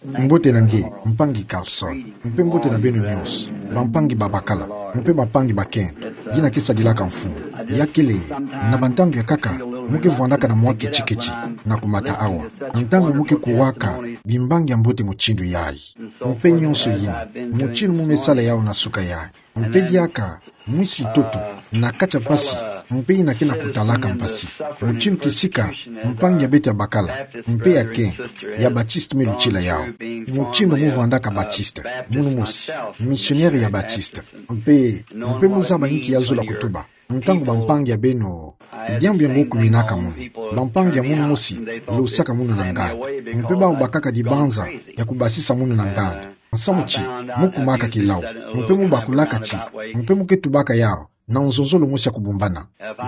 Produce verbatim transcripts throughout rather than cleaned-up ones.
Mbote na nge, mpangi Carlson, mpe mbote na beno nyonso, bampangi babakala, mpe bampangi bakento, yina ke sadilaka mfumu. Ya kele, na bantangu ya kaka, mu ke vwandaka na mwa ketiketi, na kumata awa. Ntangu mu ke kuwaka, bimbangi ya mbote mutindu yayi. Mpe nyonso yina, mutindu mu me sala yawu na suka yayi. Mpe diaka, mwisi ntoto, na kati ya mpasi, mpe yina ke na kutalaka mpasi. Mutindu kisika, mpangi ya beto ya bakala, mpe ya kento, ya Baptiste me lutila yawu. Mutindu mu vwandaka Baptiste, munu mosi, misionere ya Baptiste. Mpe, mpe mu zaba inki ya zola kutuba. Ntangu bampangi ya beno, diambu yango kuminaka munu. Bampangi ya munu mosi, losaka munu na nganda. Mpe bawu bakaka dibanza, ya kubasisa munu na nganda. Nsamu ti, mu kumaka kilau, mpe mu bakulaka ti, mpe mu ke tubaka yawu, na nzonzolo mosi ya kubumbana.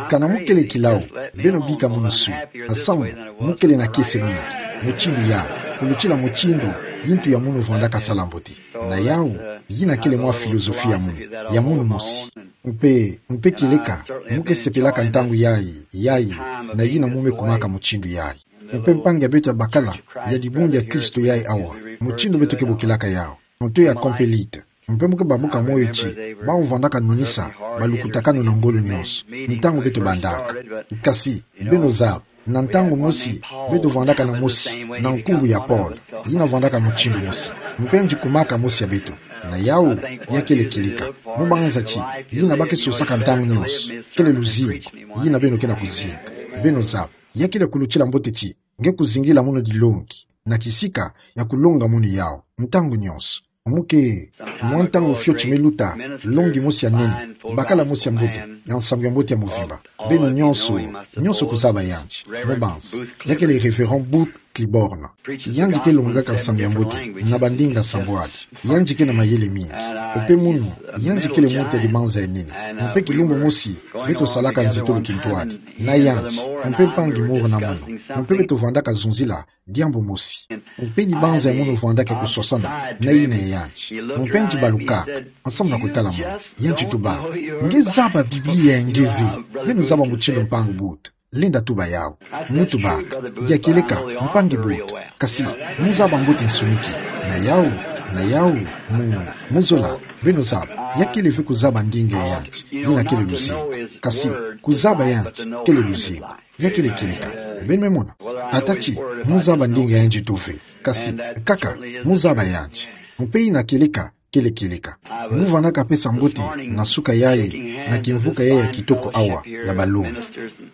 Kana mu kele kilau, beno bika munu swi, nsamu, mu kele na kiese mingi, mutindu yayi, kulutila mutindu, yintu ya munu vwandaka sala mbote. Na yawu, yina kele mwa filozofi ya munu, ya munu mosi. Mpe, mpe kieleka, mu ke sepelaka ntangu yayi, yayi, na yina mu me kumaka mutindu yayi. Mpe mpangi ya beto ya bakala, ya dibundu ya Kristo yayi awa. Mutindu beto ke bokilaka yawu. Nto ya Compelite. Mpe mu ke bambuka moyo ti, bawu vwandaka nonisa, balukutakanu na ngolo nyonso. Ntangu beto bandaka. Kasi, beno zaba, na ntangu mosi, beto vwandaka na mosi, na nkumbu ya Paul. Yina vwandaka mutindu mosi. Mpe yandi kumaka mosi ya beto. Na yawu, ya kele kieleka. Mu banza ti, yina ba ke sosaka ntangu nyonso. Kele luzingu. Yina beno ke na kuzinga. Beno zaba. Ya kele kulutila mbote ti, nge kuzingila munu dilongi, na kisika, ya kulonga munu yawu, ntangu nyonso. Mu ke, mwa ntangu fioti me luta, longi mosi ya nene, bakala mosi ya mbote, ya nsangu ya mbote ya mvimba. Beno nyonso, nyonso kuzaba yandi, mu banza. Ya kele Révérend Booth Clibborn. Yandi ke longaka nsangu ya mbote, na bandinga sambwadi. Yandi ke na mayele mingi. Mpe munu, yandi kele muntu ya dibanza ya nene. Mpe kilumbu mosi, beto salaka nzitulu kintwadi. Na yandi, mpe mpangi Moore na munu. Mpe beto vwandaka zonzila, diambu mosi. Mpe dibanza ya munu vwandaka kusosana, na yina ya yandi. Mpe yandi balukaka, nsamu na kutala munu. Yandi tubaka. Nge zaba Biblia ya nge ve. Beno zaba mutindu mpangi Booth. Lenda tuba yawu. Mu tubaka. Ya kieleka, mpangi Booth. Kasi, mu zaba mbote nsoni ki. Na yawu, na yawu, mu, mu zola. Beno zaba. Ya kele ve kuzaba ndinga ya yandi. Yina kele luzingu. Kasi, kuzaba yandi, kele luzingu. Ya kele kieleka. Beno me mona. Ata ti, mu zaba ndinga ya yandi to ve. Kasi, kaka, mu zaba yandi. Mpe yina kieleka, kele kieleka. Mu vwandaka pesa mbote, na suka yayi, na kimvuka yayi ya kitoko awa, ya balongi.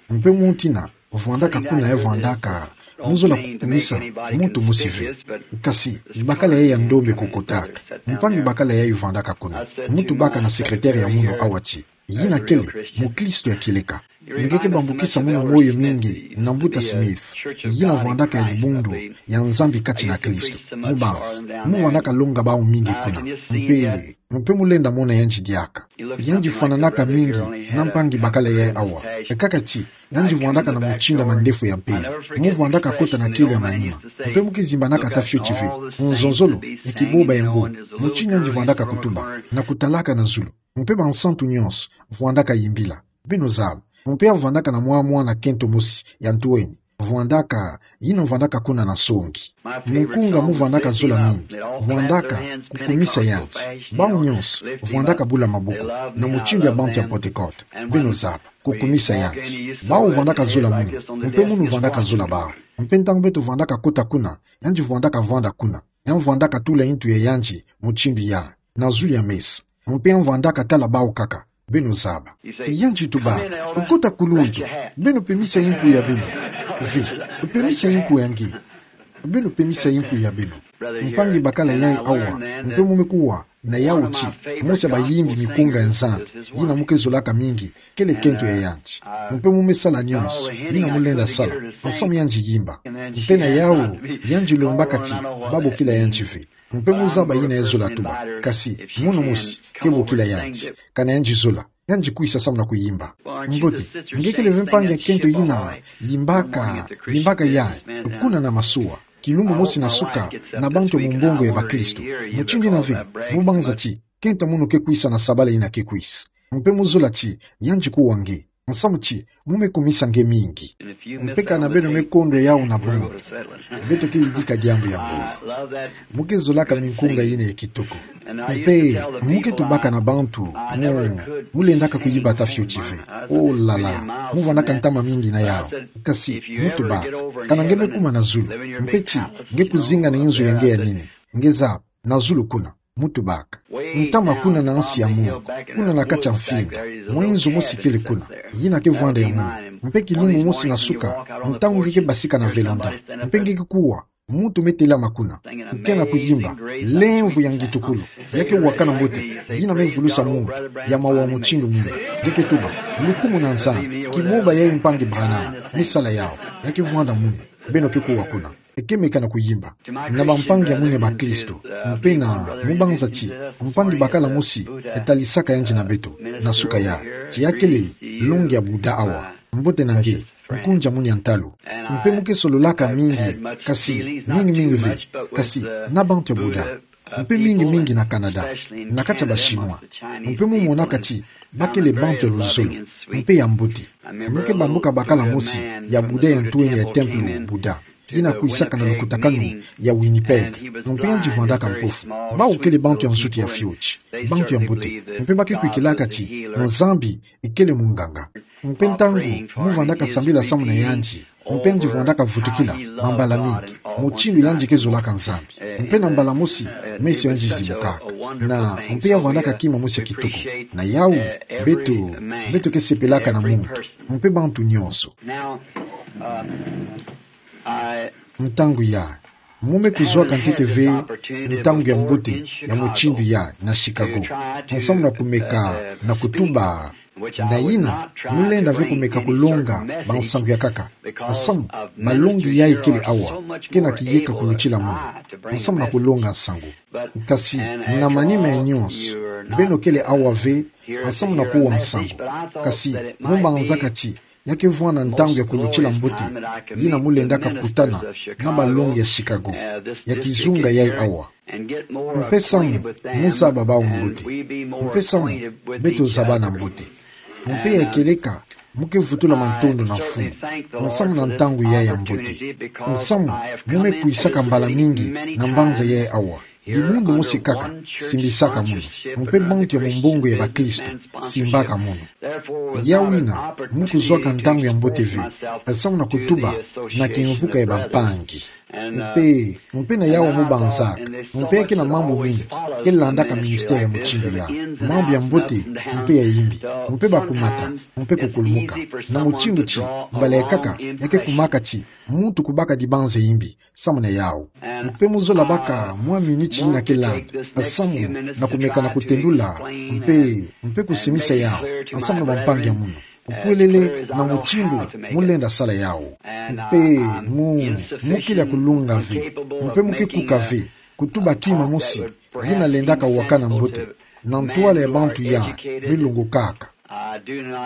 Mpe muntu yina, vwandaka kuna ya vwandaka, mu zola kukumisa, muntu mosi ve. Kasi, bakala yayi ya ndombe kukotaka. Mpangi bakala yayi vwandaka kuna. Mu tubaka na secrétaire ya munu awa ti. Yina kele, mukristo ya kieleka. Nge ke bambukisa munu moyo mingi, na mbuta Smith. Yina vwandaka ya dibundu, ya Nzambi kati na Kristo. Mu banza, mu vwandaka longa bawu mingi kuna. Mpe, mpe mu lenda mona yandi diaka. Yandi fwananaka mingi, na mpangi bakala yayi awa. Kaka ti, yandi vwandaka na mutindu ya mandefu ya mpembe. Mu vwandaka kota na kielo ya manima. Mpe mu ke zimbanaka ata fioti ve. Nzonzolo, ya kiboba yango. Mutindu yandi vwandaka kutuba. Na kutalaka na zulu. Mpe bansantu nyonso, vwandaka yimbila. Beno zaba. Mpe ya vwandaka na mwa mwana kento mosi, ya ntwenya. Vwandaka, yina vwandaka kuna na songi. Mukunga mu vwandaka zola mingi. Vwandaka, kukumisa yandi. Bawu nyonso, vwandaka bula maboko. Na mutindu ya bantu ya Pentecôte. Beno zaba. Kukumisa yandi. Bawu vwandaka zola munu. Mpe munu vwandaka zola bawu. Mpe ntangu beto vwandaka kota kuna. Yandi vwandaka vwanda kuna. Ya vwandaka tula yintu ya yandi, mutindu ya. Na zulu ya meso. Mpe ya vwandaka tala bawu kaka. Beno zaba. Yandi tuba, kota kuluntu, beno pemisa yimpu ya beno. Ve, pemisa yimpu ya nge. Beno pemisa yimpu ya beno. Mpangi bakala yayi awa, mpe mu me kuwa, na yawu ti, mosi ya bayimbi mikunga ya Nzambi, yina mu ke zolaka mingi, kele kento ya yandi. Mpe mu me sala nyonso, yina mu lenda sala, nsamu yandi yimba. Mpe na yawu, yandi lombaka ti, ba bokila yandi ve. Mpe mu zaba yina ya zola tuba. Kasi, munu mosi, ke bokila yandi. Kana yandi zola. Yandi kwisa samu na kuyimba. Mbote, nge kele ve mpangi ya kento yina, yimbaka, yimbaka yayi, kuna na masuwa. Kilumbu mosi na suka, na bantu ya mumbongo ya bakristu. Mutindu yina ve, mu banza ti, kento munu ke kwisa na sabala yina ke kwisa. Mpe mu zola ti, yandi kuwa nge. Nsamu ti, mu me kumisa nge mingi. Mpe kana beno me kondwa yawu na bungu, beto ke yidika diambu ya mbongi. Mu ke zolaka minkunga yina ya kitoko. Mpe mu ke tubaka na bantu mu, mu lendaka kuyibata fioti ve. Oh là là, mu vandaka ntama mingi na yawu. Kasi mu tubaka, kana nge me kuma na zulu, mpe ti nge kuzinga na inzo ya nge ya nini, nge zaba, na zulu kuna, mu tubaka. Ntama kuna na nsi ya mongo, kuna na kati ya mfinda, mwa inzo mosi kele kuna, yina ke vwanda ya munu. Mpe kilumbu mosi na suka, ntangu nge ke basika na velanda, mpe nge ke kuwa, muntu me telama kuna, nge na kuyimba, lemvo ya ngitukulu, ya ke wakana mbote, yina me vulusa muntu ya mawa mutindu munu. Nge ke tuba, lukumu na Nzambi, kiboba ya mpangi Branham me sala yawu, ya ke vwanda munu. Beno ke kuwa kuna, e ke meka na kuyimba na bampangi ya munu ya bakristo. Mpe na mu banza ti mpangi bakala mosi e talisaka yandi na beto na suka ya, ti ya kele longi ya Bouddha awa, mbote na nge, nkunzi ya munu ya ntalu. Mpe mu ke sololaka mingi, kasi mingi mingi ve, kasi na bantu ya Bouddha. Mpe mingi mingi na Canada, na kati ya ba Chinois. Mpe mu monaka ti ba kele bantu ya luzolo, mpe ya mbote. Mu ke bamboka bakala mosi ya Bouddha ya ntwenya ya templo Bouddha, yina kwisaka na lukutakanu ya Winnipeg. Mpe yandi vwandaka mpofu. Bawu kele bantu ya nsuki ya fioti, bantu ya mbote. Mpe ba ke kwikilaka ti Nzambi kele munganga. Mpe ntangu mu vandaka sambila samu na yandi, mpe yandi vwandaka vutukila mambala mingi, mutindu yandi ke zolaka Nzambi. Mpe na mbala mosi, meso yandi zibukaka. Na mpe ya vwandaka kima mosi ya kitoko. Na yawu, beto, beto ke sepelaka na muntu, mpe bantu nyonso. Ntangu ya, mu me kuzwaka ntete ve ntangu ya mbote ya mutindu ya na Chicago, nsamu na kumeka na kutuba. Na yina, mu lenda ve kumeka kulonga bansangu ya nkaka. Nsamu, malongi yayi kele awa, ke na kiyeka kulutila munu, nsamu na kulonga nsangu. Kasi, na manima ya nyonso, beno kele awa ve, nsamu na kuwa nsangu. Kasi, mu banzaka ti ya ke vwanda ntangu ya kulutila mbote, yina mu lendaka kutana na balongi ya Chicago, ya kizunga yayi awa. Mpe samu mu zaba bawu mbote. Mpe samu beto zabana mbote. Mpe ya kieleka, mu ke vutula matondo na Mfumu, nsamu na ntangu yayi ya mbote. Nsamu, mu me kwisaka mbala mingi na mbanza yayi awa. Dibundu mosi kaka simbisaka munu, mpe bantu ya mumbongo ya bakristo simbaka munu. Yawu yina, mu kuzwaka ntangu ya mbote ve, nsamu na kutuba na kimvuka ya bampangi. Mpe, mpe na yawu mu banzaka, mpe ya ke na mambu mingi ke landaka ministère ya mutindu ya, mambu ya mbote, mpe ya yimbi, mpe bakumata, mpe kukulumuka. Na mutindu ti, mbala ya nkaka, ya ke kumaka ti muntu kubaka dibanza yimbi, samu na yawu. Mpe mu zola baka mwa miniti yina ke landa, samu na kumeka na kutendula, mpe, mpe kusimisa yawu, samu na bampangi ya munu. Upwelele na mutindu mu lenda sala yawu. Mpe mu, mu kele ya kulunga ve, mpe mu ke kuka ve kutuba kima mosi yina lendaka wakana mbote, na ntwala ya bantu ya milungukaka.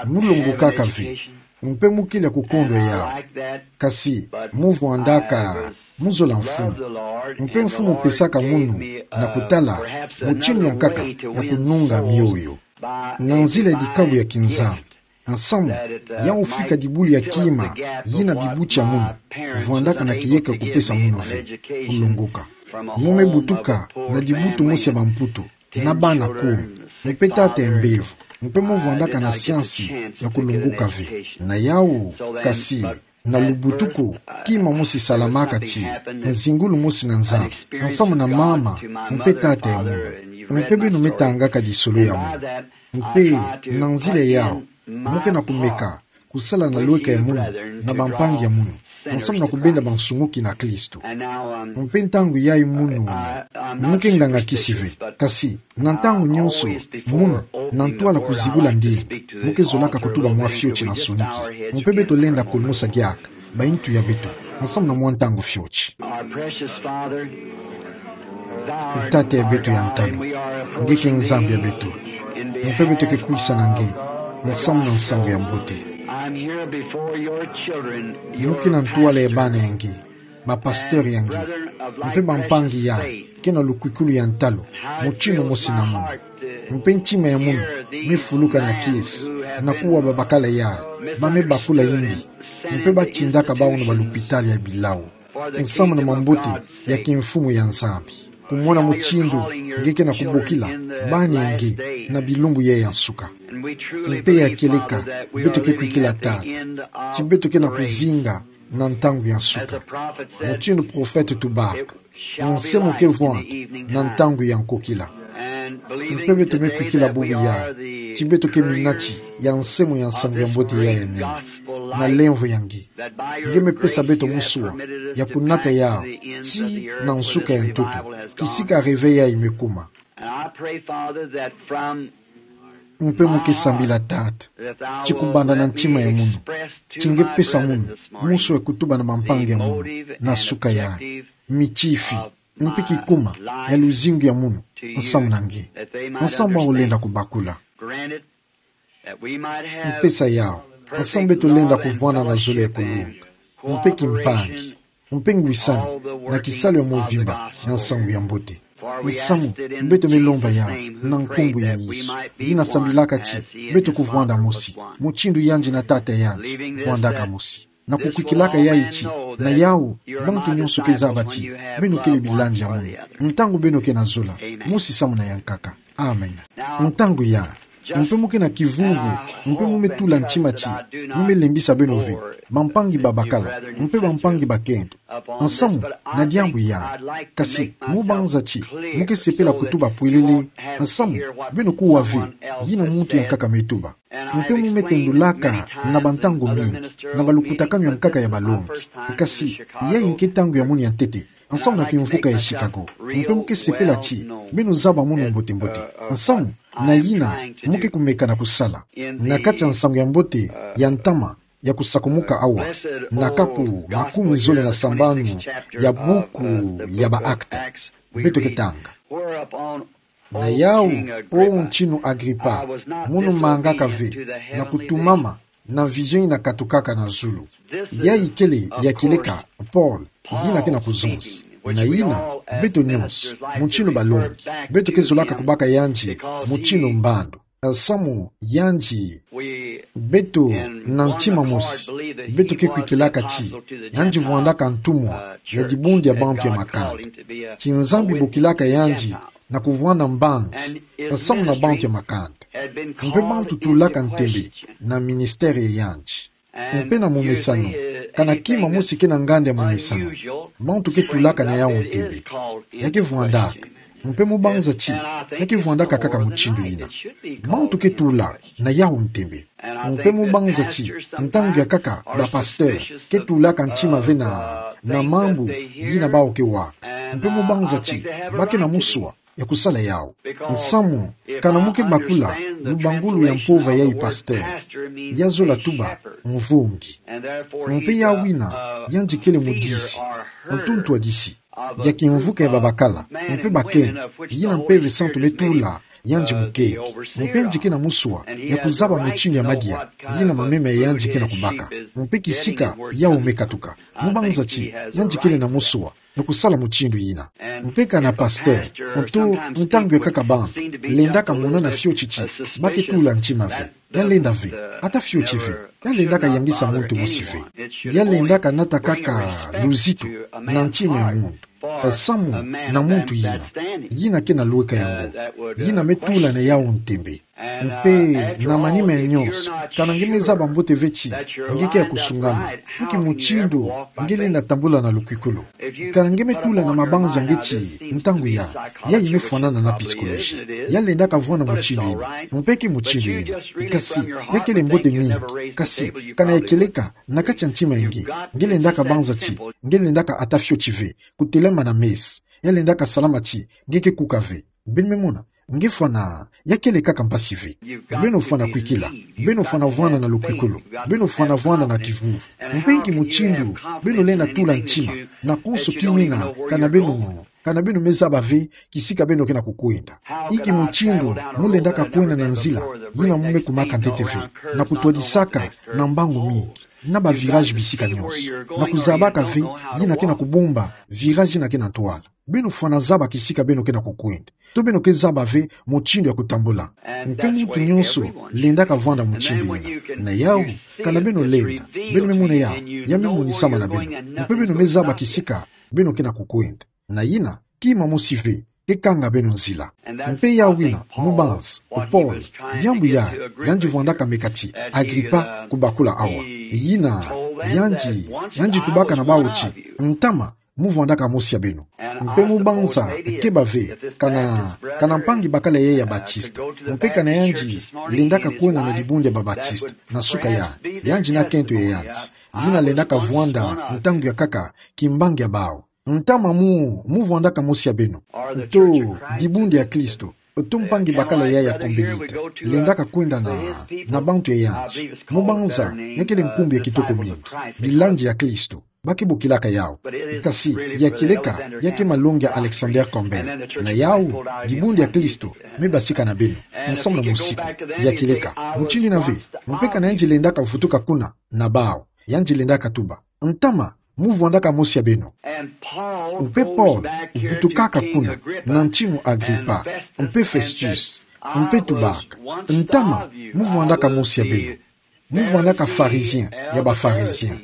Mu lungukaka ve, mpe mu kele ya kukondwa yawu. Kasi mu vwandaka, mu zola Mfumu. Mpe Mfumu pesaka munu na kutala mutindu ya nkaka ya kununga mioyo na nzila ya dikabu ya kinzambi. Nsamu, yawu fika dibulu ya kima yina bibuti ya munu vwandaka na kiyeka kupesa munu ve, kulunguka. Mu me butuka na dibutu mosi ya bamputu, na bana kumi, mpe tata ya mbevo, mpe mu vwandaka na siansi ya kulunguka ve. Na yawu, kasi, na lubutuku, kima mosi salamaka ti nzingulu mosi na Nzambi, nsamu na mama mpe tata ya munu. Mpe beno me tangaka lisolo ya munu. Mpe na nzila yawu, mu ke na kumeka kusala na lweka ya munu, na bampangi ya munu, nsamu na kubenda bansunguki na Kristo. Mpe ntangu yayi munu, mu ke nganga-kisi ve, kasi na ntangu nyonso, munu, na ntwala kuzibula ndinga, mu ke zolaka kutuba mwa fioti na nsoniki. Mpe beto lenda kulumusa diaka baintu ya beto, nsamu na mwa ntangu fioti. Our precious Father, Thou art Tata ya beto ya ntalu, nge ke Nzambi ya beto, mpe beto ke kwisa na nge, nsamu na nsangu ya mbote. I'm here before your children, your precious children. Mu ke na ntwala ya bana ya nge, bapasteur ya nge, mpe bampangi yai ke na lukwikulu ya ntalu, mutindu mosi na munu. Mpe ntima ya munu mefuluka na kiese, na kuwa babakala yai, ba mebakula imbi, mpe batindaka bawu na balupitalo ya bilau. Nsamu na mambote ya kimfumu ya Nzambi. Kumona mutindu nge ke na kubokila bani ya nge na bilumbu yai ya nsuka. Mpe ya kieleka, beto ke kwikila tata ti beto ke na kuzinga na ntangu ya nsuka. Mutindu profete tubaka, nse mo ke vwanda na ntangu ya nkokila. Mpe beto me kwikila bubu yai, ti beto ke minati ya nsemu'ya Nsangu ya Mbote yai ya nene, na lemvo ya nge. Nge me pesa beto musua ya kunata yawu, ti na nsuka ya ntoto, kisika réveil yai me kuma. And I pray, Father, that from Mpe mo ke sambila tata, ti kubanda na ntima ya munu, ti nge pesa munu musua ya kutuba na bampangi ya munu na nsuka yai, mitifi, mpe kikuma ya luzingu ya munu nsamu na nge, nsamu bawu lenda kubakula. Mpesa yawu, nsamu beto lenda kuvwanda na zolo ya kulunga, mpe kimpangi, mpe ngwisani na kisalu ya mvimba ya Nsangu ya Mbote. Nsamu beto me lomba yawu na nkumbu ya Yesu, yina sambilaka ti beto kuvwanda mosi, mutindu yandi na tata yandi vwandaka mosi, na kukwikilaka yayi ti na yawu bantu nyonso ke zaba ti beno kele bilandi ya munu, ntangu beno ke na zola, mosi samu na yankaka. Amen. Ntangu yai, mpe mo ke na kivuvu, mpe mo me tula ntima ti mo me lembisa beno ve, bampangi babakala mpe bampangi bakento, nsamu na diambu yai. Kasi mo banza ti mo ke sepela kutuba pwelele nsamu beno kuwa ve yina muntu ya nkaka me tuba. Mpe mo me tendulaka na bantangu mingi na balukutakanu ya nkaka ya balongi. Kasi yayi nge ntangu ya munu ya ntete, nsamu na kimvuka ya Chicago. Mpe mo ke sepela ti beno zaba munu mbote-mbote nsamu na yina mo ke kumeka na kusala na kati ya Nsangu ya Mbote ya ntama ya kusakumuka awa, na kapu makumi zole na sambanu ya buku ya ba Actes. Beto ke tanga: Na yawu, O ntinu Agripa, munu mangaka ve na kutumama na vision yina katukaka na zulu. Yayi kele ya kieleka Paul yina ke na kuzonza. Na yina, beto nyonso, mutindu balongi, beto ke zolaka kubaka yandi mutindu mbandu. Nsamu yandi, beto na ntima mosi, beto ke kwikilaka ti yandi vwandaka ntumwa ya dibundu ya bantu ya makanda, ti Nzambi bokilaka yandi na kuvwanda mbangi nsamu na bantu ya makanda. Mpe bantu tulaka ntembe na ministère ya yandi. Mpe na momesano, kana kima mosi ke na nganda ya momesano, bantu ke tulaka na yawu ntembe. Ya ke vwandaka. Mpe mo banza ti ya ke vwandaka kaka mutindu yina. Bantu ke tula na yawu ntembe. Mpe mo banza ti ntangu ya nkaka bapasteur ke tulaka ntima ve na, na mambu yina bawu ke waka. Mpe mo banza ti ba ke na musua ya kusala yawu. Nsamu, kana mo ke bakula lubangulu ya mpova yayi pasteur, ya zola tuba mvungi. Mpe yawu yina yandi kele mudisi, ntu ntwadisi ya kimvuka ya babakala mpe bakento, yina Mpeve Santu me tula yandi mukento. Mpe yandi ke na musua ya kuzaba mutindu ya madia yina mameme ya yandi ke na kubaka, mpe kisika yawu me katuka. Mo banza ti yandi kele na musua ya kusala mutindu yina. Mpe kana pasteur, ntu ntangu ya nkaka bantu lendaka monana fioti ti ba ke tula ntima ve. Ya lenda ve, ata fioti ve. Ya lendaka yangisa muntu mosi ve. Ya lendaka nata kaka luzitu na ntima ya muntu. Nsamu na muntu yina, yina ke na lweka yango, yina me tula na yawu ntembe. Mpe na manima ya nyonso, kana nge me zaba mbote ve ti nge ke ya kusungama, inki mutindu nge lenda tambula na lukwikulu? Kana nge me tula na mabanza nge ti ntangu yai, yayi me fwanana na psychologie. Ya lendaka vwanda mutindu yina, mpe ke mutindu yina. Kasi ya kele mbote mingi. Kasi kana ya kieleka na kati ya ntima ya nge, nge lendaka banza ti nge lendaka ata fioti ve kutelama na messe. Ya lendaka salama ti nge ke kuka ve. Beno me mona, nge fwana, ya kele kaka mpasi ve. Beno fwana kwikila, beno fwana vwanda na lukwikulu, beno fwana vwanda na kivuvu. Mpe inki mutindu beno lenda tula ntima na konso kimina, kana beno, kana beno me zaba ve kisika beno ke na kukwenda? Inki mutindu mo lendaka kwenda na nzila yina mo me kumaka ntete ve, na kutwadisaka na mbangu mingi? na ba virage bisika nyonso. Na kuzabaka ve yina ke na kubumba virage yina ke na ntwala. Beno fwana zaba kisika beno ke na kukwenda. To beno ke zaba ve mutindu ya kutambula. Mpe muntu nyonso lendaka vwanda mutindu yina. Na yawu, kana beno lenda, beno me mona yawu, ya me monisama na beno. Mpe beno me zaba kisika beno ke na kukwenda. Na yina, kima mosi ve ke kanga beno nzila. Mpe yawu yina, mubanza, Paul, diambu ya, yandi vwandaka meka ti Agripa kubakula awa. Yina, yandi, yandi tubaka na bawu ti, ntama, mu vwandaka mosi ya beno. Mpe mubanza, keba ve, kana, kana mpangi bakala yaya Batista. Mpe kana yandi, lendaka kwenda na dibundu ya ba Batista, na suka ya, yandi na kento ya yandi. Yina lendaka vwanda, ntangu ya nkaka, kimbangi ya bawu. Ntama mu, mu vwandaka mosi ya beno. To, dibundu ya Kristo. To mpangi bakala yaya Kombelita. Lendaka kwenda na, na bantu ya yandi. Mubanza, ya kele nkumbu ya kitoko mingi. Bilandi ya Kristo. Ba ke bokilaka yawu. Kasi, ya kieleka, ya ke malongi ya Alexander Campbell. Na yawu, dibundu ya Kristo, me basika na beno. Nsamu na musiku, ya kieleka. Mutindu yina ve, mpe kana yandi lendaka vutuka kuna, na bawu. Yandi lendaka tuba. Ntama, mu vwandaka mosi ya beno. Mpe Paul, vutukaka kuna, na ntinu Agripa, mpe Festus, mpe tubaka. Ntama, mu vwandaka mosi ya beno. Mu vwandaka Pharisien, ya ba Pharisien.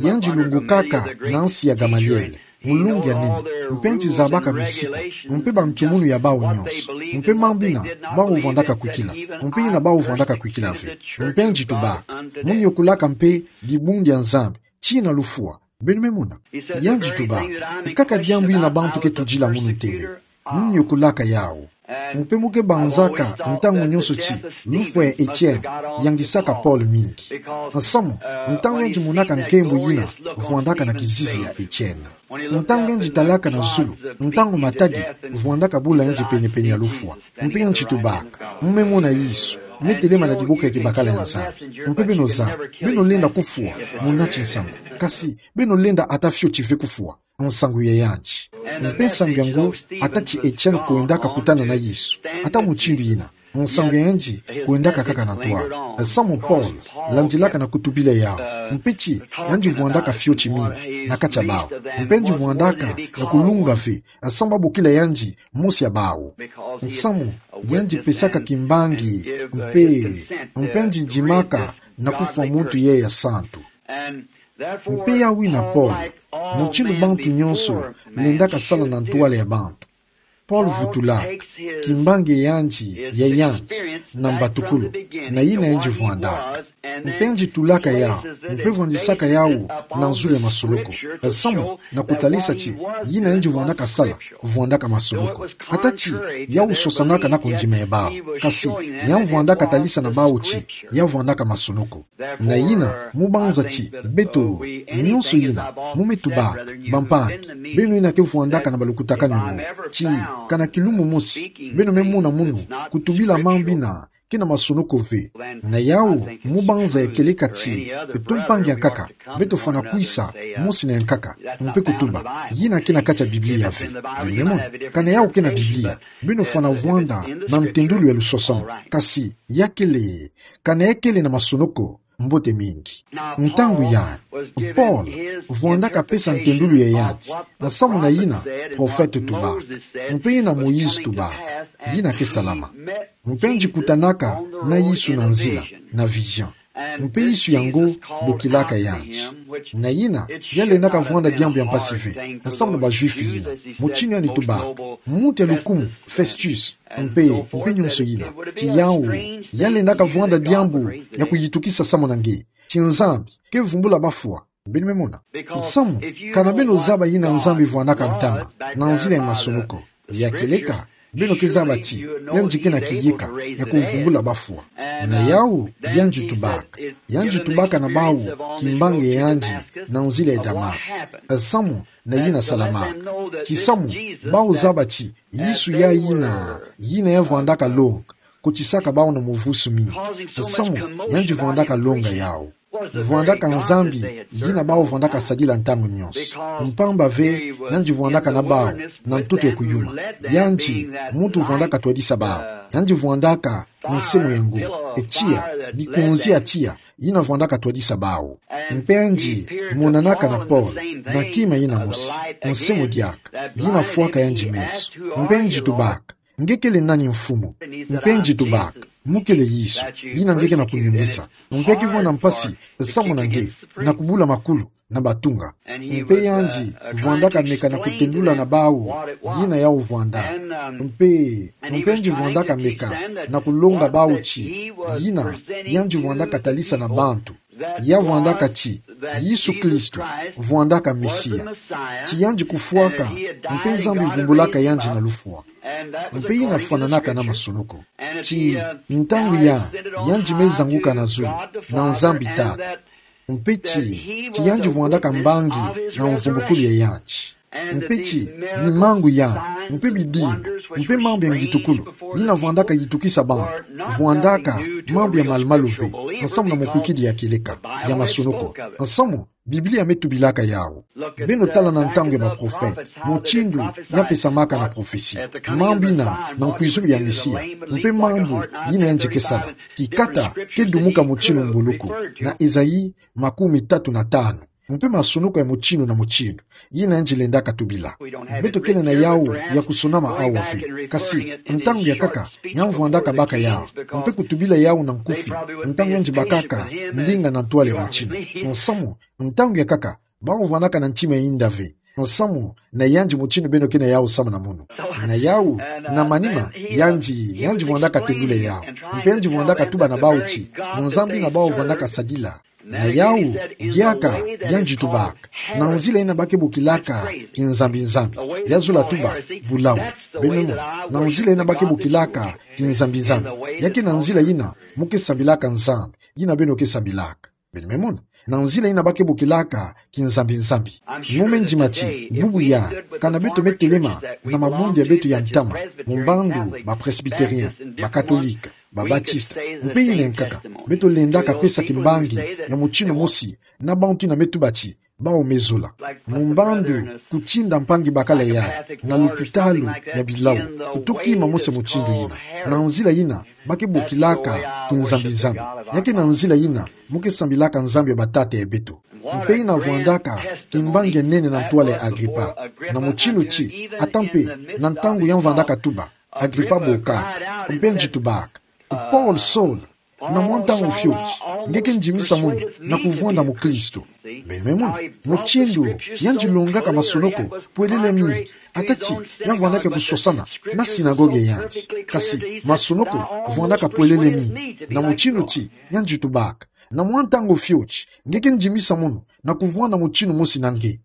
Yandi lungukaka, na nsi ya Gamaliel. Mulungi ya nene, mpe yandi zabaka misiku, mpe ba ntumunu ya bawu nyonso, mpe mambu yina, bawu vwandaka kwikila, mpe yina bawu vwandaka kwikila ve, mpe yandi tubaka, mu niokolaka mpe, dibundu ya Nzambi, tina lufwa, beno me mona. Yandi tubaka, nkaka diambu yina bantu ke tudila munu ntembe, mu niokolaka yawu. Mpe mu ke banzaka, ntangu nyonso ti, lufwa ya Etienne, yangisaka Paul mingi. Nsamu, ntangu yandi monaka nkembo yina, vwandaka na kizizi ya Etienne. Ntangu yandi talaka na zulu, ntangu matadi, vwandaka bula yandi pene-pene ya lufwa. Mpe yandi tubaka, mu me mona Yesu, me telema na diboka ya kibakala ya Nzambi. Mpe beno zaba, beno lenda kufwa, muna ti nsangu. Kasi, beno lenda ata fioti ve kufwa. Nsangu ya yandi. Mpe nsangu yango, ata ti Etienne kwendaka kutana na Yesu. Ata mutindu yina. Nsangu ya yandi, kwendaka kaka na ntwala. Nsamu Paul, landilaka na kutubila yawu. Mpe ti, yandi vwandaka fioti mingi, na kati ya bawu. Mpe yandi vwandaka, ya kulunga ve, nsamu babokila yandi, mosi ya bawu. Nsamu, yandi pesaka kimbangi, mpe, mpe yandi ndimaka, na kufwa muntu yeye ya santu. Mpe yawu yina Paul, mutindu bantu nyonso, lendaka sala na ntwala ya bantu. Paul vutulaka, kimbangi ya yandi, ya yandi, na mbatukulu, na yina yandi vwandaka. Mpe yandi tulaka yawu, mpe vwandisaka yawu, na nzulu ya masonoko. Nsamu, na kutalisa ti, yina yandi vwandaka sala, vwandaka masonoko. Ata ti, yawu sosanaka na kundima ya bawu. Kasi, ya vwandaka talisa na bawu ti, ya vwandaka masonoko. Na yina, mu banza ti, beto, nyonso yina, mu me tubaka, bampangi, beno yina ke vwandaka na balukutakanu mo, ti, kana kilumbu mosi, beno me mona munu, kutubila mambu yina, ke na masonoko ve. Na yawu, mu banza ya kieleka ti, to mpangi ya nkaka, beto fwana kwisa, mosi na ya nkaka, mpe kutuba, yina ke na kati ya Biblia ve. Beno me mona, kana yawu ke na Biblia, beno fwana vwanda, na ntendulu ya lusosano, kasi, ya kele, kana ya kele na masonoko, mbote mingi. Ntangu ya, Paul, vwandaka pesa ntendulu ya yandi, nsamu na yina, prophète tubaka, mpe yina Moïse tubaka, yina ke salama. Mpe yandi kutanaka, na Yesu na nzila, na vision. Mpe Yesu yango, bokilaka yandi. Na yina, ya lendaka vwanda diambu ya mpasi ve, nsamu na ba Juifs yina. Mutindu yandi tubaka, muntu ya lukumu, Festus, mpe, mpe nyonso yina. Ti yawu, ya lendaka vwanda diambu, ya kuyitukisa samu na nge. Ti Nzambi, ke vumbula bafwa. Beno me mona. Nsamu, kana beno zaba yina Nzambi vwandaka ntama, na nzila ya masonoko. Ya kieleka, beno ke zaba ti, yandi ke na kiyeka, ya kuvumbula bafwa. Na yawu, yandi tubaka. Yandi tubaka na bawu, kimbangi ya yandi, na nzila ya Damas. Nsamu, na yina salamaka. Ti samu, bawu zaba ti, Yesu ya yina, yina ya vwandaka longa, kotisaka bawu na muvusu mingi. Nsamu, yandi vwandaka longa yawu. Vwandaka Nzambi, yina bawu vwandaka sadila ntangu nyonso. Mpamba ve, yandi vwandaka na bawu, na ntoto ya kuyuma. Yandi, muntu vwandaka twadisa bawu. Yandi vwandaka, nse mu yango, e tiya, bikonzi ya tiya, yina vwandaka twadisa bawu. Mpe yandi, monanaka na pole, na kima yina mosi, nse mu diaka, yina fwaka yandi meso. Mpe yandi tubaka, nge kele nani Mfumu? Mpe yandi tubaka, mu kele Yesu, yina nge ke na kunyungisa. Mpe ke vwanda mpasi, samu na nge, na kubula makulu, na batunga. Mpe yandi, vwandaka meka na kutendula na bawu, yina yawu vwanda. Mpe, mpe yandi vwandaka meka, na kulonga bawu ti, yina, yandi vwandaka talisa na bantu. Ya vwandaka ti, Yesu Kristo, vwandaka Mesiya. Ti yandi kufwaka, mpe Nzambi vumbulaka yandi na lufwa. Mpe yina fwananaka na masonoko. Ti, ntangu ya, yandi me zanguka na zulu, na Nzambi Tata. Mpe ti, ti yandi vwandaka mbangi ya mvumbukulu ya yandi. Mpe ti, bimangu ya, mpe bidimbu, mpe mambu ya ngitukulu, yina vwandaka yitukisa bantu, vwandaka mambu ya malumalu ve, nsamu na mukwikidi ya kieleka, ya masonoko, nsamu, Biblia me tubilaka yawu. Beno tala na ntangu ya baprofete, mutindu ya pesamaka na profesi. Mambu yina na nkwizulu ya Mesiya, mpe mambu yina yandi ke sala. Kikata ke dumuka mutinu mbuluku, na Esaïe makumi tatu na tanu. Mpe masonoko ya mutinu na mutinu, yina yandi lendaka tubila. Beto kele na yawu ya kusonama awa ve. Kasi, ntangu ya nkaka, ya vwandaka baka yawu. Mpe kutubila yawu na nkufi, ntangu yandi bakaka, ndinga na ntwala ya bantinu. Nsamu, ntangu ya nkaka, bawu vwandaka na ntima ya inda ve. Nsamu, na yandi mutinu beno ke na yawu samu na munu. Na yawu, na manima, yandi, yandi vwandaka tendula yawu. Mpe yandi vwandaka tuba na bawu ti, Nzambi yina bawu vwandaka sadila. Na yawu, diaka, yandi tubaka. Na nzila yina ba ke bokilaka, kinzambi-nzambi. Ya zola tuba, bulawu. Beno mona, na nzila yina ba ke bokilaka, kinzambi-nzambi. Ya ke na nzila yina, mu ke sambilaka Nzambi. Yina beno ke sambilaka. Beno me mona. Na nzila yina ba ke bokilaka, kinzambi-nzambi. Mu me ndima ti, bubu ya, kana beto me telema, na mabundu ya beto ya ntama, mu mbandu, ba Presbytérien, ba Catholique, ba Baptiste, mpe yina ya nkaka, beto lendaka pesa kimbangi, ya mutinu mosi, na bantu yina me tuba ti, bawu me zola. Mu mbandu, kutinda mpangi bakala ya, na lupitalu, ya bilawu, kutoki ma mosi mutindu yina. Na nzila yina, ba ke bokilaka, kinzambi-nzambi. Ya ke na nzila yina, mu ke sambilaka Nzambi ya batata ya beto. Mpe yina vwandaka, kimbangi ya nene na ntwala ya Agripa. Na mutinu ti, ata mpe, na ntangu ya vwandaka tuba, Agripa boka, mpe yandi tubaka. Paul, Saul, na mwa ntangu fioti, nge ke ndimisa munu, na kuvwanda mukristo. Beno me mona, mutindu, yandi longaka masonoko, pwelele mingi, ata ti, ya vwandaka kusosana, na sinagogue ya yandi. Kasi, masonoko, vwandaka pwelele mingi, na mutindu ti, yandi tubaka. Na mwa ntangu fioti, nge ke ndimisa munu, na kuvwanda mutinu mosi na nge.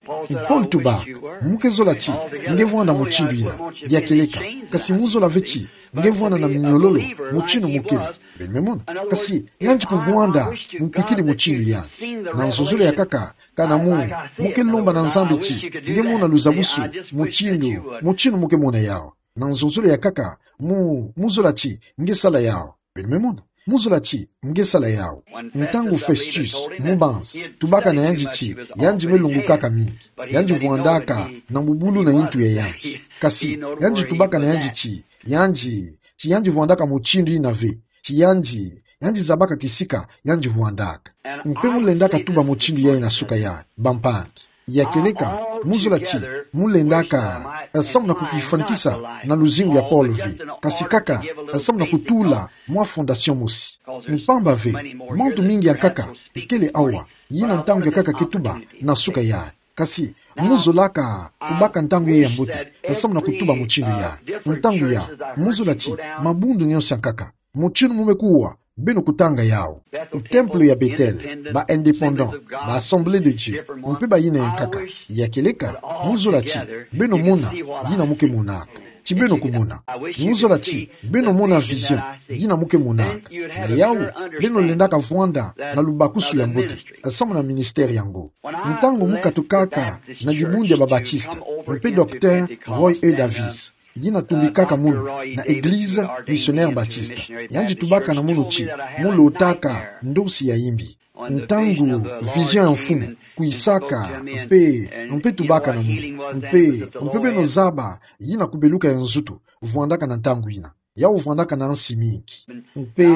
Paul tubaka, mu ke zola ti, nge vwanda mutindu yina, ya kieleka, kasi mu zola ve ti, nge vwanda na minyololo, mutinu mu kele. Beno me mona, kasi, yandi kuvwanda, mukwikidi mutindu yandi. Na nzonzolo ya nkaka, kana mu, mu ke lomba na Nzambi ti, nge mona luzabusu, mutindu, mutinu mu ke mona yawu. Na nzonzolo ya nkaka, mu, mu zola ti, nge sala yawu. Beno me mona. Mu zola ti, nge sala yawu. Ntangu Festus, mubanzi, tubaka na yandi ti, yandi me lungukaka mingi. Yandi vwandaka, na mbubulu na yintu ya yandi. Kasi, yandi tubaka na yandi ti, yandi, ti yandi vwandaka mutindu yina ve. Ti yandi, yandi zabaka kisika, yandi vwandaka. Mpe mu lendaka tuba mutindu yayi na suka ya, bampangi. Ya kieleka, mu zola ti, mu lendaka, eh, samu na kukifwanikisa na luzingu ya Paul ve, kasi kaka, eh, samu na kutula mwa fondation mosi. Mpamba ve, mantu mingi ya nkaka, ikele awa, yina ntangu ya nkaka ke tuba, na suka ya. Kasi, mu zolaka, kubaka ntangu ya mbote, eh, samu na kutuba mutindu ya. Ntangu ya, mu zola ti, mabundu nyonso ya nkaka. Mutindu mu me kuwa, beno kutanga yawu. Ku templo ya Bethel, ba indépendants, ba Assemblée de Dieu, mpe bayina ya nkaka. Ya kieleka, mu zola ti, beno mona, yina mu ke monaka. Ti beno kumona. Mu zola ti, beno mona vision, yina mu ke monaka. Na yawu, beno lendaka vwanda, na lubakusu ya mbote, samu na ministère yango. Ntangu mu katukaka, na dibundu ya ba Baptiste, mpe Docteur Roy E. Davis. Yina tumbikaka munu na Église Missionnaire Baptiste. Yandi tubaka na munu ti, mu lotaka ndosi ya imbi. Ntangu vision ya mfumu kwisaka, mpe, mpe tubaka na munu, mpe, mpe beno zaba yina kubeluka ya nzutu vwandaka na ntangu yina. Yawu vwandaka na nsi mingi. Mpe,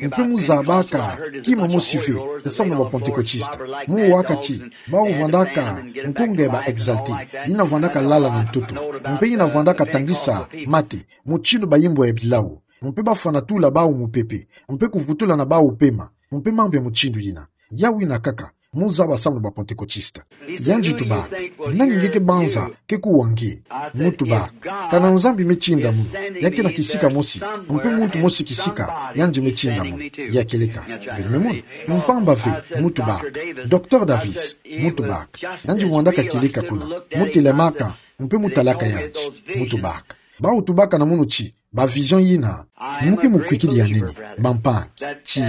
mpe muzabaka kima mosi ve, samu na ba Pentekotista. Muwaka ti, bawu vwandaka nkunga ya ba Exaltés, yina vwandaka lala na ntoto, mpe yina vwandaka tangisa mate, mutindu bayimbwa ya bilawu, mpe bafwana tula bawu mupepe, mpe kuvutula na bawu pema, mpe mambu ya mutindu yina. Yawu yina kaka muzaba samu na ba Pentekotista. Yandi tubaka: Nani nge ke banza ke kuwa nge? Mutubaka: Kana Nzambi me tinda munu, ya ke na kisika mosi, mpe muntu mosi kisika yandi me tinda munu. Ya kieleka. Beno me mona? Mpamba ve. Mutubaka: Docteur Davis. Mutubaka: Yandi vwandaka kieleka kuna. Mutelamaka, mpe mutalaka yandi. Mutubaka. Bawu tubaka na munu ti, ba vision yina, mu ke mukwikidi ya nene, bampangi, ti,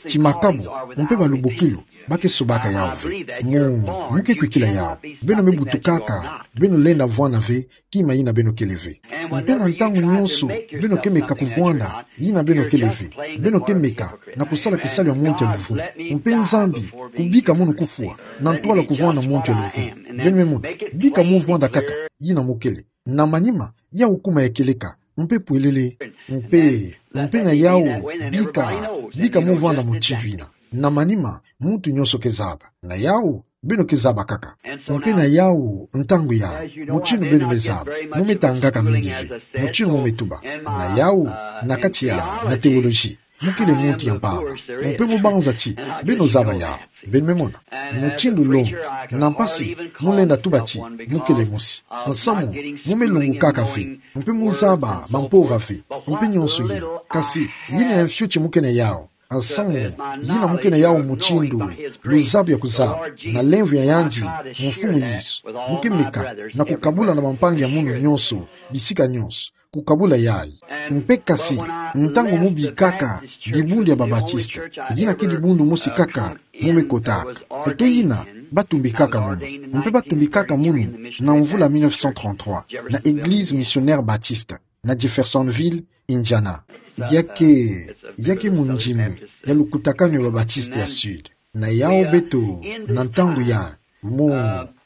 ti makabu, mpe balubukilu, ba ke sobaka yawu ve. Mu, mu ke kwikila yawu. Beno me butukaka, beno lenda vwanda ve kima yina beno kele ve. Mpe na ntangu nyonso beno ke meka kuvwanda yina beno kele ve, beno ke meka na kusala kisalu ya muntu ya luvumu. Mpe Nzambi kubika munu kufwa, na ntwala kuvwanda muntu ya luvumu. Beno me mona? Bika muvwanda kaka yina mukele. Na manima, yawu kuma ya kieleka, mpe pwelele. Mpe, mpe na yawu, bika, bika muvwanda mutindu yina. Na manima, muntu nyonso ke zaba. Na yawu, beno ke zaba kaka. Mpe na yawu, ntangu yawu, mutindu beno me zaba, mu me tangaka mingi ve, mutindu mu me tuba. Na yawu, na kati ya, na théologie, mukele muntu ya mpamba. Mpe mubanza ti, beno zaba yawu. Beno me mona? Mutindu longa, na mpasi, mulenda tuba ti, mukele mosi. Nsamu, mu me lungukaka ve, mpe muzaba mampova ve, mpe nyonso yina. Kasi, yina ya mfiote mu ke na yawu. Nsamu, yina mu ke na yawu mutindu luzabu ya kuzaba, na lemvo ya yandi, Mfumu Yesu. Mu ke meka, na kukabula na bampangi ya munu nyonso, bisika nyonso, kukabula yayi. Mpe kasi, ntangu mu bikaka dibundu ya ba Baptiste, yina ke dibundu mosi kaka mu me kotaka. Eto yina, ba tumbikaka munu. Mpe ba tumbikaka munu na mvula mille neuf cent trente-trois, na Église Missionnaire Baptiste, na Jeffersonville, Indiana. Ya ke, ya ke mundimi ya lukutakanu ya ba Baptiste ya Sud. Na yawu beto, na ntangu ya, mu,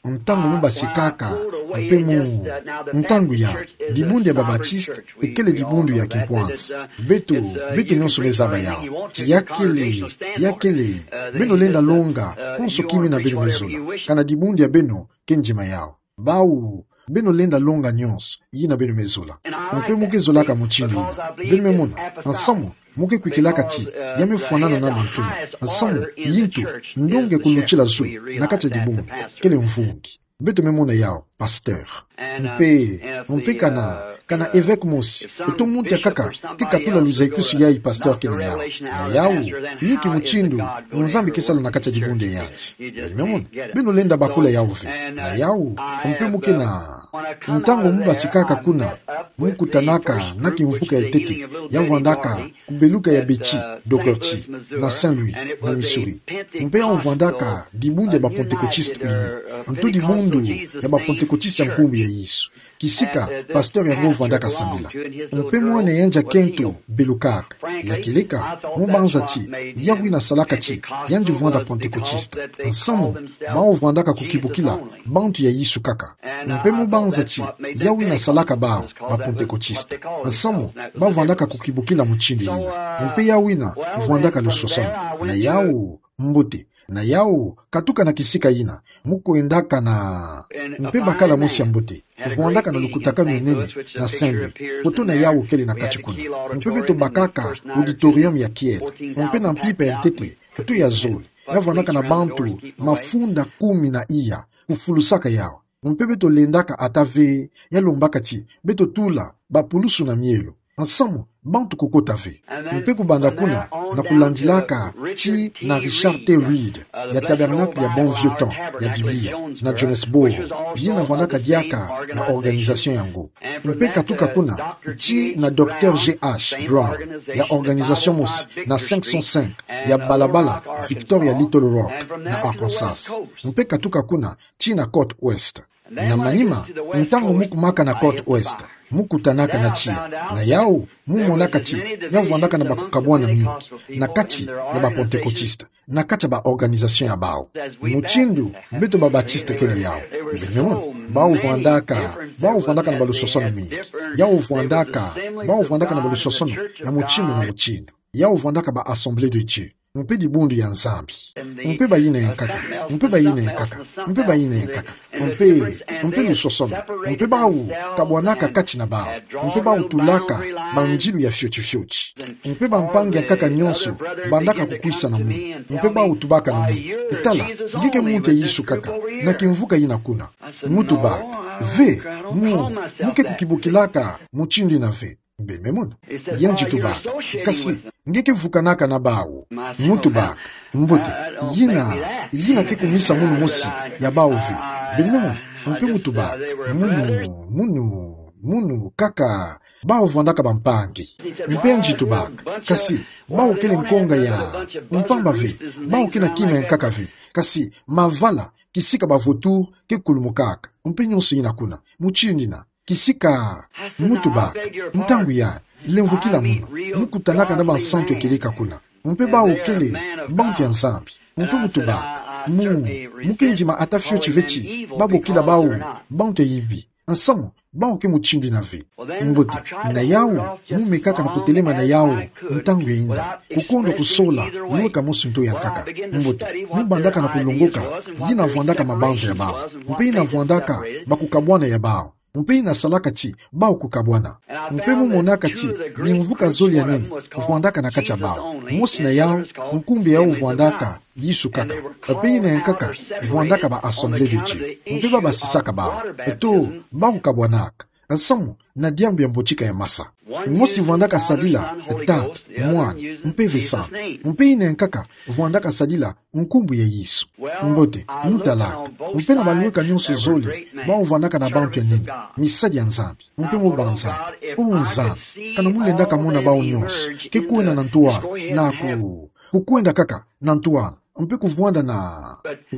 ntangu mu basikaka, mpe mu, ntangu ya, dibundu ya ba Baptiste, ekele dibundu ya kimpwansi. Beto, beto nyonso me zaba yawu. Ti ya kele, ya kele, beno lenda longa konso kima yina beno me zola. Kana dibundu ya beno ke ndima yawu. Bawu, beno lenda longa nyonso yina beno me zola. Mpe mu ke zolaka mutindu yina. Beno me mona? Nsamu, mu ke kwikilaka ti, ya me fwanana na bantu. Nsamu, yintu, ndonga ya kulutila zulu, na kati ya dibundu, kele mvungi. Beto me mona yawu, pasteur. Mpe, mpe kana, kana évêque mosi, eto muntu ya kaka, ke katula luzaikusu yayi pasteur ke na yawu. Na yawu, yinki mutindu Nzambi ke sala na kati ya dibundu ya yandi. Beno me mona? Beno lenda bakula yawu ve. Na yawu, mpe mu ke na, ntangu mu basikaka kuna, mu kutanaka na kimvuka ya ntete, ya vwandaka kubeluka ya Betty Doherty, na Saint-Louis, na Missouri. Mpe yawu vwandaka dibundu ya ba Pentecôtistes unis. Nto dibundu ya ba Pentecôtistes ya nkumbu ya Yesu. Kisika, pasteur yango vwandaka sambila. Mpe mwana yandi ya kento belukaka. Ya kieleka, mu banza ti, yawu yina salaka ti, yandi vwanda Pentecôtiste. Nsamu, bawu vwandaka kukibukila bantu ya Yesu kaka. Mpe mu banza ti, yawu yina salaka bawu, ba Pentecôtiste. Nsamu, ba vwandaka kukibukila mutindu yina. Mpe yawu yina, vwandaka lusosono. Na yawu, mbote. Na yawu, katuka na kisika yina, mu kwendaka na, mpe bakala mosi ya mbote, vwandaka na lukutakanu ya nene na Saint-Louis. Foto na yawu kele na kati kuna. Mpe beto bakaka auditorium ya kiela. Mpe na mpimpa ya ntete, eto ya zole, ya vwandaka na bantu mafunda kumi na iya, kufulusaka yawu. Mpe beto lendaka ata ve, ya lombaka ti, beto tula bapulusu na mielo. Nsamu, bantu kukota ve. Mpe kubanda kuna, na kulandilaka, tii na Richard T. Reed, ya Tabernacle ya Bon Vieux Temps ya Biblia, na Johannesburg, yina vwandaka diaka na organisation yango. Mpe katuka kuna, tii na Docteur G H Brown, ya organisation mosi, na cinq cent cinq, ya balabala Victoria Little Rock, na Arkansas. Mpe katuka kuna, tii na côte ouest. Na manima, ntangu mu kumaka na côte ouest, Mu kutanaka na tiya. Na yau, mu monaka ti, ya vwandaka na bakukabwana mingi. Na kati ya ba Pantekotiste. Na kati ya ba organisation ya bau. Mutindu, beto ba Batiste kele yau. Beno mona, bau vwandaka, bau vwandaka na balusosono mingi. Yau vwandaka, bau vwandaka na balusosono, ya mutindu na mutindu. Yau vwandaka ba Assemblée de Dieu. Mpe dibundu ya Nzambi. Mpe bayina yankaka. Mpe bayina yankaka. Mpe bayina yankaka. Mpe, mpe lusosono. Mpe bau kabwanaka kati na bau. Mpe bau tulaka banzilu ya fioti fioti. Mpe bampangi yankaka nyonso bandaka kukwisa na munu. Mpe bau tubaka na munu: E tala, nge ke muntu ya Yesu kaka, na kimvuka yina kuna. Mu tubaka: Ve, mu, mu ke kukibukilaka mutindu yina ve. Beno me mona. Yandi tubaka: Kasi, nge ke vukanaka na bau? Mu tubaka: Mbote, yina, yina ke kumisa munu mosi ya bau ve. Beno me mona. Mpe mu tubaka: Munu, munu, munu kaka, bau vwandaka bampangi. Mpe yandi tubaka: Kasi, bau kele nkonga ya mpamba ve, bau ke na kima yankaka ve. Kasi, mavala, kisika ba vautour ke kulumukaka. Mpe nyonso yina kuna. Mutindu yina. Kisika, mu tubaka: Ntangu ya, lemvokila munu, mu kutanaka na bansantu ya kieleka kuna. Mpe bau kele bantu ya Nzambi. Mpe mu tubaka: Mu, mu ke ndima ata fioti ve ti babokila bau bantu ya imbi. Nsamu, bau ke mutindu yina ve. Mbote, na yau, mu mekaka na kutelema na yau, ntangu ya inda, kukondwa kusola lweka mosi nto yankaka. Mbote, mu bandaka na kulongoka yina vwandaka mabanza ya bau. Mpe yina vwandaka bakukabwana ya bau. Mpe yina salaka ti bau kukabwana. Mpe mu monaka ti bimvuka zole ya nene vwandaka na kati ya bau. Mosi na yau, nkumbu ya yau vwandaka Yesu kaka. Mpe yina yankaka vwandaka ba Assemblée de Dieu. Mpe babasisaka bau. Eto, bau kabwanaka. Nsamu, na diambu ya mbotika ya masa. Mosi vwandaka sadila Tata, Mwana, Mpeve Santu. Mpe yina yankaka vwandaka sadila nkumbu ya Yesu. Mbote, mu talaka. Mpe na balweka nyonso zole, bau vwandaka na bantu ya nene, misadi ya Nzambi. Mpe mu banzaka: O Nzambi, kana mu lendaka mona bau nyonso ke kwenda na ntwala, na ku, kukwenda kaka na ntwala, mpe kuvwanda na.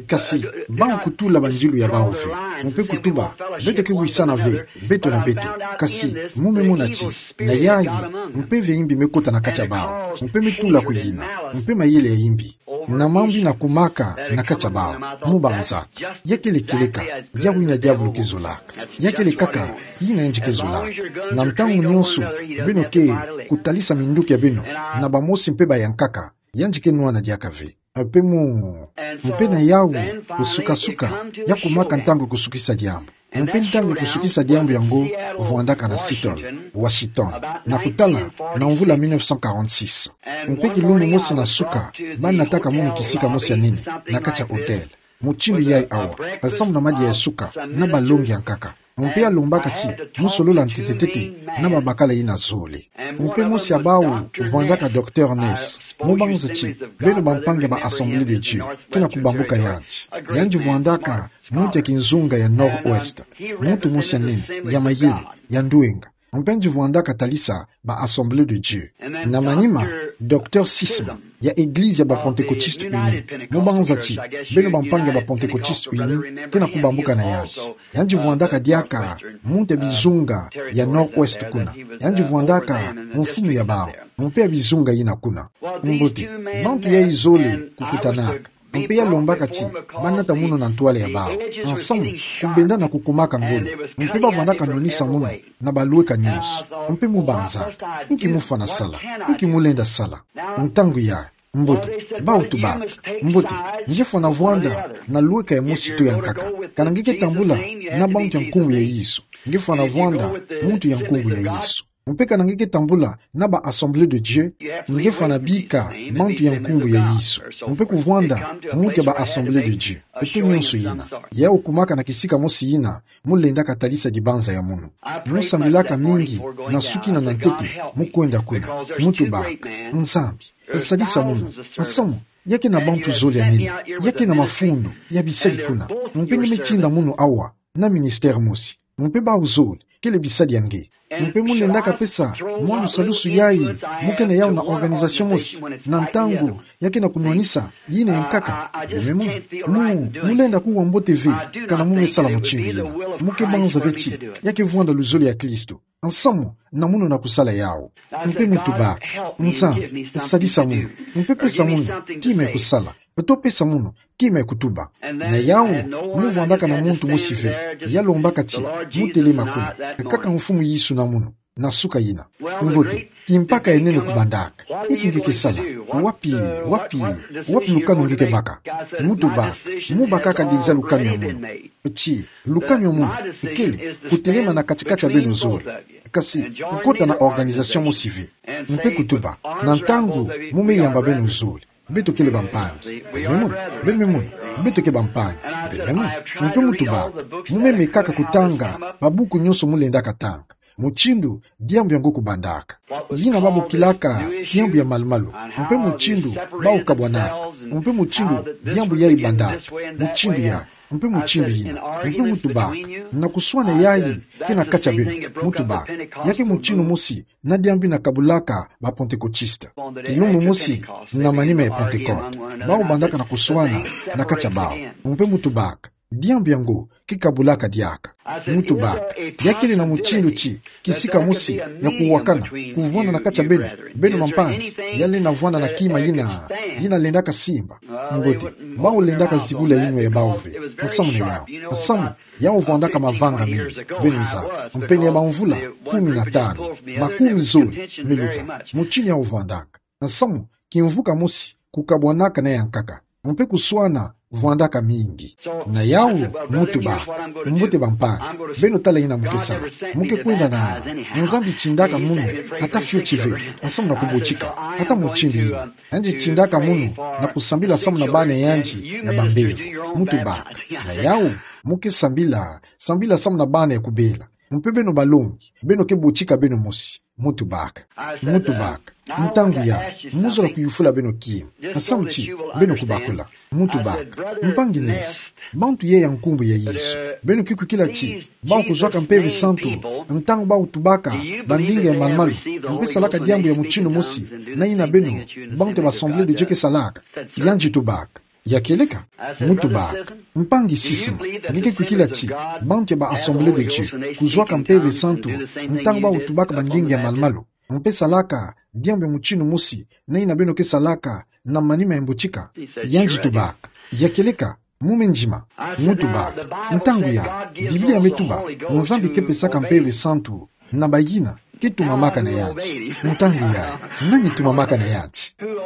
Kasi, bau kutula banzilu ya bau ve. Mpe kutuba: Beto ke wisana ve, beto na beto. Kasi, mu me mona ti, na yayi, mpeve ya imbi me kota na kati ya bau. Mpe me tula kuyina. Mpe mayele ya imbi na mambu yina kumaka na kati ya bau. Mu banzaka: Ya kele kieleka, yawu yina diabulu ke zolaka. Ya kele kaka yina yandi ke zolaka. Na ntangu nyonso, beno ke kutalisa minduki ya beno na bamosi mpe bayankaka, yandi ke nwana diaka ve. Mpe mu, mpe na yawu, kusukasuka, ya kumaka ntangu kusukisa diambu. Mpe ntangu kusukisa diambu yango vwandaka na Seattle, Washington, na kutala na mvula mille neuf cent quarante-six. Mpe kilumbu mosi na suka, banataka munu kisika mosi ya nene na kati ya hotel. Mutindu yayi awa, nsamu na madia ya suka, na balongi yankaka. Mpe alombaka ti mu solola ntete-ntete na babakala yina zole. Mpe mosi ya bau vwandaka Docteur Ness. Mu banza ti, beno bampangi ya ba Assemblée de Dieu, ke na kubambuka yandi. Yandi vwandaka muntu ya kinzunga ya Nord-Ouest. Muntu mosi ya nene, ya mayele, ya ndwenga. Mpe yandi vwandaka talisa ba Assemblée de Dieu. Na manima, Docteur Sisma, ya Eglise ya ba Pentecôtistes Unis. Mu banza ti, beno bampangi ya ba Pentecôtistes Unis, ke na kubambuka na yandi. Yandi vwandaka diaka muntu ya bizunga ya Nord-Ouest kuna. Yandi vwandaka mfumu ya bau, mpe ya bizunga yina kuna. Mbote, bantu yayi zole kukutanaka. Mpe yalombaka ti banata munu na ntwala ya bau, nsamu, kubenda na kukumaka ngolo. Mpe bavwandaka nwanisa munu na balweka nyonso. Mpe mu banzaka: Inki mu fwana sala? Inki mu lenda sala? Ntangu ya, mbote, bau tubaka: Mbote, nge fwana vwanda na lweka ya mosi to ya nkaka. Kana nge ke tambula na bantu ya nkumbu ya Yesu, nge fwana vwanda muntu ya nkumbu ya Yesu. Mpe kana nge ke tambula na ba Assemblée de Dieu, nge fwana bika bantu ya nkumbu ya Yesu. Mpe kuvwanda muntu ya ba Assemblée de Dieu. Eto nyonso yina. Yawu kumaka na kisika mosi yina mu lendaka talisa dibanza ya munu. Mu sambilaka mingi na suki na na ntete mu kwenda kuna. Mu tubaka: Nzambi, sadisa munu. Nsamu, ya ke na bantu zole ya nene, ya ke na mafundu, ya bisadi kuna. Mpe nge me tinda munu awa na ministère mosi. Mpe bau zole kele bisadi ya nge. Mpe mu lendaka pesa mwa lusalusu yayi mu ke na yawu na organisation mosi, na ntangu ya ke na kunwanisa yina ya nkaka. Beno me mona. Mu, mu lenda kuwa mbote ve kana mu me sala mutindu yina. Mu ke banza ve ti ya ke vwanda luzolo ya Kristo. Nsamu na mono na kusala yawu. Mpe mu tuba: Nzambi, sadisa mono. Mpe pesa mono kima ya kusala. Poto pesa mono kima ya kutuba. Na yawu, mu vwandaka na muntu mosi ve ya lombaka ti mu telema kuna, kaka Mfumu Yesu na mono, na suka yina. Mbote, kimpaka ya nene kubandaka. Inki nge ke sala? Wapi, wapi, wapi lukanu nge ke baka? Mu tuba: Mu bakaka déjà lukanu ya mono. Ti lukanu ya mono kele kutelema na kati-kati ya beno zole, kasi kukota na organisation mosi ve. Mpe kutuba: Na ntangu mu me yamba beno zole, beto kele bampangi. Beno me mono, beno me mono, beto ke bampangi. Beno me mono. Mpe mu tuba: Mu me mekaka kutanga mabuku nyonso mu lendaka tanga, mutindu diambu yango kubandaka. Yina babokilaka diambu ya malu-malu. Mpe mutindu bawu kabwanaka. Mpe mutindu diambu yayi bandaka. Mutindu yayi. Mpe mutindu yina. Mpe mu tubaka: Na kuswana yayi ke na kati ya beno. Mu tubaka: Ya ke mutinu mosi na diambu yina kabulaka ba Pantekotiste. Kilumbu mosi na manima ya Pantekote, bawu bandaka na kuswana na kati ya bawu. Mpe mu tubaka: Diambu yango ke kabulaka diaka. Mu tubaka: Ya kele na mutindu ti kisika mosi ya kuwakana kuvwanda na kati ya beno, beno bampangi, ya lenda vwanda na kima yina, yina lendaka simba? Mbote, bawu lendaka zibula yinwa ya bawu ve. Nsamu na yawu. Nsamu, yawu vwandaka mavanga mingi, beno zaba. Mpe ni ya bamvula kumi na tanu, makumi zole miluta, mutinu yawu vwandaka. Nsamu, kimvuka mosi kukabwanaka na yankaka. Mpe kuswana vwandaka mingi. Na yawu, mu tubaka: Mbote bampangi, beno tala yina mu ke sala. Mu ke kwenda na, Nzambi tindaka mono ata fioti ve, nsamu na kubotika, ata mutindu yina. Yandi tindaka mono na kusambila samu na bana yandi ya bambevo. Mu tubaka: Na yawu, mu ke sambila, sambila samu na bana ya kubela. Mpe beno balongi, beno ke botika beno mosi. Mu tubaka. Mu tubaka: Ntangu yayi, mu zola kuyufula beno kima, nsamu ti beno kubakula. Mu tubaka: Mpangi Ness, bantu yai ya nkumbu ya Yesu, beno ke kwikila ti bawu kuzwaka Mpeve Santu ntangu bawu tubaka bandinga ya malu-malu, mpe salaka diambu ya mutinu mosi na yina beno, bantu ya ba Assemblée de Dieu ke salaka? Yandi tubaka: Ya kieleka? Mu tubaka: Mpangi Sisma, nge ke kwikila ti bantu ya ba Assemblée de Dieu kuzwaka Mpeve Santu ntangu bawu tubaka bandinga ya malu-malu, mpe salaka diambu ya mutinu mosi na yina beno ke salaka na manima ya mbotika? Yandi tubaka: Ya kieleka? Mu me ndima. Mu tubaka: Ntangu yayi, Biblia me tuba Nzambi ke pesaka Mpeve Santu na bayina ke tumamaka na yandi. Ntangu yayi, nani tumamaka na yandi?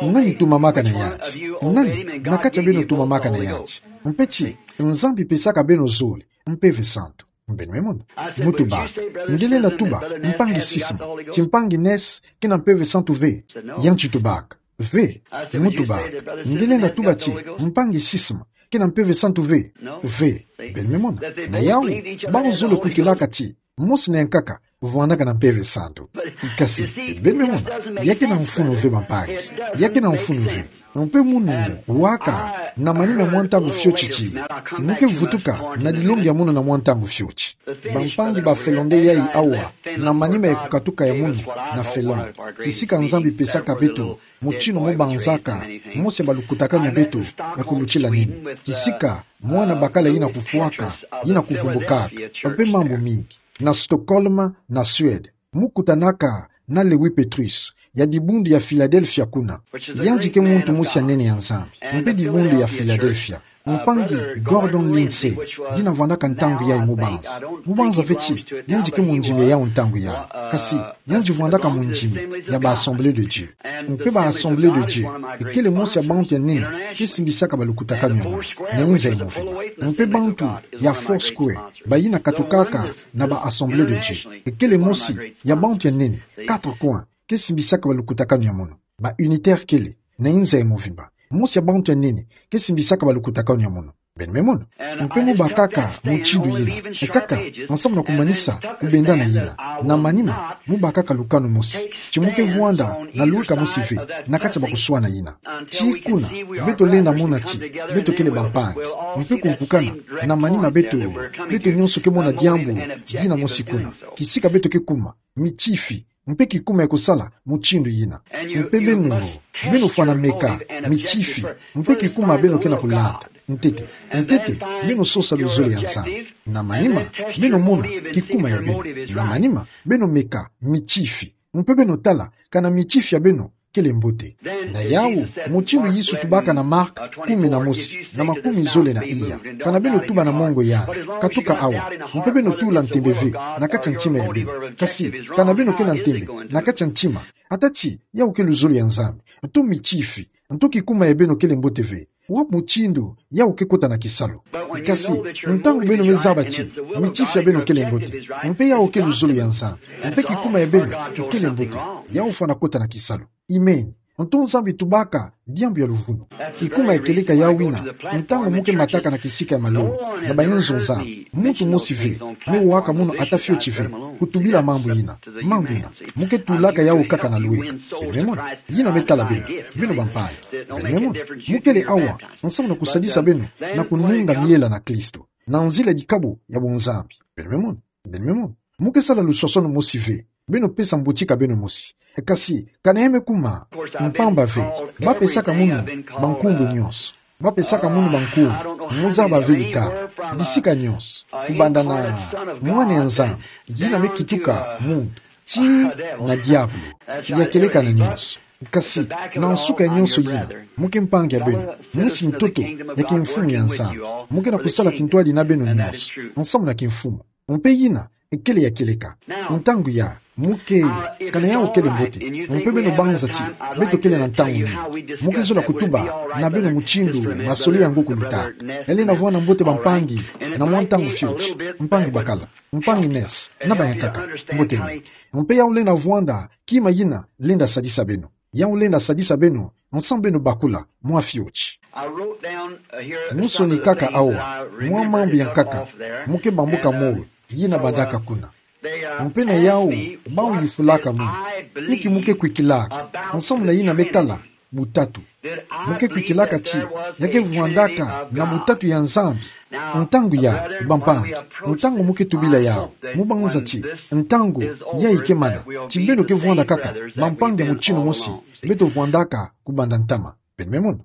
Nani tumamaka na yandi? Nani na kati ya beno tumamaka na yandi? Mpe ti Nzambi pesaka beno zole Mpeve Santu. Beno me mona? Mu tubaka: Nge lenda tuba, Mpangi Sisma, ti Mpangi Ness ke na Mpeve Santu ve? Yandi tubaka: Ve. Mu tubaka: Nge lenda tuba ti Mpangi Sisma ke na Mpeve Santu ve? Ve. Beno me mona? Na yawu, bawu zole kwikilaka ti mosi na yankaka vwandaka na Mpeve Santu. Kasi, beno me mona, ya ke na mfunu ve bampangi. Ya ke na mfunu ve. Mpe mono waka na manima mwa ntangu fioti ti mu ke vutuka na dilongi ya mono na mwa ntangu fioti. Bampangi ba Finlandais yai awa na manima ya kukatuka ya mono na Finlande. Kisika Nzambi pesaka beto mutinu mu banzaka mosi ya balukutakanu ya beto ya kulutila nene. Kisika mwana bakala yina kufwaka, yina kuvumbukaka, mpe mambu mingi. Na Stockholm, na Suède, mu kutanaka na Lewi Petrus, ya dibundu ya Philadelphia kuna. Yandi ke muntu mosi ya nene ya Nzambi, mpe dibundu ya Philadelphia. Mpangi Gordon Lindsay, yina vwandaka ntangu yayi mubanza. Mubanza ve ti yandi ke mundimi ya yawu ntangu yayi. Kasi, yandi vwandaka mundimi ya ba Assemblée de Dieu. Mpe ba Assemblée de Dieu, ekele mosi ya bantu ya nene ke simbisaka balukutakanu ya mono na inza ya movimba. Mpe bantu ya Foursquare, bayina katukaka na ba Assemblée de Dieu, ekele mosi ya bantu ya nene, quatre coins, ke simbisaka balukutakanu ya mono. Ba Unitaires kele na inza ya movimba, mosi ya bantu ya nene ke simbisaka balukutakanu ya mono. Beno me mona? Mpe mu bakaka mutindu yina, kaka ensemble na kumanisa kubendana yina, na manima mu bakaka lukanu mosi ti mu ke vwanda na luweka mosi ve na kati ya bakuswana yina. Tii kuna beto lenda mona ti beto kele bampangi, mpe kuvukana na manima beto, beto nyonso ke mona diambu dina mosi kuna, kisika beto ke kuma mitifi Mpe kikuma ya kusala mutindu yina. Mpe beno, beno fwana meka mitifi, mpe kikuma beno ke na kulanda. Ntete, ntete, beno sosa luzolo ya Nzambi. Na manima, beno mona kikuma ya beno. Na manima, beno meka mitifi. Mpe beno tala, kana mitifi ya beno kele mbote. Na yawu, mutindu Yesu tubaka na Mark kumi na mosi, na makumi zole na iya. Kana beno tuba na mongo ya, katuka awa, mpe beno tula ntembe ve na kati ya ntima ya beno. Kasi, kana beno ke na ntembe na kati ya ntima, ata ti yawu ke luzolo ya Nzambi, nto mitifi, nto kikuma ya beno kele mbote ve, wa mutindu yawu ke kota na kisalu. Kasi, ntangu beno me zaba ti mitifi ya beno kele mbote, mpe yawu ke luzolo ya Nzambi, mpe kikuma ya beno kele mbote, yawu fwana kota na kisalu. Amen. Nto Nzambi tubaka diambu ya luvunu. Kikuma ya kieleka yawu yina, ntangu mu ke mataka na kisika ya malongi, na bayinzo Nzambi, muntu mosi ve me waka munu ata fioti ve kutubila mambu yina, mambu yina. Mu ke tulaka yawu kaka na lweka. Beno me mona, yina me tala beno, beno bampangi. Beno me mona, mu kele awa nsamu na kusadisa beno na kununga miela na Kristo, na nzila dikabu ya bunzambi. Beno me mona, beno me mona, mu ke sala lusosono mosi ve, beno pesa mbutika beno mosi. Kasi, kana ya me kuma mpamba ve, ba pesaka munu bankumbu nyonso. Ba pesaka munu bankumbu, mu zaba ve luta, bisika nyonso, kubanda na Mwana ya Nzambi, yina me kituka muntu, tii na diabulu, ya kieleka na nyonso. Kasi, na nsuka ya nyonso yina, mu ke mpangi ya beno, mosi ntoto ya kimfumu ya Nzambi, mu ke na kusala kintwadi na beno nyonso, nsamu na kimfumu. Mpe yina kele ya kieleka. Ntangu ya, mu ke, kana yawu kele mbote, mpe beno banza ti beto kele na ntangu mingi. Mu ke zola kutuba na beno mutindu masolele yango kuluta. Ele na vwanda mbote bampangi, na mwa ntangu fioti, mpangi bakala, mpangi Ness, na bayankaka, mbote mingi. Mpe yawu lenda vwanda kima yina lenda sadisa beno. Yawu lenda sadisa beno, nsamu beno bakula mwa fioti. Mu sonikaka awa mwa mambu ya nkaka mu ke bambuka moyo, yina bandaka kuna. Mpe na yawu, bawu yufulaka munu, inki mu ke kwikilaka nsamu na yina me tala butatu. Mu ke kwikilaka ti ya ke vwandaka na butatu ya Nzambi. Ntangu ya, bampangi, ntangu mu ke tubila yawu, mu banza ti ntangu yayi ke mana, ti beno ke vwanda kaka bampangi ya mutindu mosi beto vwandaka kubanda ntama. Beno me mona.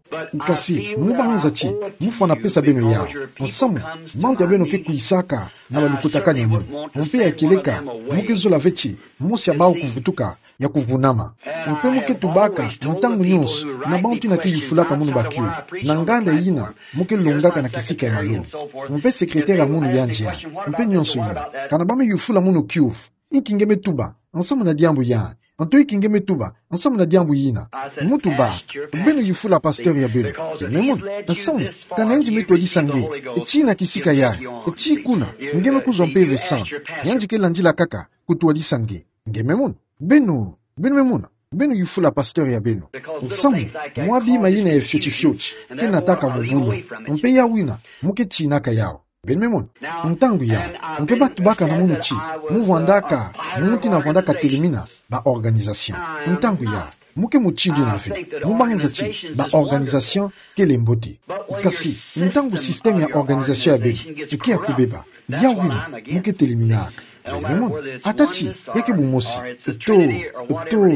Kasi, mu banza ti mu fwana pesa beno yawu, nsamu, bantu ya beno ke kwisaka na balukutakanu ya munu. Mpe ya kieleka, mu ke zola ve ti mosi ya bawu kuvutuka, ya kuvunama. Mpe mu ke tubaka ntangu nyonso na bantu yina ke yufulaka munu bakiuvu, na nganda yina mu ke longaka na kisika ya malongi. Mpe secrétaire ya munu yandi ya, mpe nyonso yina. Kana ba me yufula munu kiuvu, inki nge me tuba nsamu na diambu yandi? Nto inki nge me tuba nsamu na diambu yina? Mu tuba, beno yufula pasteur ya beno. Beno me mona, nsamu, kana yandi me twadisa nge, tii na kisika yayi, tii kuna, nge me kuzwa Mpeve Santu. Yandi ke landila kaka kutwadisa nge. Nge me mona. Beno, beno me mona, beno yufula pasteur ya beno. Nsamu, mwa bima yina ya fioti fioti ke nataka mu bulu. Mpe yawu yina, mu ke tinaka yawu. Beno me mona. Ntangu ya, mpe ba tubaka na munu ti mu vwandaka, muntu yina vwandaka telemina ba organisation. Ntangu ya, mu ke mutindu yina ve, mu banza ti ba organisation kele mbote. Kasi, ntangu système ya organisation ya beno ke ya kubeba, yawu yina mu ke teleminaka. Beno me mona. Ata ti ya ke bumosi, to, to,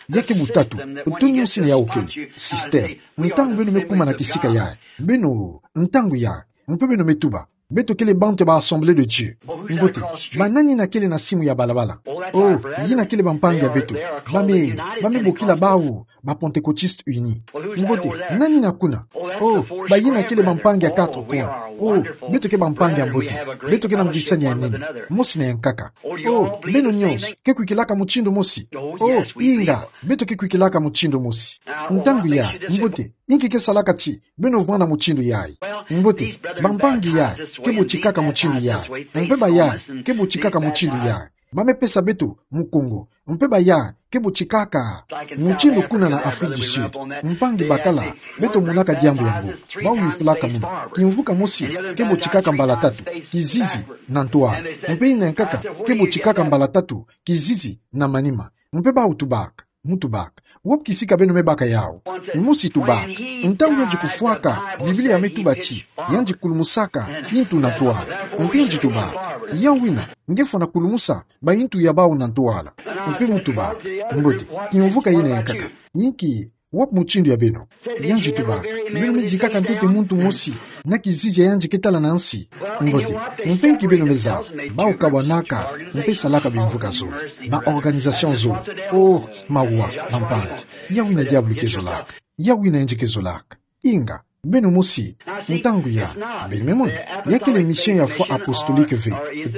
ya ke butatu, to nyonso yina yawu kele système. Ntangu beno me kuma na kisika yayi, beno, ntangu ya, mpe beno me tuba, beto kele bantu ya ba Assemblée de Dieu. Mbote, banani yina kele na simu ya balabala? Oh, yina kele bampangi ya beto. Ba me, ba me bokila bawu ba Pentecôtistes unis. Mbote, nani yina kuna? Oh, bayina kele bampangi ya Quatre Coins. Oh, beto ke bampangi ya mbote. Beto ke na ngwisani ya nene, mosi na ya nkaka. Oh, beno nyonso ke kwikilaka mutindu mosi? Oh, inga, beto ke kwikilaka mutindu mosi. Ntangu ya, mbote, inki ke salaka ti beno vwanda mutindu yayi? Mbote, bampangi yayi ke botikaka mutindu yayi, mpe bayayi ke botikaka mutindu yayi. Ba me pesa beto Mukongo, mpe bayayi ke botikaka mutindu kuna na Afrique du Sud. Mpangi bakala, beto monaka diambu yango. Bawu yufulaka munu, kimvuka mosi ke botikaka mbala tatu, kizizi na ntwala. Mpe yina ya nkaka ke botikaka mbala tatu, kizizi na manima. Mpe bawu tubaka, Mutu baka. Wapi kisika beno me baka yawu? Mosi tuba, ntangu yandi kufwaka, Biblia me tuba ti, yandi kulumusaka yintu na ntwala. Mpe yandi tuba, ya wina, nge fwana kulumusa bayintu ya bawu na ntwala. Mpe mutu baka, mbote, kimvuka yina yankaka. Yinki, wapi mutindu ya beno? Yandi tuba, beno me zikaka ntete muntu mosi na kizizi ya yandi ke tala na nsi. Mbote, mpe nki beno me zaba? Bawu kabwanaka, mpe salaka bimvuka zole. Ba organisation zole. Oh, mawa, bampangi. Ya wina diabulu ke zolaka. Ya wina yandi ke zolaka. Inga, beno mosi, ntangu ya, beno me mona, ya kele mission ya foi apostolique ve,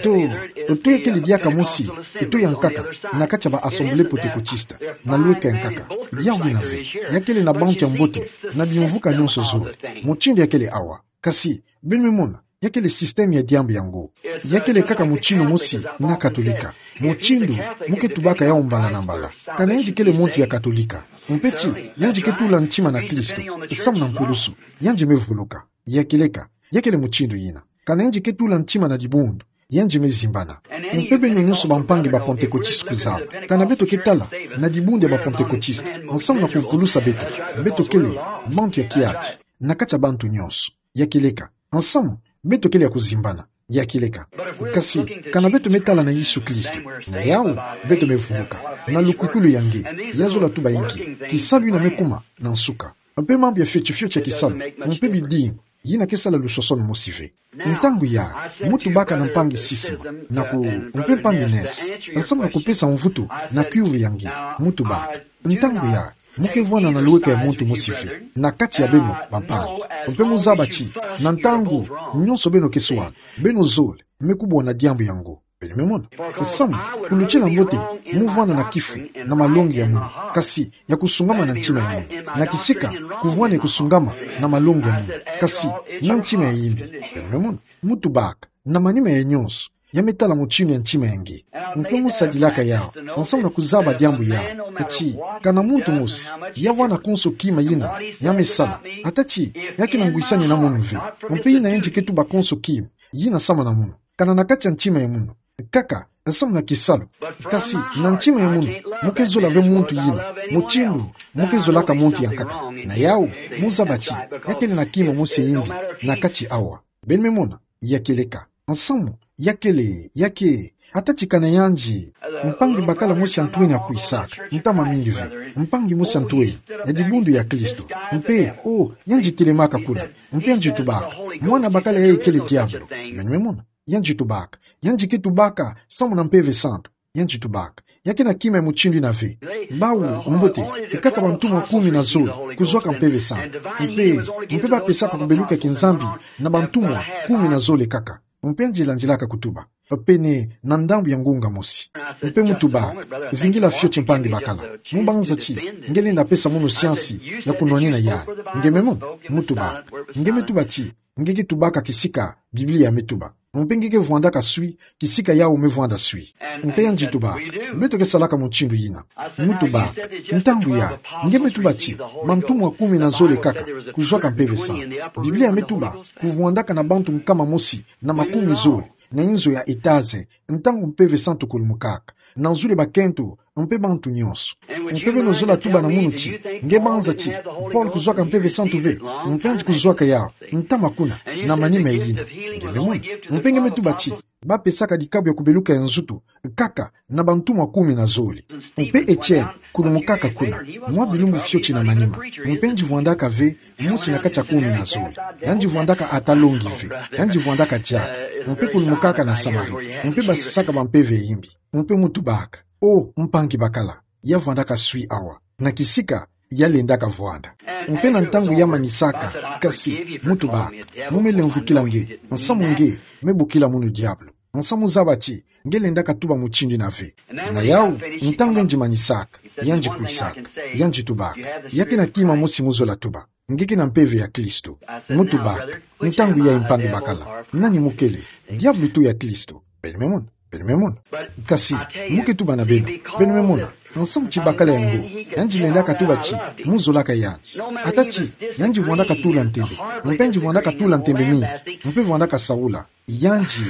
to, to ya kele diaka mosi, to yankaka, na kati ya ba Assemblée Pentecôtiste, na lweka yankaka, ya wina ve, ya kele na bantu ya mbote, na bimvuka nyonso zole. Mutindu ya kele awa. Kasi, beno me mona, ya kele système ya diambu yango. Ya kele kaka mutindu mosi na Katolika. Mutindu, mu ke tubaka yawu mbala na mbala. Kana yandi kele muntu ya Katolika. Mpe ti, yandi ke tula ntima na Kristo, samu na mpulusu. Yandi me vuluka. Ya keleka, ya kele mutindu yina. Kana yandi ke tula ntima na dibundu, yandi me zimbana. Mpe beno nyonso bampangi ba Pentecôtiste kuzaba. Kana beto ke tala na dibundu ya ba Pentecôtiste, samu na kuvulusa beto, beto kele bantu ya kiadi, na kati ya bantu nyonso. Ya keleka, samu, beto kele ya kuzimbana. Ya keleka. Kasi, kana beto me tala na Yesu Kristo, na yawu, beto me vuluka. Na lukwikilu ya nge, ya zola tuba inki, kisalu yina me kuma na nsuka. Mpe mambu ya fioti fioti ya kisalu, mpe bidimbu, yina ke sala lusosono mosi ve. Ntangu ya, mu tubaka na mpangi Sisma, na ku, mpe mpangi Ness, samu na kupesa mvutu na kiuvu ya nge, mu tubaka. Ntangu ya, mu ke vwanda na lweka ya muntu mosi ve, na kati ya beno, bampangi. Mpe mu zaba ti, na ntangu, nyonso beno ke swala, beno zole, me kubwa na diambu yango. Beno me mona. Samu, kulutila mbote, mu vwanda na kifu, na malongi ya munu. Kasi, ya kusungama na ntima ya munu. Na kisika, kuvwanda ya kusungama, na malongi ya munu. Kasi, na ntima ya yimbi. Beno me mona. Mu tubaka. Na manima ya nyonso. Ya me tala mutindu ya ntima ya nge. Mpe mu sadilaka yawu. Samu na kuzaba diambu yawu. Ati, kana muntu mosi. Ya vwanda konso kima yina. Ya me sala. Ata ti, ya ke na ngwisani na munu ve. Mpe yina yandi ke tuba konso kima. Yina samu na munu. Kana na kati ya ntima ya munu. Kaka, samu na kisalu. Kasi, na ntima ya munu, mu ke zola ve muntu yina. Mutindu, mu ke zolaka muntu yankaka. Na yawu, mu zaba ti, ya kele na kima mosi ya yimbi, na kati awa. Beno me mona, ya keleka. Samu, ya kele, ya ke, ata ti kana yandi. Mpangi bakala mosi ya ntweni akwisaka, ntama mingi ve. Mpangi mosi ya ntweni, ya dibundu ya Kristo. Mpe, oh, yandi telemaka kuna. Mpe yandi tubaka. Mwana bakala yayi kele diabulu. Beno me mona. Yandi tubaka. Yandi ke tubaka, samu na Mpeve Santu. Yandi tubaka. Ya ke na kima ya mutindu yina ve. Bawu, mbote, e kaka bantumwa kumi na zole, kuzwaka Mpeve Santu. Mpe, mpe ba pesaka kubeluka ya kinzambi, na bantumwa kumi na zole kaka. Mpe yandi landilaka kutuba. Pene, na ndambu ya ngunga mosi. Mpe mu tubaka. Vingila fioti mpangi bakala. Mu banza ti, nge lenda pesa munu siansi, ya kunwanina yandi. Nge me mona, mu tubaka. Nge me tuba ti, nge ke tubaka kisika, Biblia me tuba. Mpe nge ke vwandaka swi, kisika yawu me vwanda swi. Mpe yandi tubaka. Beto ke salaka mutindu yina. Mu tubaka. Ntangu ya, nge me tuba ti, bantumwa kumi na zole kaka, kuzwaka Mpeve Santu. Biblia me tuba, kuvwandaka na bantu nkama mosi, na makumi zole, na inzo ya etaze, ntangu Mpeve Santu kulumukaka. Na nzule bakento, mpe bantu nyonso. Mpe beno zola tuba na munu ti, nge banza ti, Paul kuzwaka Mpeve Santu ve, mpe yandi kuzwaka yawu, ntama kuna, na manima yina. Nge me mona. Mpe nge me tuba ti, ba pesaka dikabu ya kubeluka ya nzutu, kaka, na bantumwa kumi na zole. Mpe Etienne, kulumukaka kuna, mwa bilumbu fioti na manima. Mpe yandi vwandaka ve, mosi na kati ya kumi na zole. Yandi vwandaka ata longi ve. Yandi vwandaka diaka. Mpe kulumukaka na Samarie. Mpe basisaka bampeve ya yimbi. Mpe mu tubaka. Oh, mpangi bakala. Ya vwandaka swi awa. Na kisika, ya lendaka vwanda. Mpe na ntangu ya manisaka, kasi, mu tubaka. Mu me lemvukila nge, samu nge, me bokila munu diabulu. Samu zaba ti, nge lendaka tuba mutindu yina ve. Na yawu, ntangu yandi manisaka, yandi kwisaka, yandi tubaka. Ya ke na kima mosi mu zola tuba. Nge ke na mpeve ya Kristo. Mu tubaka. Ntangu yayi mpangi bakala. Nani mu kele? Diabulu to ya Kristo? Beno me mona. Beno me mona. Kasi, mu ke tuba na beno. Beno me mona. Nsamu ti bakala yango. Yandi lendaka tuba ti, mu zolaka yandi. Ata ti, yandi vwandaka tula ntembe. Mpe yandi vwandaka tula ntembe mingi. Mpe vwandaka saula. Yandi.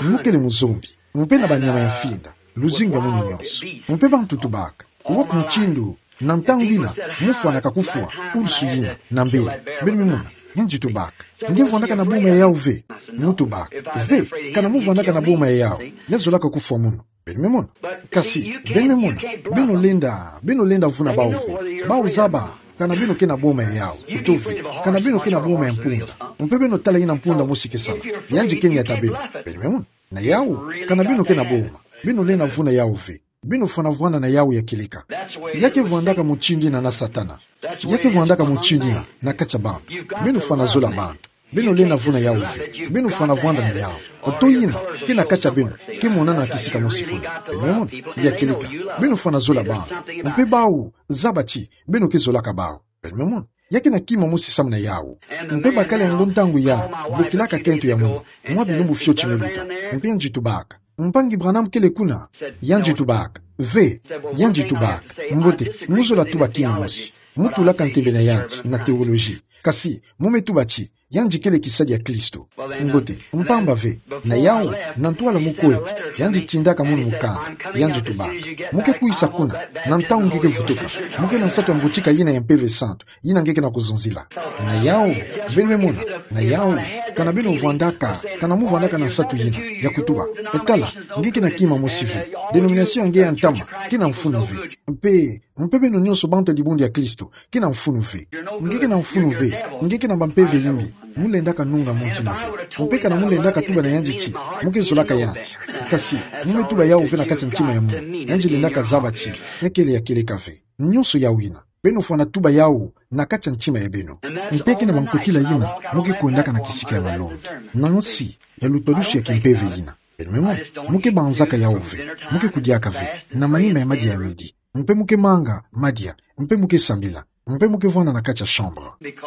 Mu kele muzombi. Mpe na banyama ya mfinda. Luzingu ya munu nyonso. Mpe bantu tubaka. Wapi mutindu, na ntangu ngina, mu fwanaka kufwa, ursu yina, na mbele. Beno me mona, yandi tubaka: Nge vwandaka na boma ya yawu ve? Mu tubaka: Ve, kana mu vwandaka na boma ya yawu, ya zolaka kufwa mono. Beno me mona. Kasi, beno me mona, beno lenda, beno lenda vuna bawu ve. Bawu zaba kana beno ke na boma ya yawu, uto ve, kana beno ke na boma ya mpunda. Mpe beno tala yina mpunda mosi ke sala. Yandi ke niata beno. Beno me mona. Na yawu, kana beno ke na boma, beno lenda vuna yawu ve. Beno fwana vwanda na yawu ya kieleka. Ya ke vwandaka mutindu yina na Satana. Ya ke vwandaka mutindu yina na kati ya bantu. Beno fwana zola bantu. Beno lenda vuna yawu ve. Beno fwana vwanda na yawu. Oto yina ke na kati ya beno ke monana na kisika mosi kuna. Beno me mona. Ya kieleka. Beno fwana zola bantu. Mpe bawu zaba ti beno ke zolaka bawu. Beno me mona. Ya ke na kima mosi samu na yawu. Mpe bakala yango ntangu ya bokilaka kento ya munu, mwa bilumbu fioti me luta. Mpe yandi tubaka: Mpangi Branham kele kuna? Yandi tubaka: Ve. Yandi tubaka: Mbote, mu zola tuba kima mosi. Mu tulaka ntembe na yandi na teoloji. Kasi mu me tuba ti yandi kele kisadi ya Kristo. Mbote, mpamba ve, na yawu, na ntwala mu kwe, yandi tindaka munu mukanda. Yandi tubaka: Mu ke kwisa kuna na ntangu nge ke vutuka. Mu ke na nsatu ya mbutika yina ya Mpeve Santu, yina nge ke na kuzonzila. Na yawu, beno me mona, na yawu, kana beno vwandaka, kana mu vwandaka na nsatu yina ya kutuba: E tala, nge ke na kima mosi ve. Denomination ya nge ya ntama ke na mfunu ve. Mpe, mpe beno nyonso bantu ya dibundu ya Kristo ke na mfunu ve. Nge ke na mfunu ve. Nge ke na bampeve yimbi. Mu lendaka nunga muntu yina ve. Mpe kana mu lendaka tuba na yandi ti mu ke zolaka yandi, kasi mu me tuba yawu ve na kati ya ntima ya munu, yandi lendaka zaba ti ya kele ya kieleka ve. Nyonso yawu yina, beno fwana tuba yawu na kati ya ntima ya beno. Mpe ke na bankokila yina mu ke kwendaka na kisika ya malongi, na nsi ya lutwadusu ya kimpeve yina. Beno me mona. Mu ke banzaka yawu ve. Mu ke kudiaka ve na manima ya madia ya midi. Mpe mu ke manga madia. Mpe mu ke sambila. Mpe mu ke vwanda na kati ya chambre.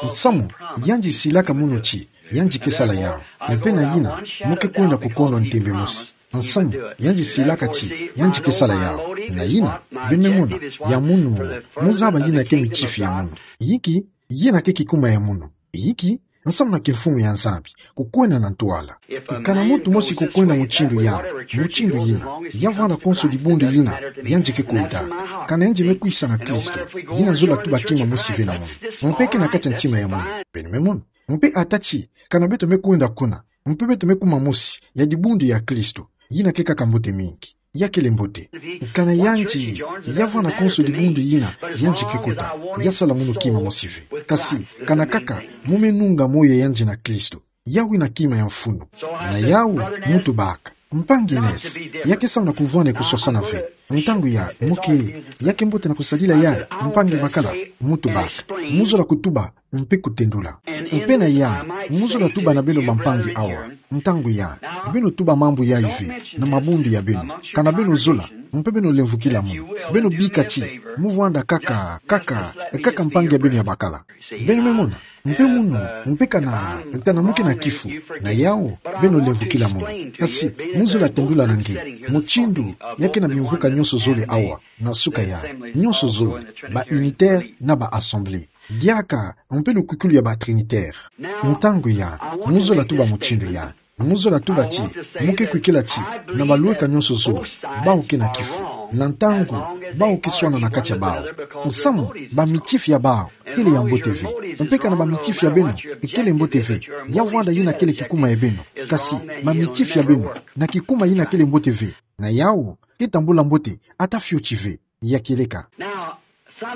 Nsamu yandi silaka munu ti yandi ke sala yawu. Mpe na yina, mu ke kwenda ku kondo ntembe mosi. Nsamu yandi silaka ti yandi ke sala yawu. Na yina, beno me mona, ya munu, mu zaba yina ke mitifi ya munu. Yinki, yina ke kikuma ya munu. Yinki, nsamu na kimfumu ya Nzambi, kukwenda na ntwala. Kana muntu mosi kukwenda mutindu ya, mutindu yina, ya vwanda konso dibundu yina yandi ke kwenda. Kana yandi me kwisa na Kristo, yina zola tuba kima mosi ve na munu. Mpe ke na kati ya ntima ya munu. Beno me mona. Mpe ata ti kana beto me kwenda kuna, mpe beto me kuma mosi ya dibundu ya Kristo, yina ke kaka mbote mingi. Ya kele mbote. Kana yandi ya vwanda konso dibundu yina yandi ke kota, ya sala munu kima mosi ve. Kasi kana kaka mu me nunga moyo ya yandi na Kristo, yawu yina kima ya mfunu. Na yawu, mu tubaka: Mpangi Ness, ya ke samu na kuvwanda kusosana ve. Ntangu ya, mu ke, ya ke mbote na kusadila yayi, mpangi Makala? Mu tubaka: Mu zola kutuba mpe kutendula. Mpe na ya, mu zola tuba na beno bampangi awa. Ntangu ya, beno tuba mambu yayi ve na mabundu ya beno. Kana beno zola, mpe beno lemvukila munu. Beno bika ti mu vwanda kaka, kaka, kaka mpangi ya beno ya bakala. Beno me mona. Mpe munu, mpe kana, kana mu ke na kifu, na yawu, beno lemvukila munu. Kasi mu zola tendula na nge mutindu ya ke na bimvuka nyonso zole awa, na suka ya, nyonso zole, ba unitaire na ba assemblée. Diaka mpe lukwikulu ya ba trinitaire. Ntangu ya, mu zola tuba mutindu ya, mu zola tuba ti mu ke kwikila ti na balweka nyonso zole, bawu ke na kifu, na ntangu bawu ke swana na kati ya bawu, nsamu bamitifi ya bawu kele ya mbote ve. Mpe kana bamitifi ya beno kele mbote ve, ya vwanda yina kele kikuma ya beno. Kasi bamitifi ya beno na kikuma yina kele mbote ve, na yawu ke tambula mbote ata fioti ve. Ya kieleka.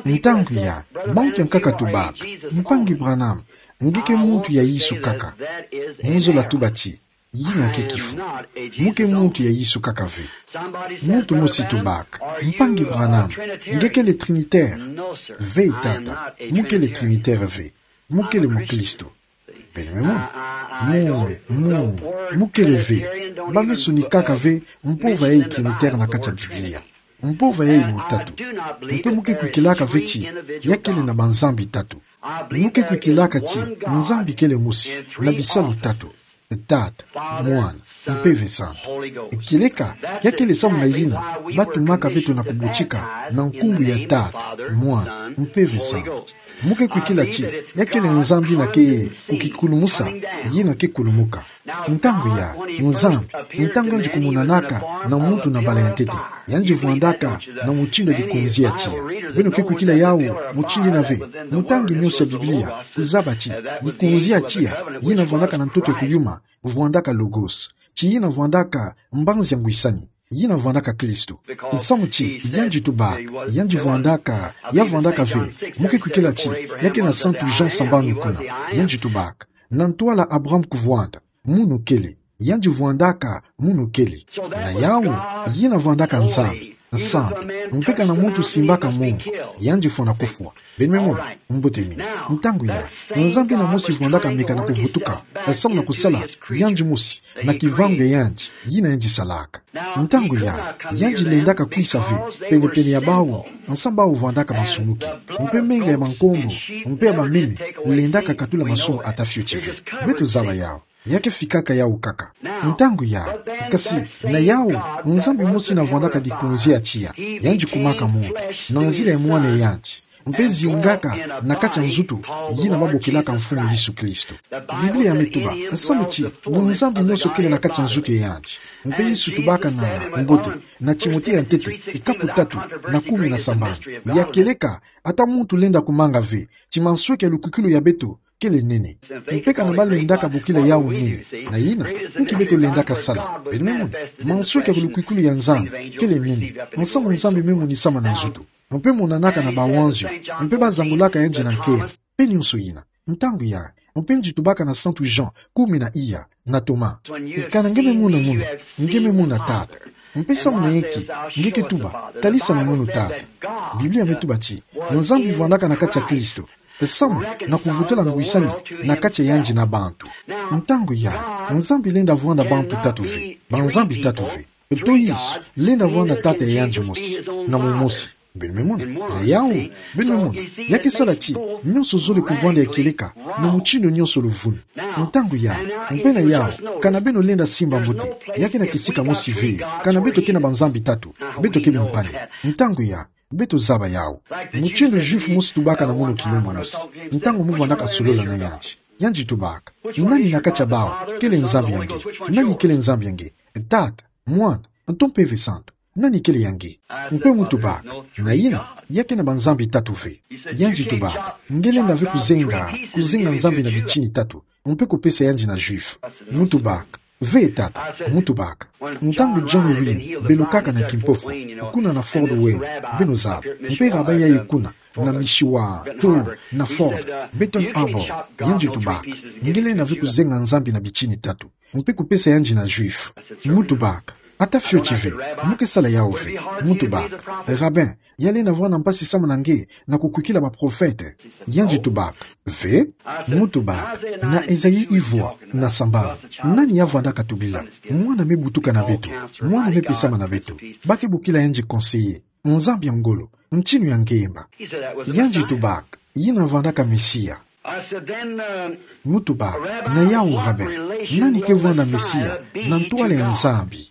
Ntangu ya, bantu ya nkaka tubaka: Mpangi Branham, nge ke muntu ya Yesu kaka? Mu zola tuba ti yina ke kifu. Mu ke muntu ya Yesu kaka ve. Muntu mosi tubaka: Mpangi Branham, nge kele trinitaire? Ve, tata, mu kele trinitaire ve. Mu kele mukristo. Beno me mona. Mu, mu, mu kele ve. Ba me sonikaka ve mpova ya trinitaire na kati ya Biblia. Mpova ya butatu. Mpe mu ke kwikilaka ve ti ya kele na banzambi tatu. Mu ke kwikilaka ti Nzambi kele mosi, na bisalu tatu: Tata, Mwana, Mpeve Santu. Kieleka ya kele samu na yina ba tumaka beto na kubutika na nkumbu ya Tata, Mwana, Mpeve Santu. Mu ke kwikila ti, ya kele Nzambi na ke kukikulumusa, yina ke kulumuka. Ntangu ya, Nzambi, ntangu yandi kumonanaka na muntu na bala ya ntete, yandi vwandaka na mutindu ya dikonzi ya tiya. Beno ke kwikila yawu mutindu yina ve, mu tangi nionso ya Biblia, kuzaba ti, dikonzi ya tiya, yina vwandaka na ntoto ya kuyuma, vwandaka Logos. Ti yina vwandaka mbanzi ya ngwisani. Yina vwandaka Kristo. Nsamu ti, yandi tubaka, yandi vwandaka, ya vwandaka ve, mu ke kwikila ti, ya kena Santu Jean sambanu kuna, yandi tubaka. Na ntwala Abraham kuvwanda, munu kele, yandi vwandaka, munu kele. Na yawu, yina vwandaka Nzambi, Nzambi, mpe kana muntu simbaka mongo, yandi fwana kufwa. Beno me mona, mbote mina. Ntangu ya, Nzambi yina mosi vwandaka meka na kuvutuka, samu na kusala, yandi mosi, na kivangu ya yandi, yina yandi salaka. Ntangu ya, yandi lendaka kwisa ve, penepene ya bawu, nsamu bawu vwandaka masumuki. Mpe menga ya bankombo, mpe ya bameme, lendaka katula masumu ata fioti ve. Beto zaba yawu. Ya ke fikaka yawu kaka. Ntangu ya, kasi, na yawu, Nzambi mosi yina vwandaka dikonzi ya tiya, yandi kumaka muntu, na nzila ya mwana ya yandi, mpe zingaka na kati ya nzutu, yina babokelaka Mfumu Yesu Kristo. Biblia me tuba, nsamu ti, bunzambi nionso kele na kati ya nzutu ya yandi. Mpe Yesu tubaka na mbote, na Timote ya ntete, kapu tatu, na kumi na sambanu. Ya kieleka, ata muntu lenda kumanga ve, ti mansweki ya lukwikulu ya beto, kele nene. Mpe kana balendaka bokila yawu nene. Na yina, inki beto lendaka sala. Beno me mona, mansweki ya lukwikulu ya Nzambi, kele nene. Nsamu Nzambi me monisama na nzutu. Mpe monanaka na bawanzio, mpe bazangulaka yandi na nkembo. Mpe nionso yina. Ntangu ya, mpe yandi tubaka na Santu Jean, kumi na iya, na Thomas. Kana nge me mona munu, nge me mona Tata. Mpe samu na inki, nge ke tuba, talisa na munu Tata. Biblia me tuba ti, Nzambi vwandaka na kati ya Kristo. Samu na kuvutula ngwisani na kati ya yandi na bantu. Ntangu ya, Nzambi lenda vwanda bantu tatu ve, banzambi tatu ve. Toiso, lenda vwanda Tata ya yandi mosi, na mumosi. Beno me mona, na yawu, beno me mona, ya ke sala ti, nionso zole kuvwanda ya kieleka, na mutindu nionso luvunu. Ntangu ya, mpe na yawu, kana beno lenda simba mbote, ya kena kisika mosi ve, kana beto ke na banzambi tatu, beto ke bimpani. Ntangu ya, beto zaba yawu. Mutindu Juif mosi tubaka na munu kilumbu mosi. Ntangu mu vwandaka solola na yandi. Yandi tubaka. Nani na kati ya bawu, kele Nzambi ya nge? Nani kele Nzambi ya nge? Tata, Mwana, nto Mpeve Santu. Nani kele ya nge? Mpe mu tubaka. Na yina, ya ke na banzambi tatu ve. Yandi tubaka. Nge lenda ve kuzenga, kuzenga Nzambi na bitini tatu. Mpe kupesa yandi na Juif. Mu tubaka. Ve tata, mu tubaka. Ntangu John Wynne belukaka na kimpofu, kuna na Fort Wayne, beno zaba, mpe rabbin yayi kuna, na Michigan, to, na Fort, Benton Harbor, yandi tubaka. Nge lenda ve kuzenga Nzambi na bitini tatu. Mpe kupesa yandi na Juif. Mu tubaka. Ata fioti ve, mu ke sala yawu ve. Mu tubaka. Rabbin, ya lenda vwanda mpasi samu na nge, na kukwikila baprofete. Yandi tubaka. Ve, mu tubaka. Na Esaïe ivwa, na sambanu. Nani ya vwandaka tubila? Mwana me butuka na beto. Mwana me pesama na beto. Ba ke bokila yandi Conseiller. Nzambi ya ngolo. Ntinu ya ngemba. Yandi tubaka. Yina vwandaka Mesia. Mu tubaka, na yawu rabbin, nani ke vwanda Mesia, na ntwala ya Nzambi?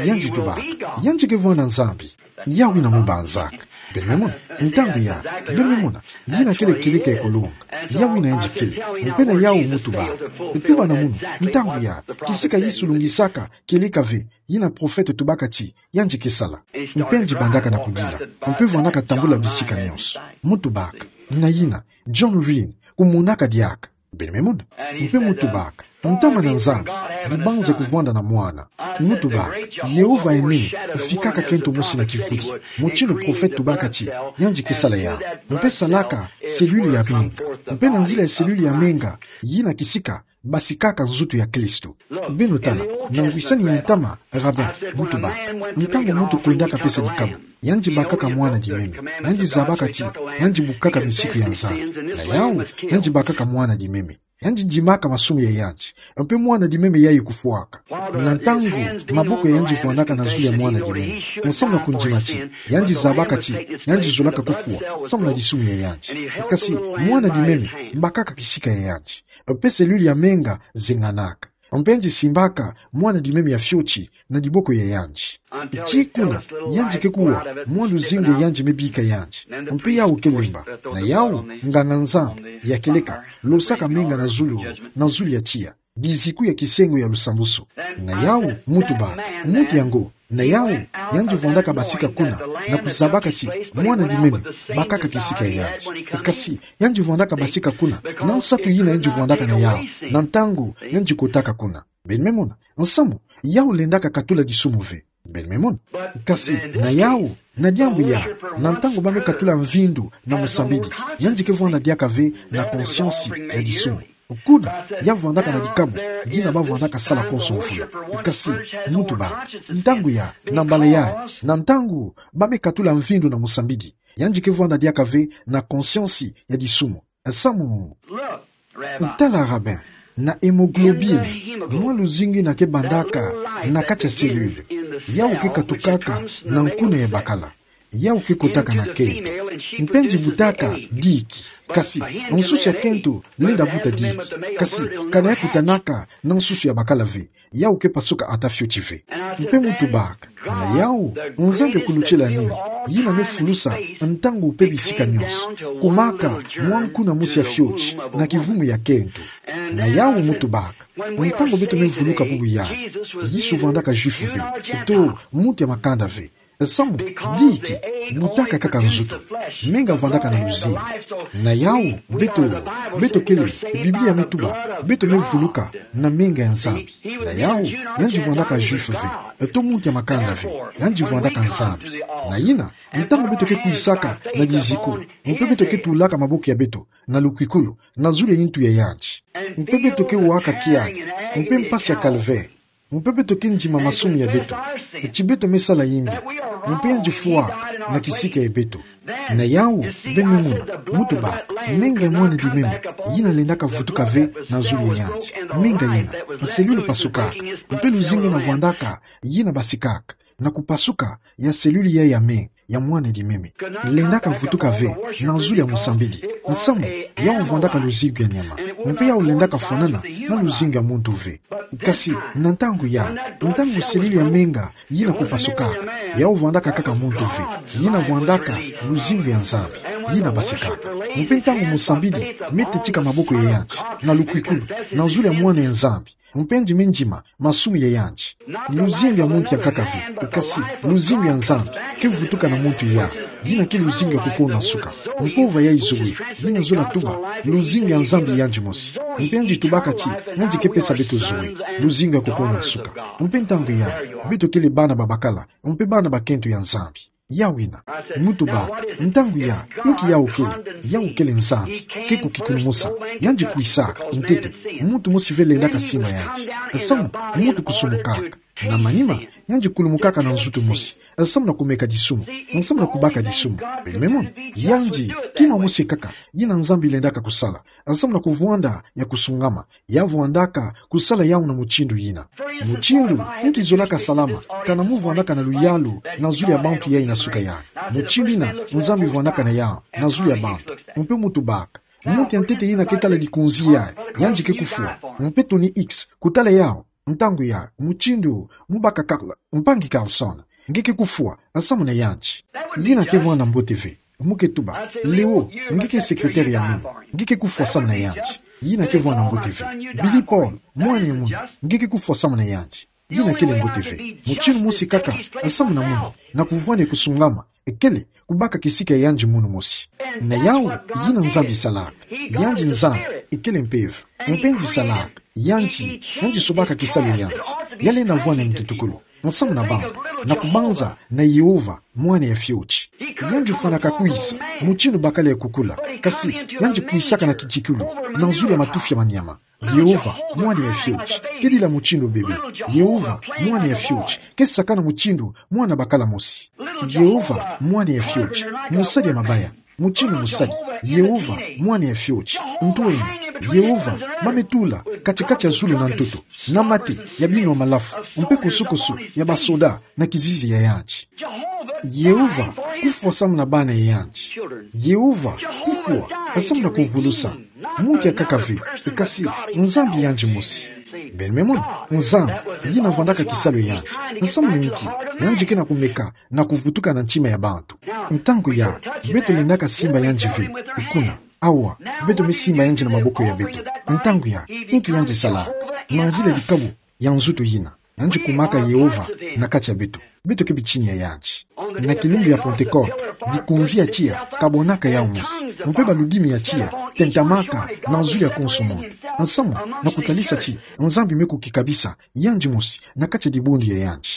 Yandi tubaka, yandi ke vwanda Nzambi. Yawu yina mu banzaka. Beno me mona, ntangu ya, beno me mona, yina kele kieleka ya kulonga. Yawu yina yandi kele, mpe na yawu mu tubaka. Tuba na munu, ntangu ya, kisika Yesu lungisaka, kieleka ve, yina profete tubaka ti, yandi ke sala. Mpe yandi bandaka na kudila. Mpe vwandaka tambula bisika nionso. Mu tubaka. Na yina, John Wynne, kumonaka diaka. Beno me mona. Mpe mu tubaka. Ntama na Nzambi, bibanza kuvwanda na mwana. Mu tubaka. Yehova ya nene, fikaka kento mosi na kivuli. Mutindu profete tubaka ti, yandi ke sala yawu. Mpe salaka, cellule ya menga. Mpe na nzila ya cellule ya menga, yina kisika, basikaka nzutu ya Kristo. Beno tala, na ngwisani ya ntama, rabbin, mu tubaka. Ntangu muntu kwendaka pesa dikabu, yandi bakaka mwana dimeme. Yandi zabaka ti, yandi bukaka misiku ya Nzambi. Na yawu, yandi bakaka mwana dimeme. Yandi ndimaka masumu ya yandi. Mpe mwana dimeme yayi kufwaka. Na ntangu, maboko ya yandi vwandaka na zulu ya mwana dimeme. Nsamu na kundima ti, yandi zabaka ti, yandi zolaka kufwa, samu na disumu ya yandi. Kasi, mwana dimeme, bakaka kisika ya yandi. Mpe cellule ya menga, zenganaka. Mpe yandi simbaka mwana dimeme ya fioti na diboko ya yandi. Tii kuna, yandi ke kuwa mwa luzingu ya yandi me bika yandi. Mpe yau ke lemba. Na yau, nganga-nzambi ya kieleka, losaka menga na zulu, na zulu ya tiya. Biziku ya kisengo ya lusambusu. Na yau, muntu baka, muntu yango, na yau, yandi vwandaka basika kuna, na kuzabaka ti mwana dimeme bakaka kisika ya yandi. Kasi, yandi vwandaka basika kuna na nsatu yina yandi vwandaka na yau, na ntangu yandi kotaka kuna. Beno me mona, nsamu, yau lendaka katula disumu ve. Beno me mona. Kasi, na yau, na diambu ya, na ntangu ba me katula mvindu na musambidi, yandi ke vwanda diaka ve na conscience ya disumu. Kuna, ya vwandaka na dikabu yina ba vwandaka sala konso mvula. Kasi, muntu baka, ntangu ya, na mbala ya, na ntangu ba me katula mvindu na musambidi, yandi ke vwanda diaka ve na conscience ya disumu. Nsamu. Tala, Rabi, na hémoglobine, mwa luzingu yina ke bandaka na kati ya cellule. Yau ke katukaka na nkuna ya bakala. Yau ke kotaka na kento. Mpe yandi butaka diki. Kasi, nsusu ya kento lenda buta diki. Kasi, kana ya kutanaka na nsusu ya bakala ve, yau ke pasuka ata fioti ve. Mpe muntu baka, na yau, Nzambi ya kulutila nini, yina me fulusa ntangu mpe bisika nyonso, kumaka mwa nkuna mosi ya fioti na kivumu ya kento. Na yau, muntu baka, ntangu beto me vuluka bubu ya, Yesu vwandaka Juif ve, to muntu ya makanda ve. Nsamu, diki butaka kaka nzutu. Menga vwandaka na luzingu. Na yau, beto, beto kele, Biblia me tuba, beto me vuluka na menga ya Nzambi. Na yau, yandi vwandaka Juif ve, to muntu ya makanda ve, yandi vwandaka Nzambi. Na yina, ntangu beto ke kwisaka na diziku, mpe beto ke tulaka maboko ya beto na lukwikulu, na zulu ya ntu ya yandi, mpe beto ke waka kiaki, mpe mpasi ya calvaire, mpe beto ke ndima masumu ya beto, ti beto me sala yimbi, mpe yandi fwa na kisika ya beto. Na yau, beno me mona, muntu baka, menga ya mwana dimeme, yina lendaka vutuka ve na zulu ya yandi. Menga yina, cellule pasukaka, mpe luzingu yina vwandaka, yina basikaka na kupasuka ya cellule ya, ya menga ya mwana dimeme, lendaka vutuka ve na zulu ya musambidi. Nsamu, yau vwandaka luzingu ya nyama. Mpe yau lendaka fwanana na luzingu ya muntu ve. Kasi, na ntangu ya, ntangu cellule ya menga yina kupasukaka, yau vwandaka kaka muntu ve. Yina vwandaka luzingu ya Nzambi, yina basikaka. Mpe ntangu musambidi me tetika maboko ya yandi na lukwikulu, na zulu ya Mwana ya Nzambi, mpe yandi me ndima masumu ya yandi, luzingu ya muntu ya nkaka ve, kasi luzingu ya Nzambi ke vutuka na muntu ya, yina ke luzingu ya kukona suka. Mpova ya zoe, yina zola tuba luzingu ya Nzambi yandi mosi. Mpe yandi tubaka ti yandi ke pesa beto zoe, luzingu ya kukona suka. Mpe ntangu ya, beto kele bana ba bakala, mpe bana ba kento ya Nzambi. Yau yina, muntu baka, ntangu ya, inki yau kele? Yau kele Nzambi, ke kukikulumusa. Yandi kwisaka ntete, muntu mosi ve lendaka simba yandi. Nsamu, muntu kusumukaka. Na manima, yandi kulumukaka na nzutu mosi, nsamu na kumeka disumu, nsamu na kubaka disumu. Beno me mona, yandi, kima mosi kaka yina Nzambi lendaka kusala, nsamu na kuvwanda ya kusungama. Ya vwandaka kusala yau na mutindu yina. Mutindu, inki zolaka salama, kana mu vwandaka na luyalu na zulu ya bantu ya ina suka ya. Mutindu yina Nzambi vwandaka na yau na zulu ya bantu. Mpe muntu baka, muntu ya ntete yina ke tala likunzi ya, yandi ke kufwa. Mpe Tony Hicks, kutala yau, ntangu ya, mutindu mu baka Carl, mpangi Carlson, nge ke kufwa, nsamu na yandi. Yina ke vwanda mbote ve. Mu ke tuba, Leo, nge ke secrétaire ya munu, nge ke kufwa samu na yandi. Yina ke vwanda mbote ve. Billy Paul, mwana ya munu, nge ke kufwa samu na yandi. Yina kele mbote ve. Mutindu mosi kaka, nsamu na munu, na kuvwanda ya kusungama, kele kubaka kisika ya yandi munu mosi. Na yau, yina Nzambi salaka. Yandi Nzambi, kele Mpeve. Mpe yandi salaka, yandi, yandi sobaka kisalu ya yandi. Ya lenda vwanda ngitukulu nsamu na bantu, na kubanza na Yehova, Mwana ya fioti. Yandi fwanaka kwisa, mutindu bakala ya kukula, kasi yandi kwisaka na kitikulu, na zulu ya matufi ya manyama. Yehova, Mwana ya fioti, ke dila mutindu bebe. Yehova, Mwana ya fioti, ke sakana mutindu mwana bakala mosi. Yehova, Mwana ya fioti, mosadi ya mabaya. Mutindu mosadi, Yehova, Mwana ya fioti, ntwenya, Yehova, ma me tula kati-kati ya zulu na ntoto, na mate ya binwa malafu, mpe kusu-kusu ya basoda na kizizi ya yandi. Yehova, kufwa samu na bana ya yandi. Yehova, kufwa samu na kuvulusa muntu ya nkaka ve, kasi Nzambi yandi mosi. Beno me mona, Nzambi, yina vwandaka kisalu yandi. Nsamu na inki, yandi ke na kumeka na kuvutuka na ntima ya bantu. Ntangu ya, beto lendaka simba yandi ve, kuna. Awa, beto me simba yandi na maboko ya beto. Ntangu ya, inki yandi salaka? Na nzila dikabu ya nzutu yina. Yandi kumaka Yehova na kati ya beto. Beto ke bitini ya yandi. Na kilumbu ya Pentekote, dikonzi ya tiya kabwanaka yawu mosi. Mpe baludimi ya tiya tentamaka na zulu ya konso munu. Nsamu na kutalisa ti Nzambi me kukikabisa yandi mosi na kati ya dibundu ya yandi.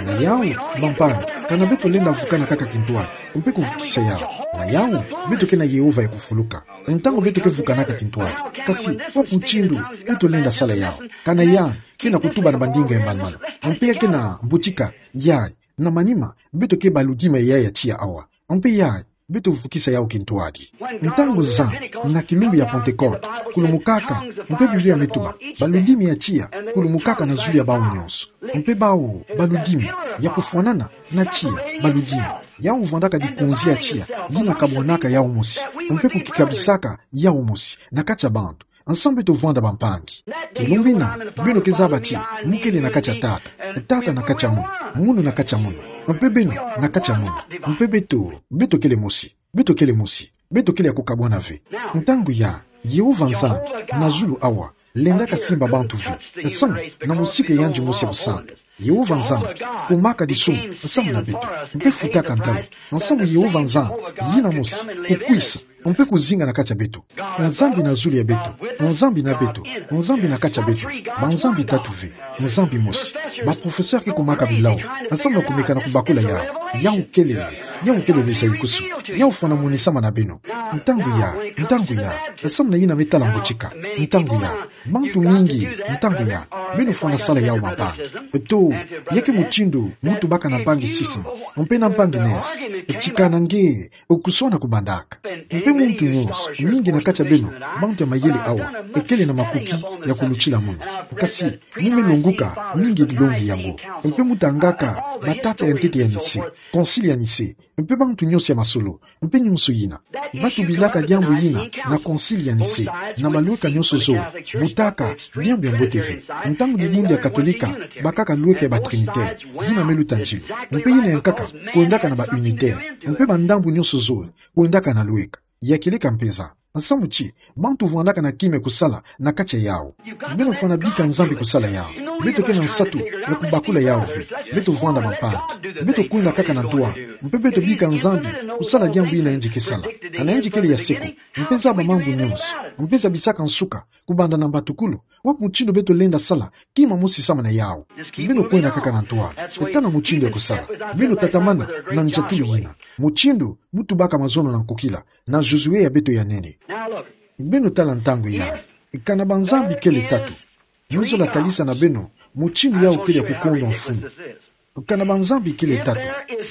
Na yawu, bampangi, kana beto lenda vukana kaka kintwadi mpe kuvukisa yawu. Na yawu, beto ke na Yehova ya kufuluka ntangu beto ke vukanaka kintwadi. Kasi, wapi mutindu beto lenda sala yawu? Kana yayi ke na kutuba na bandinga ya malu-malu, mpe ya ke na mbotika yayi. Na manima, beto ke baludimi ya yayi ya tiya awa. Mpe yayi, beto vukisa yawu kintwadi. Ntangu Nzambi, na kilumbu ya Pentekote, kulumukaka, mpe Biblia me tuba, baludimi ya tiya kulumukaka na zulu ya bawu nyonso. Mpe bawu baludimi, ya kufwanana na tiya, baludimi. Yawu vwandaka dikonzi ya tiya yina kabwanaka yawu mosi, mpe kukikabisaka yawu mosi na kati ya bantu. Nsamu beto vwanda, bampangi? Kilumbu yina, beno ke zaba ti mu kele na kati ya Tata, Tata na kati ya Munu, Munu na kati ya Munu, mpe beno na kati ya Munu. Mpe beto, beto kele mosi, beto kele mosi, beto kele ya kukabwana ve. Ntangu ya, Yehova Nzambi na zulu awa lendaka simba bantu ve, nsamu na musiku ya yandi mosi ya busantu. Yehova Nzambi kumaka disumu nsamu na beto, mpe futaka ntalu. Nsamu Yehova Nzambi yina mosi kukwisa mpe kuzinga na kati ya beto. Nzambi na zulu ya beto, Nzambi na beto, Nzambi na kati ya beto. Banzambi tatu ve, Nzambi mosi. Baprofesseur ke kumaka bilawu nsamu na kumeka na kubakula yawu. Yawu kele, yawu kele luzayikusu. Yawu fwana monisama na beno. Ntangu ya, ntangu ya, nsamu na yina me tala mbotika. Ntangu ya, bantu mingi, ntangu ya, beno fwana sala yawu, bampangi. To, ya ke mutindu mu tubaka na mpangi schisme, mpe na mpangi nees, tikana nge, kusona kubandaka. Mpe muntu nyonso, mingi na kati ya beno, bantu ya mayele awa, kele na makuki ya kulutila munu. Kasi, mu me longuka mingi dilongi yango. Mpe mu tangaka batata ya ntete ya Nicée, Concile ya Nicée, mpe bantu nyonso ya masolo, mpe nyonso yina. Ba tubilaka diambu yina na Concile ya Nicée, na balweka nyonso zole, butaka diambu ya mbote ve. Ntangu dibundu ya Katolika bakaka lweka ya ba Trinitaire, yina me luta nzilo. Mpe yina ya nkaka kwendaka na ba Unitaire, mpe bandambu nyonso zole kwendaka na lweka. Ya kieleka mpeza. Nsamu ti, bantu vwandaka na kima ya kusala na kati ya yawu. Beno fwana bika Nzambi kusala yawu. Beto ke na nsatu ya kubakula yawu ve. Beto vwanda, bampangi. Beto kwenda kaka na ntwala, mpe beto bika Nzambi kusala diambu yina yandi ke sala. Kana yandi kele ya seko, mpe zaba mambu nyonso, mpe zabisaka nsuka kubanda na mbatukulu. Wapi mutindu beto lenda sala kima mosi samu na yawu? Beno kwenda kaka na ntwala. Tala mutindu ya kusala. Beno tatamana na ndiatulu yina. Mutindu mu tubaka mazono na nkukila na Josué ya beto ya nene. Beno tala, ntangu ya, kana banzambi kele tatu, mu zola talisa na beno mutindu yawu kele ya kukondwa mfunu. Kana banzambi kele tatu,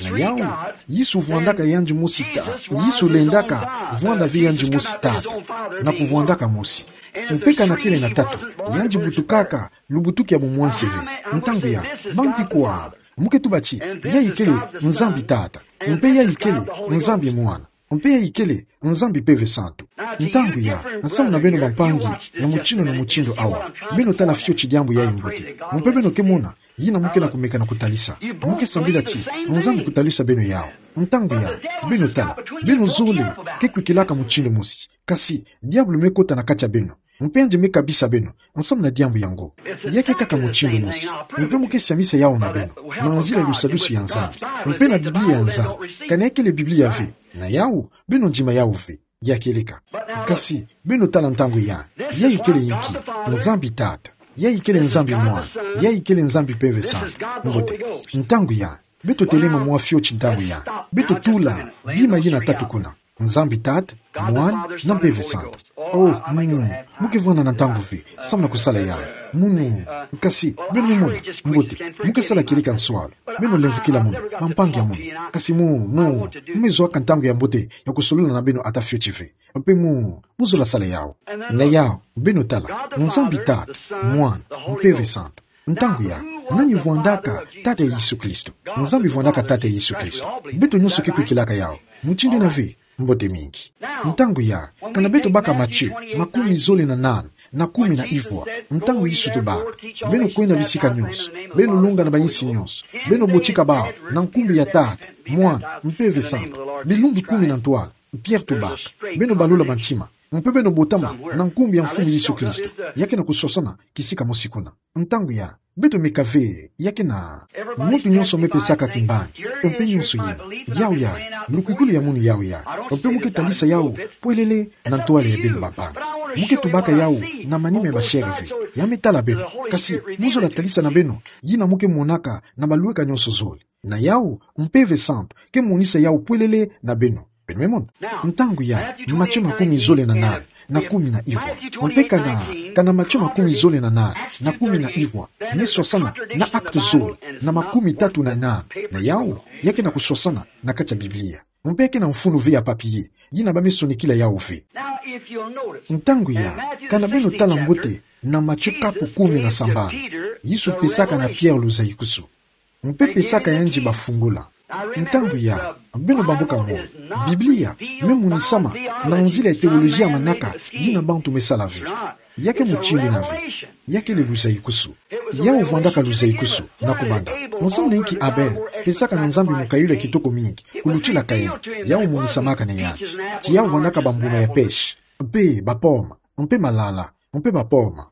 na yawu, Yesu vwandaka yandi mosi ta-, Yesu lendaka vwanda ve yandi mosi Tata, na kuvwandaka mosi. Mpe kana kele na tatu, yandi butukaka lubutuki ya bumwansi ve. Ntangu ya, bantu kwa, mu ke tuba ti, yayi kele Nzambi Tata, mpe yayi kele Nzambi Mwana, mpe yayi kele Nzambi Mpeve Santu. Ntangu ya, nsamu na beno, bampangi ya mutindu na mutindu awa, beno tala fioti diambu yayi mbote. Mpe beno ke mona yina mu ke na kumeka na kutalisa. Mu ke sambila ti Nzambi kutalisa beno yawu. Ntangu ya, beno tala, beno zole ke kwikilaka mutindu mosi. Kasi diabulu me kota na kati ya beno. Mpe yandi me kabisa beno nsamu na diambu yango. Ya ke kaka mutindu mosi. Mpe mu ke siamisa yawu na beno na nzila lusadusu ya Nzambi, mpe na Biblia ya Nzambi. Kana ya kele Biblia ve, na yawu, beno ndima yawu ve. Ya kieleka. Kasi, beno tala, ntangu ya, yayi kele inki? Nzambi Tata, yayi kele Nzambi Mwana, yayi kele Nzambi Mpeve Santu. Mbote. Ntangu ya, beto telema mwa fioti, ntangu ya, beto tula bima yina tatu kuna: Nzambi Tata, Mwana, na Mpeve Santu. Oh, munu, mu ke vwanda na ntangu ve samu na kusala yawu. Munu, kasi, beno me mona, mbote, mu ke sala kieleka nswalu. Beno lemvukila munu, bampangi ya munu. Kasi mu, mu, mu me zowaka ntangu ya mbote ya kusolula na beno ata fioti ve. Mpe mu, mu zola sala yawu. Na yawu, beno tala, Nzambi Tata, Mwana, Mpeve Santu. Ntangu ya, nani vwandaka Tata ya Yesu Kristo? Nzambi vwandaka Tata ya Yesu Kristo. Beto nyonso ke kwikilaka yawu. Mutindu yina ve, mbote mingi. Ntangu ya, kana beto baka Matthieu makumi zole na nana, na kumi na ivwa. Ntangu Yesu tubaka: Beno kwenda bisika nyonso, beno longa na bainsi nyonso, beno botika bawu, na nkumbu ya Tata, Mwana, Mpeve Santu. Bilumbu kumi na ntwala. Pierre tubaka: Beno balula bantima, mpe beno botama na nkumbu ya Mfumu Yesu Kristo. Ya ke na kuswasana kisika mosi kuna. Ntangu ya, beto meka ve, ya ke na, muntu nyonso me pesaka kimbangi, mpe nyonso yina, yawu ya, lukwikulu ya munu yawu ya, mpe mu ke talisa yawu pwelele na ntwala ya beno bampangi. Mu ke tubaka yawu na manima ya bashere ve, ya me tala beno, kasi mu zola talisa na beno yina mu ke monaka na balweka nyonso zole. Na yawu, Mpeve Santu ke monisa yawu pwelele na beno. Beno me mona? Ntangu ya, Matio makumi zole na nane, na kumi na ivwa. Mpe kana, kana Matio makumi zole na nane, na kumi na ivwa, me swasana na Actes zole, na makumi tatu na nane. Na yawu, ya ke na kuswasana na kati ya Biblia. Mpe ya ke na mfunu ve ya papier, yina ba me sonikila yawu ve. Ntangu ya, kana beno tala mbote na Matio kapu kumi na sambanu, Yesu pesaka na Pierre luzaikusu. Mpe pesaka yandi bafungula. Ntangu ya, beno bambuka moyo. Biblia me monisama na nzila ya teolojia ya manaka yina bantu me sala ve. Ya ke mutindu yina ve. Ya kele luzaikusu. Yawu vwandaka luzaikusu, na kubanda. Nsamu na inki Abel pesaka na Nzambi mukayulu ya kitoko mingi kulutila Kain? Yawu monisamaka na yandi ti yawu vwandaka bambuma ya pêche, mpe ba pomme, mpe malala, mpe ba pomme.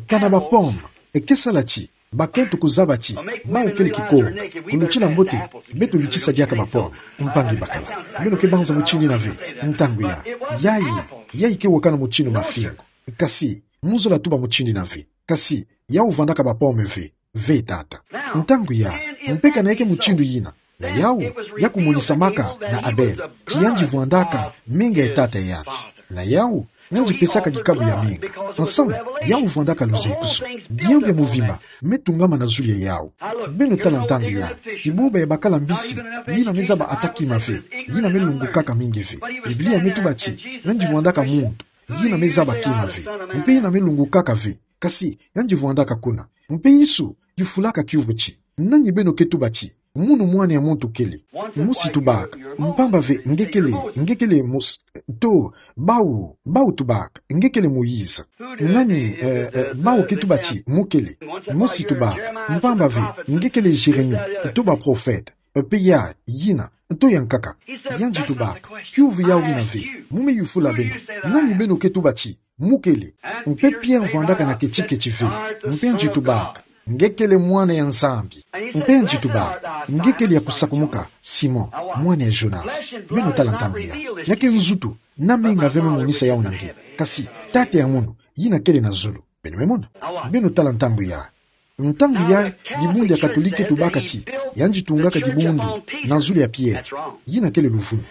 Kana ba pomme, e ke sala ti bakento kuzaba ti bawu kele kikonga, kulutila mbote beto lutisa diaka ba pomme, mpangi bakala. Beno ke banza mutindu yina ve? Ntangu ya, yayi, yayi ke wakana mutindu mafingu. Kasi, mu zola tuba mutindu yina ve. Kasi, yawu vwandaka ba pomme ve, ve tata. Ntangu ya, mpe kana ya ke mutindu yina, na yawu, ya kumonisamaka na Abel ti yandi vwandaka menga ya tata yandi. Na yawu, yandi pesaka dikabu ya menga. Nsamu, yawu vwandaka luzaikusu. Diambu ya muvimba me tungama na zulu ya yawu. Beno tala ntangu ya, kibuba ya bakala mbisi, yina me zaba ata kima ve, yina me lungukaka mingi ve. Biblia me tuba ti, yandi vwandaka muntu yina me zaba kima ve, mpe yina me lungukaka ve. Kasi, yandi vwandaka kuna. Mpe Yesu yufulaka kiuvu ti: Nani beno ke tuba ti munu Mwana ya muntu kele? Mosi tubaka: Mpamba ve nge kele, nge kele Mos-, to, bawu, bawu tubaka: Nge kele Moïse. Nani, eh, eh, bawu ke tuba ti mu kele? Mosi tubaka: Mpamba ve nge kele Jérémie, to baprofete, eh, mpe ya, yina, to yankaka. Yandi tubaka: Kiuvu yawu yina ve, mu me yufula beno: Nani beno ke tuba ti mu kele? Mpe Pierre vwandaka na keti-keti ve, mpe yandi tubaka: Nge kele Mwana ya Nzambi. Mpe yandi tubaka: Nge kele ya kusakumuka, Simon, mwana ya Jonas. Beno tala ntangu ya, ya ke nzutu na menga ve me monisa yawu na nge. Kasi, tata ya munu, yina kele na zulu. Beno me mona? Beno tala ntangu ya. Ntangu ya, dibundu ya Katolike tubaka ti yandi tungaka dibundu na zulu ya Pierre. Yina kele luvunu.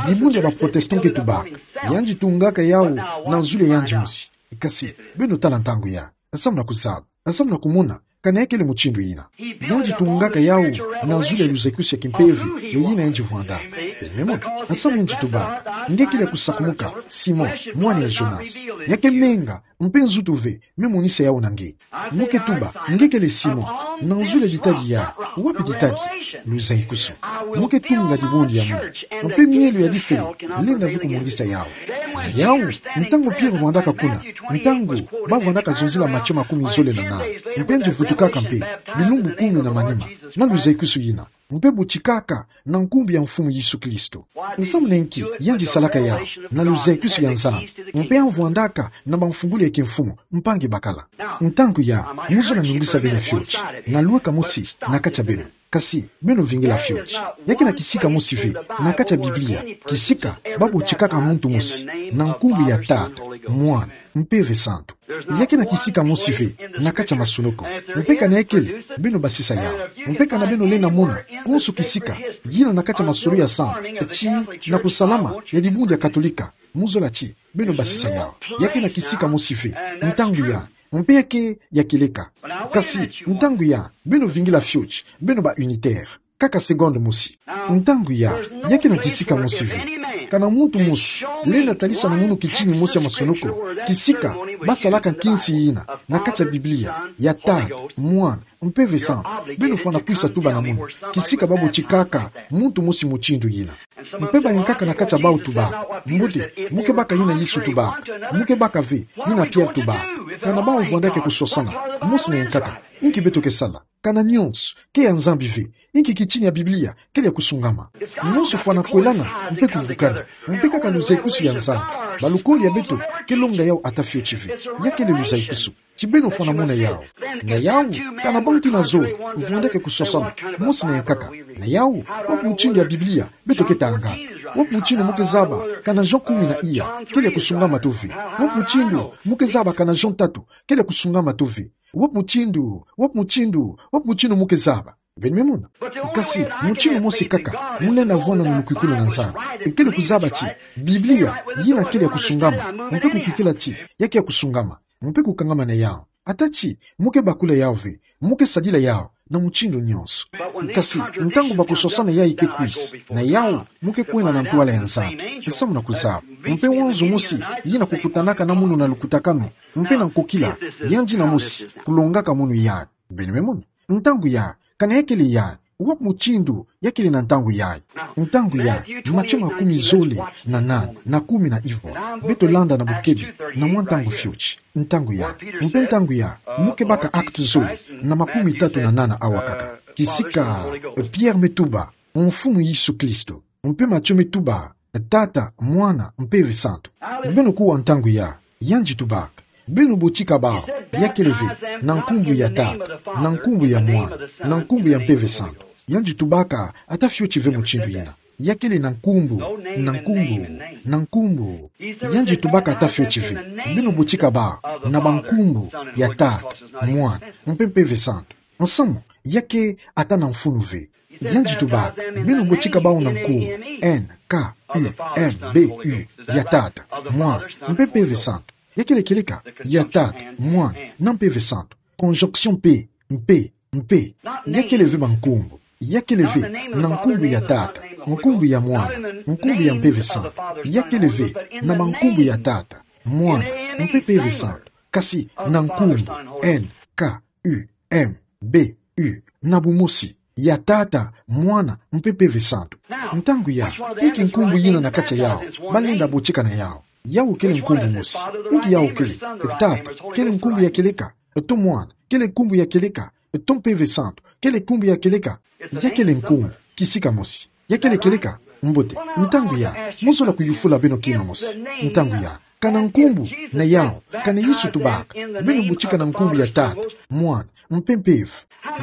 Dibundu ya baprotestant ke tubaka yandi tungaka yawu na zulu ya yandi mosi. Kasi, beno tala ntangu ya. Nsamu na kuzaba, nsamu na kumona kana ya kele mutindu yina. Yandi tungaka yawu na zulu ya luzaikusu ya kimpeve, ya yina yandi vwandaka. Beno me mona? Nsamu yandi tubaka: Nge kele ya kusakumuka, Simon, mwana ya Jonas. Ya ke menga, mpe nzutu ve me monisa yawu na nge. Mu ke tuba: Nge kele Simon, na zulu ya ditadi ya, wapi ditadi? Luzaikusu. Mu ke tunga dibundu ya munu, mpe mielo ya difelo lenda ve kumonisa yawu. Na yawu, ntangu Pierre vwandaka kuna, ntangu ba vwandaka zonzila Matio makumi zole na nane, mpe yandi vutukaka mpe, bilumbu kumi na manima, na luzaikusu yina, mpe botikaka na nkumbu ya Mfumu Yesu Kristo. Nsamu na inki yandi salaka yawu? Na luzaikusu ya Nzambi, mpe ya vwandaka na bamfungulu ya kimfumu, mpangi bakala. Ntangu ya, mu zola nungisa beno fioti, na lweka mosi na kati ya beno. Kasi, beno vingila fioti. Ya ke na kisika mosi ve na kati ya Biblia, kisika ba botikaka muntu mosi na nkumbu ya Tata, Mwana, Mpeve Santu. Ya ke na kisika mosi ve na kati ya masonoko. Mpe kana ya kele, beno basisa yawu. Mpe kana beno lenda mona konso kisika yina na kati ya masolo ya santu, ti na kusalama ya dibundu ya Katolika, mu zola ti beno basisa yawu. Ya ke na kisika mosi ve ntangu ya, mpe ya ke ya kieleka. Kasi, ntangu ya, beno vingila fioti, beno ba unitaire. Kaka seconde mosi. Ntangu ya, ya ke na kisika mosi ve. Kana muntu mosi lenda talisa na munu kitini mosi ya masonoko kisika ba salaka nkinsi yina na kati ya Biblia, ya Tata, Mwana, Mpeve Santu, beno fwana kwisa tuba na munu kisika ba botikaka muntu mosi mutindu yina. Mpe bayankaka na kati ya bawu tubaka: Mbote, mu ke baka yina Yesu tubaka. Mu ke baka ve yina Pierre tubaka. Kana bau vwanda ke kusosana, mosi na yankaka, inki beto ke sala. Kana nyonso, ke ya Nzambi ve, inki kitini ya Biblia, kele ya kusungama. Nyonso fwana kwelana, mpe kuvukana, mpe kaka luzaikusu ya Nzambi. Balukoli ya beto, ke longa yau ata fioti ve. Ya kele luzaikusu. Ti beno fwana mona yau. Na yau, kana bantu ina zole, vwanda ke kusosana, mosi na yankaka. Na yau, wapi mutindu ya Biblia, beto ke tanga. Wapi mutindu mo ke zaba, kana Jean kumi na iya, kele ya kusungama tove. Wapi mutindu, mo ke zaba kana Jean tatu, kele ya kusungama tove. Wapi mutindu, wapi mutindu, wapi mutindu mo ke zaba. Beno me mona. Kasi, mutindu mosi kaka, mo lenda vwanda na lukwikulu na Nzambi. Kele kuzaba ti, Biblia, yina kele ya kusungama, mpe kukwikila ti, ya ke ya kusungama, mpe kukangama na yau. Ata ti, mo ke bakula yau ve, mo ke sadila yau, na mutindu nyonso. Kasi, ntangu bakusosana yayi ke kwisa, na yau, mo ke kwenda na ntwala ya Nzambi, nsamu na kuzaba. Mpe wanzu mosi, yina kukutanaka na mono na lukutakanu, mpe na nkokila, yandi na mosi, kulongaka mono yayi. Beno me mona. Ntangu ya, kana ya kele ya, wapi mutindu, ya kele na ntangu ya. Ntangu ya, Matio makumi zole, na nana, na kumi na ivwa. Beto landa na bukebi, na mwa ntangu fioti. Ntangu ya, mpe ntangu ya, mo ke baka Actes zole, na makumi tatu na nana awa kaka. Kisika, Pierre me tuba, Mfumu Yesu Kristo. Mpe Matio me tuba, Tata, Mwana, Mpeve Santu. Beno kuwa ntangu ya, yandi tubaka. Beno botika bau, ya kele ve, na nkumbu ya Tata, na nkumbu ya Mwana, na nkumbu ya Mpeve Santu. Yandi tubaka, ata fioti ve mutindu yina. Ya kele na nkumbu, na nkumbu, na nkumbu. Yandi tubaka ata fioti ve, beno botika bau, na bankumbu, ya Tata, Mwana, mpe Mpeve Santu. Nsamu, ya ke ata na mfunu ve. Yandi tubaka, beno botika bau na nkumbu, N, K, U, M, B, U, ya Tata, Mwana, mpe Mpeve Santu. Ya kele kieleka, ya Tata, Mwana, na Mpeve Santu. Conjonction pe, mpe, mpe. Ya kele ve bankumbu. Ya kele ve, na nkumbu ya Tata, nkumbu ya Mwana, nkumbu ya Mpeve Santu. Ya kele ve, na bankumbu ya Tata, Mwana, mpe Mpeve Santu. Kasi, na nkumbu, N, K, U, M, B, U, na bumosi, ya Tata, Mwana, mpe Mpeve Santu. Ntangu ya, inki nkumbu yina na kati ya yau, balenda botika na yau. Yau kele nkumbu mosi. Inki yau kele, Tata, kele nkumbu ya kieleka, to Mwana, kele nkumbu ya kieleka, to Mpeve Santu, kele nkumbu ya kieleka. Ya kele nkumbu, kisika mosi. Ya kele kieleka, mbote, ntangu ya, mo zola kuyufula beno kima mosi. Ntangu ya, kana nkumbu, na yau, kana Yesu tubaka, beno botika na nkumbu ya Tata, Mwana, mpe Mpeve.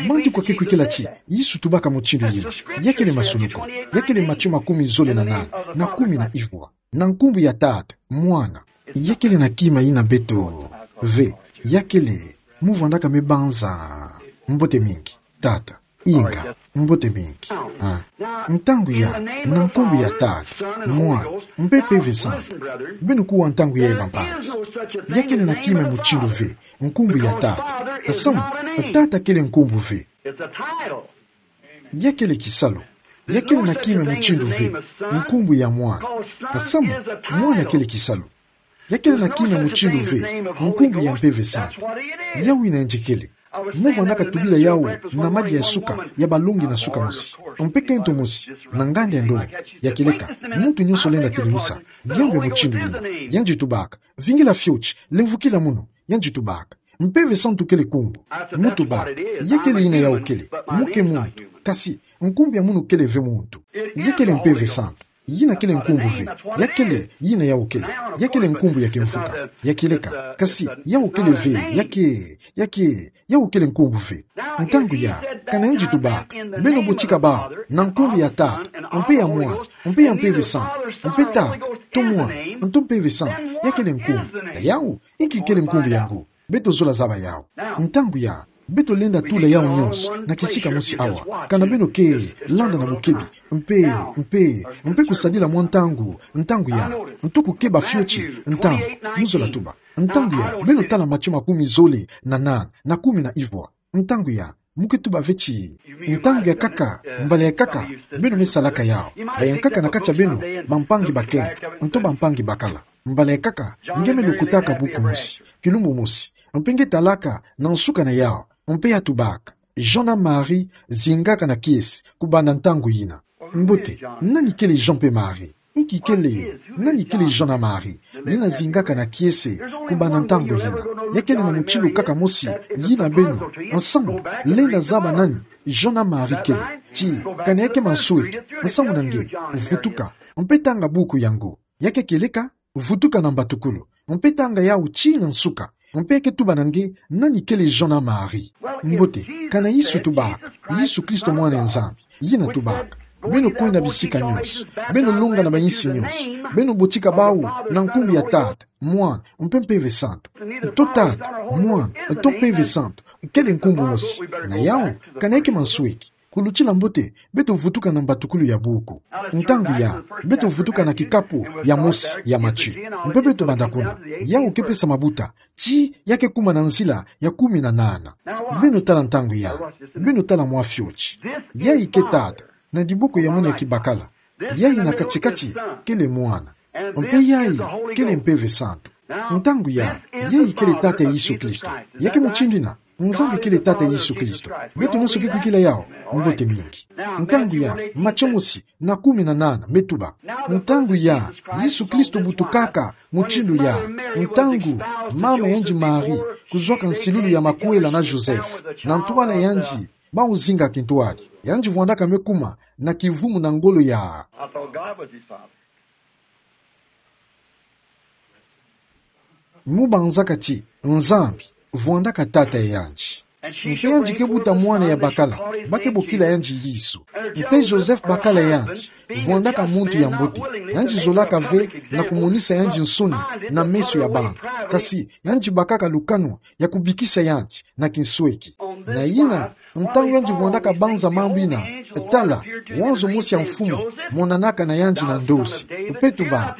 Mbantu kwa ke kwikila ti, Yesu tubaka mutindu yina. Ya kele masunuko, ya kele Matio makumi zole na nana, na kumi na ivwa. Na nkumbu ya Tata, Mwana. Ya kele na kima yina beto ve, ya kele, mo vwandaka me banza. Mbote mingi, Tata. Inga, mbote mingi. Ah. Ntangu ya, na nkumbu ya Tata, Mwana, mpe Mpeve Santu. Beno kuwa ntangu ya, bampangi. Ya kele na kima mutindu ve, nkumbu ya Tata. Nsamu, Tata kele nkumbu ve. Ya kele kisalu. Ya kele na kima mutindu ve, nkumbu ya Mwana. Nsamu, Mwana kele kisalu. Ya kele na kima mutindu ve, nkumbu ya Mpeve Santu. Yau yina yandi kele. Mo vwandaka tubila yau na madia ya suka, ya balongi na suka mosi. Mpe kento mosi, na nganda ya ndongo, ya kieleka. Muntu nyonso lenda telemisa, diambu ya mutindu yina. Yandi tubaka, vingila fioti, lemvukila munu, yandi tubaka. Mpeve Santu kele nkumbu. Mo tubaka, ya kele yina yau kele, mo ke muntu. Kasi, nkumbu ya munu kele ve muntu. Ya kele Mpeve Santu. Yina kele nkumbu ve. Ya kele, yina yau kele. Ya kele nkumbu ya kimvuka. Ya kieleka. Kasi, yau kele ve. Ya ke, ya ke, yau kele nkumbu ve. Ntangu ya, kana yandi tubaka, beno botika bau, na nkumbu ya Tata, mpe ya Mwana, mpe ya Mpeve Santu, mpe Tata, to Mwana, to Mpeve Santu, ya kele nkumbu. Na yau, inki kele nkumbu yango. Beto zola zaba yau. Ntangu ya, beto lenda tula yau nyonso, na kisika mosi awa. Kana beno ke, landa na bukebi, mpe, mpe, mpe kusadila mwa ntangu, ntangu ya, nto kukeba fioti, ntangu, mo zola tuba. Ntangu ya, beno tala Matio makumi zole, na nana, na kumi na ivwa. Ntangu ya, mo ke tuba ve ti. Ntangu ya kaka, mbala ya kaka, beno me salaka yau. Bayankaka na kati ya beno, bampangi bakento, nto bampangi bakala. Mbala ya kaka, nge me lukutaka buku mosi, kilumbu mosi, mpe nge talaka na nsuka na yau, mpe ya tubaka, Jean na Marie zingaka na kiese, kubanda ntangu yina. Mbote, nani kele Jean mpe Marie? Inki kele, nani kele Jean na Marie? yina zingaka na kiese kubanda ntangu yina. Ya kele na mutindu kaka mosi yina beno. Nsamu, lenda zaba nani John na Marie kele. Ti, kani ya ke mansweki. Nsamu na nge, vutuka. Mpe tanga buku yango. Ya ke kieleka, vutuka na mbatukulu. Mpe tanga yawu tii na nsuka. Mpe ke tuba na nge nani kele John na Marie. Mbote, kana Yesu tubaka, Yesu Kristo mwana ya Nzambi, yina tubaka. Beno kwenda bisika nyonso. Beno longa na bayinsi nyonso. Beno botika bawu na nkumbu ya Tata, Mwana, mpe Mpeve Santu. Nto Tata, Mwana, nto Mpeve Santu, kele nkumbu mosi. Na yawu, kana ya ke mansweki. Kulutila mbote, beto vutuka na mbatukulu ya buku. Ntangu ya, beto vutuka na kikapu ya mosi ya Matthieu. Mpe beto banda kuna. Yawu ke pesa mabuta, ti ya ke kuma na nzila ya kumi na nana. Beno tala ntangu ya, beno tala mwa fioti. Yayi ke Tata, na diboko ya mwini ya kibakala. Yayi na kati-kati, kele Mwana. Mpe yayi, kele Mpeve Santu. Ntangu ya, yayi kele Tata Yesu Kristo. Ya ke mutindu yina, Nzambi kele Tata Yesu Kristo. Beto nyonso ke kwikila yawu, mbote mingi. Ntangu ya, Matthieu mosi, na kumi na nana, me tuba. Ntangu ya, Yesu Kristo butukaka, mutindu ya. Ntangu, mama yandi Marie, kuzwaka nsilulu ya makwela na Joseph. Na ntwala yandi, bawu zinga kintwadi. Yandi vwandaka me kuma, na kivumu na ngolo ya. I thought God was his father. Mu banzaka ti, Nzambi, vwandaka Tata ya yandi. Mpe yandi ke buta mwana ya bakala, ba ke bokila yandi Yesu. Mpe Joseph bakala yandi, vwandaka muntu ya mbote. Yandi zolaka ve na kumonisa yandi nsoni na meso ya bantu. Kasi, yandi bakaka lukanu ya kubikisa yandi na kinsweki. Na yina, ntangu yandi vwandaka banza mambu yina, tala, wanzo mosi ya Mfumu monanaka na yandi na ndosi. Mpe tuba,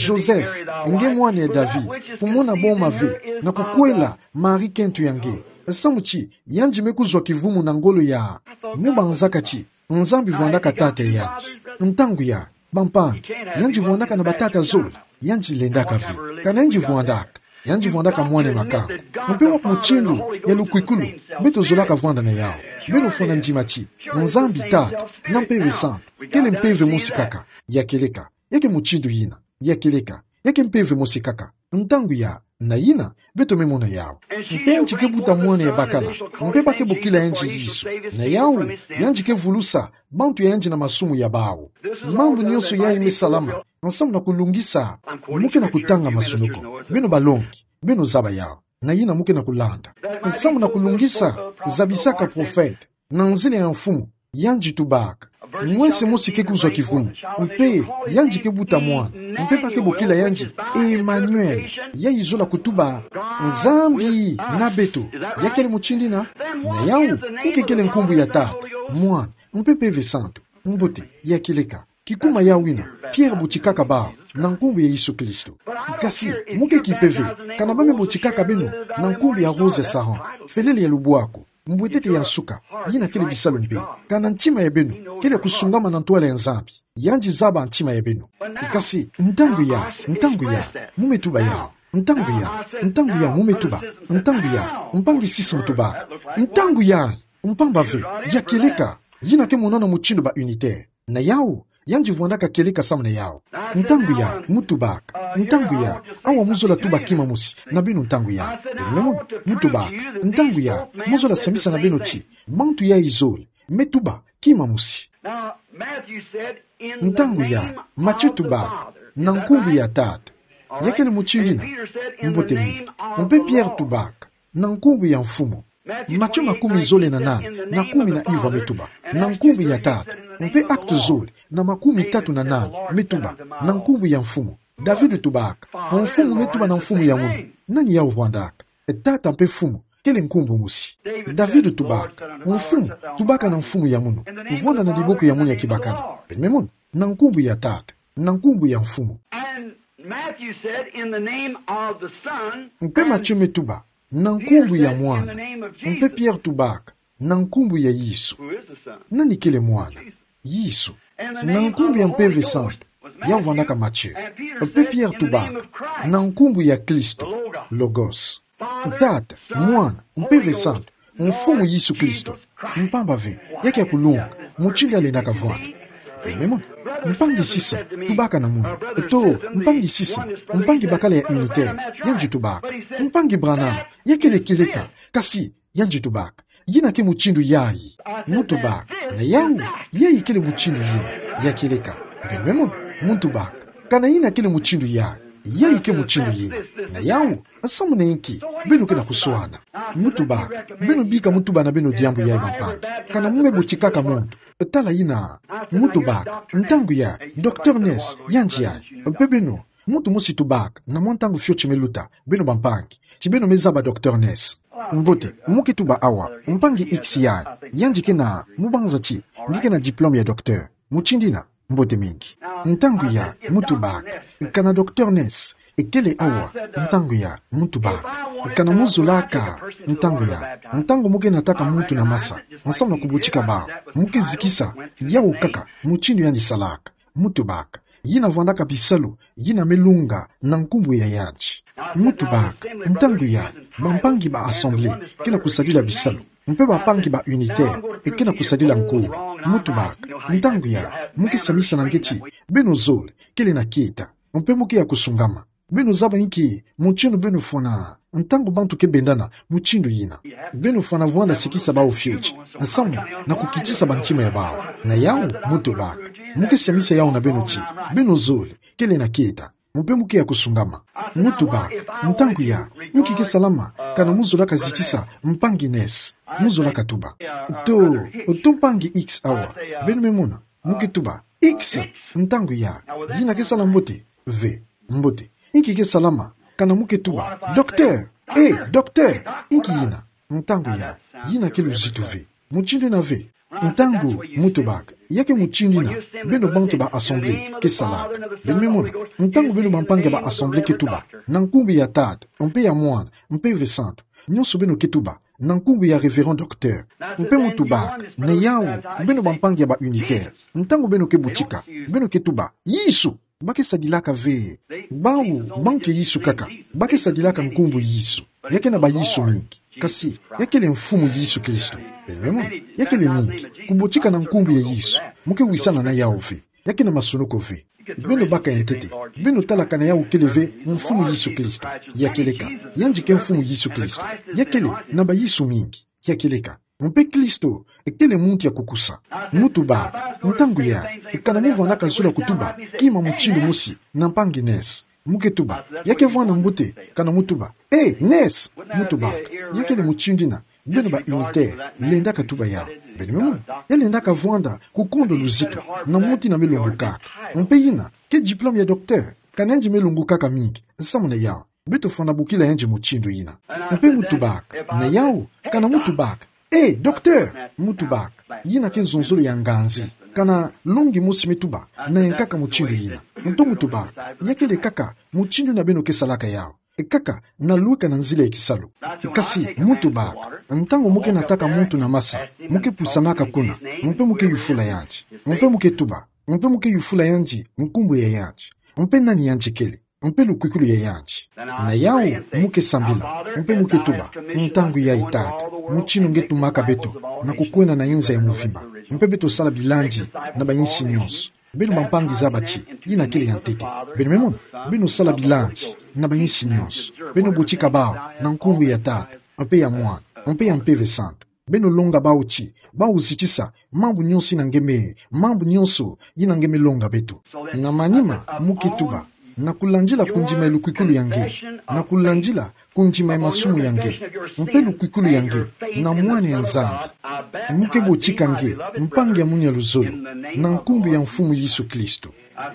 Joseph, nge mwana ya David, kumona boma ve, na kukwela Marie kento ya nge. Samu ti, yandi me kuzwa kivumu na ngolo ya. Mu banzaka ti, Nzambi vwandaka Tata ya yandi. Ntangu ya, bampangi, yandi vwandaka na batata zole, yandi lendaka ve. Kana yandi vwandaka, yandi vwandaka mwana ya makangu. Mpe wapi mutindu ya lukwikulu, beto zolaka vwanda na yawu. Beno fwana ndima ti, Nzambi Tata, na Mpeve Santu, kele mpeve mosi kaka, ya kieleka. Ya ke mutindu yina, ya kieleka, ya ke mpeve mosi kaka. Ntangu ya, na yina, beto me mona yawu. Mpe yandi ke buta mwana ya bakala, mpe ba ke bokila yandi Yesu. Na yawu, yandi ke vulusa bantu ya yandi na masumu ya bawu. Mambu nyonso yayi me salama, nsamu na kulungisa, mu ke na kutanga masunu ko. Beno balongi, beno zaba yawu. Na yina mu ke na kulanda. Nsamu na kulungisa, zabisaka profete. Na nzila ya Mfumu, yandi tubaka. Mwese mosi ke kuzwa kivumu, mpe yandi ke buta mwana, mpe ba ke bokila yandi Emmanuel, yayi zola kutuba Nzambi na beto. Ya kele mutindu yina, na yawu, i ke kele nkumbu ya Tata, Mwana, mpe Mpeve Santu. Mbote, ya kieleka. Kikuma yawu yina, Pierre botikaka bawu, na nkumbu ya Yesu Kristo. Kasi, mu ke kipe ve, kana ba me botikaka beno, na nkumbu ya Rose Saron, felele ya lubwaku, mbwetete ya nsuka, yina kele bisalu mpe, kana ntima ya beno, kele kusungama na ntwala ya Nzambi, yandi zaba ntima ya beno. Kasi, ntangu ya, ntangu ya, mu me tuba yawu, ntangu ya, ntangu ya, mu me tuba, ntangu ya, mpangi Sisi mu tubaka, ntangu ya, mpamba ve, ya kieleka, yina ke monana mutindu ba unitaire. Na yawu, yandi vwandaka kieleka samu na yawu. Ntangu ya, mu tubaka. Ntangu ya, awa mu zola tuba kima mosi, na beno ntangu ya. Beno me mona, mu tubaka. Ntangu ya, mu zola sambisa na beno ti, bantu yayi zole, me tuba kima mosi. Ntangu ya, Matthieu tubaka, na nkumbu ya Tata. Ya kele mutindu yina, mbote mingi. Mpe Pierre tubaka, na nkumbu ya Mfumu. Matthieu makumi zole na nana, na kumi na ivwa me tuba, na nkumbu ya Tata. Mpe Actes zole, na makumi tatu na nana, me tuba, na nkumbu ya Mfumu. David tubaka, Mfumu me tuba na mfumu ya munu. Nani yawu vwandaka? Tata mpe Mfumu, kele nkumbu mosi. David tubaka, Mfumu, tubaka na mfumu ya munu. Vwanda na diboko ya munu ya kibakala. Beno me mona, na nkumbu ya Tata, na nkumbu ya Mfumu. And Matthew said, "In the name of the Son." Mpe Matthieu me tuba, na nkumbu ya Mwana. Mpe Pierre tubaka, na nkumbu ya Yesu. Who is the Son? Nani kele Mwana? Yesu. Na nkumbu ya Mpeve Santu, yawu vwandaka Matthieu. Mpe Pierre tubaka, na nkumbu ya Kristo, Logos. Tata, Mwana, Mpeve Santu, Mfumu Yesu Kristo. Mpamba ve, ya ke ya kulunga, mutindu ya lendaka vwanda. Beno me mona. Mpangi Sisson, tubaka na munu. To, mpangi Sisson, mpangi bakala ya Unitaire, yandi tubaka. Mpangi Branham, ya kele kieleka, kasi, yandi tubaka. Yina ke mutindu yayi. Mutubaka, na yawu, yayi kele mutindu yina, ya kieleka. Beno me mona, mutubaka. Kana yina kele mutindu yayi, yayi ke mutindu yina. Na yawu, nsamu na inki, beno ke na kuswana. Mutubaka, beno bika mutuba na beno diambu yayi bampangi. Kana mu me butikaka muntu. Tala yina, mutubaka, ntangu yayi, Docteur Ness, yandi yayi. Mpe beno, muntu mosi tubaka, na mwa ntangu fioti me luta, beno bampangi. Ti beno me zaba Docteur Ness. Mbote, mu ke tuba awa, mpangi X yayi, yandi ke na, mu banza ti, nge ke na diplôme ya docteur. Mutindu yina, mbote mingi. Ntangu yayi, mutubaka, kana Docteur Ness, kele awa, ntangu yayi, mutubaka. Kana mu zolaka, ntangu yayi, ntangu mu ke nataka muntu na masa, nsamu na kubutika bawu, mu ke zikisa, yawu kaka, mutindu yandi salaka. Mutubaka. Yina vwandaka bisalu, yina me lunga, na nkumbu ya yandi. Mutubaka. Ntangu yayi, bampangi ba Assemblée, ke na kusadila bisalu. Mpe bampangi ba Unitaire, ke na kusadila nkumbu. Mutubaka. Ntangu yayi, mu ke samisa na nge ti, beno zole, kele na kieta. Mpe mu ke ya kusungama. Beno zaba inki, mutindu beno fwana. Ntangu bantu ke bendana, mutindu yina. Beno fwana vwanda sikisa bawu fioti. Nsamu, na kukitisa bantima ya bawu. Na yawu, mutubaka. Mu ke samisa yawu na beno ti. Beno zole, kele na kieta. Mpe mu ke ya kusungama. Mutubaka. Ntangu yayi, inki ke salama, kana mu zolaka zitisa, mpangi Ness. Mu zolaka tuba. To, to mpangi X awa. Beno me mona. Mu ke tuba, X, ntangu yayi, yina ke sala mbote, ve, mbote. Inki ke salama, kana mu ke tuba, Docteur, eh, docteur, inki yina, ntangu yayi, yina ke luzitu ve. Mutindu yina ve, ntangu, mutubaka, ya ke mutindu yina, beno bantu ba Assemblée, ke salaka. Beno me mona, ntangu beno bampangi ba Assemblée ke tuba, na nkumbu ya Tata, mpe ya Mwana, mpe Mpeve Santu, nionso beno ke tuba, na nkumbu ya Révérend Docteur. Mpe mutubaka, na yawu, beno bampangi ya ba Unitaire. Ntangu beno ke butika, beno ke tuba, Yesu, ba ke sadilaka ve. Bawu, bantu ya Yesu kaka, ba ke sadilaka nkumbu Yesu. Ya ke na ba Yesu mingi. Kasi, ya kele Mfumu Yesu Kristo. Beno me mona, ya kele mingi. Kubutika na nkumbu ya Yesu. Mu ke wisana na yawu ve. Ya ke na masunuku ve. Beno baka ya ntete. Beno tala kana yawu kele ve Mfumu Yesu Kristo. Ya kieleka. Yandi ke Mfumu Yesu Kristo. Ya kele na ba Yesu mingi. Ya kieleka. Mpe Kristo, kele muntu ya kukusa. Mutubaka, ntangu yayi, kana mu vwandaka zola kutuba, kima mutindu mosi, na mpangi Ness. Mu ke tuba, ya ke vwanda mbote, kana mu tuba, eh, Ness, mutubaka, ya kele mutindu yina, beno ba Unitaire, lendaka tuba yawu. Beno me mona, ya lendaka vwanda, kukondo luzitu, na muntu yina me lungukaka. Mpe yina, ke diplôme ya docteur, kana yandi me lungukaka mingi, nsamu na yawu. Beto fwana bokila yandi mutindu yina. Mpe mutubaka, na yawu, kana mutubaka, eh, docteur, mutubaka, yina ke nzonzolo ya nganzi. Kana longi mosi me tuba, na yankaka mutindu yina. Nto mutubaka, ya kele kaka, mutindu yina beno ke salaka yawu. Kaka, na lweka na nzila ya kisalu. Kasi, mutubaka, ntangu mu ke nataka muntu na masa, mu ke pusanaka kuna, mpe mu ke yufula yandi, mpe mu ke tuba, mpe mu ke yufula yandi, nkumbu ya yandi, mpe nani yandi kele, mpe lukwikulu ya yandi. Na yawu, mu ke sambila, mpe mu ke tuba, ntangu yayi Tata, mutindu nge tumaka beto, na kukwenda na inza ya mvimba, mpe beto sala bilandi, na bayinsi nionso. Beno bampangi zaba ti, yina kele ya ntete. Beno me mona, beno sala bilandi, na bayinsi nionso. Beno butika bawu, na nkumbu ya Tata, mpe ya Mwana, mpe ya Mpeve Santu. Beno longa bawu ti, bawu zitisa, mambu nionso yina nge me, mambu nionso yina nge me longa beto. Na manima, mu ke tuba, na kulandila kundima ya lukwikulu ya nge, na kulandila kundima ya masumu ya nge, mpe lukwikulu ya nge, na mwana ya Nzambi. Mu ke butika nge, mpangi ya munu ya luzolo, na nkumbu ya Mfumu Yesu Kristo.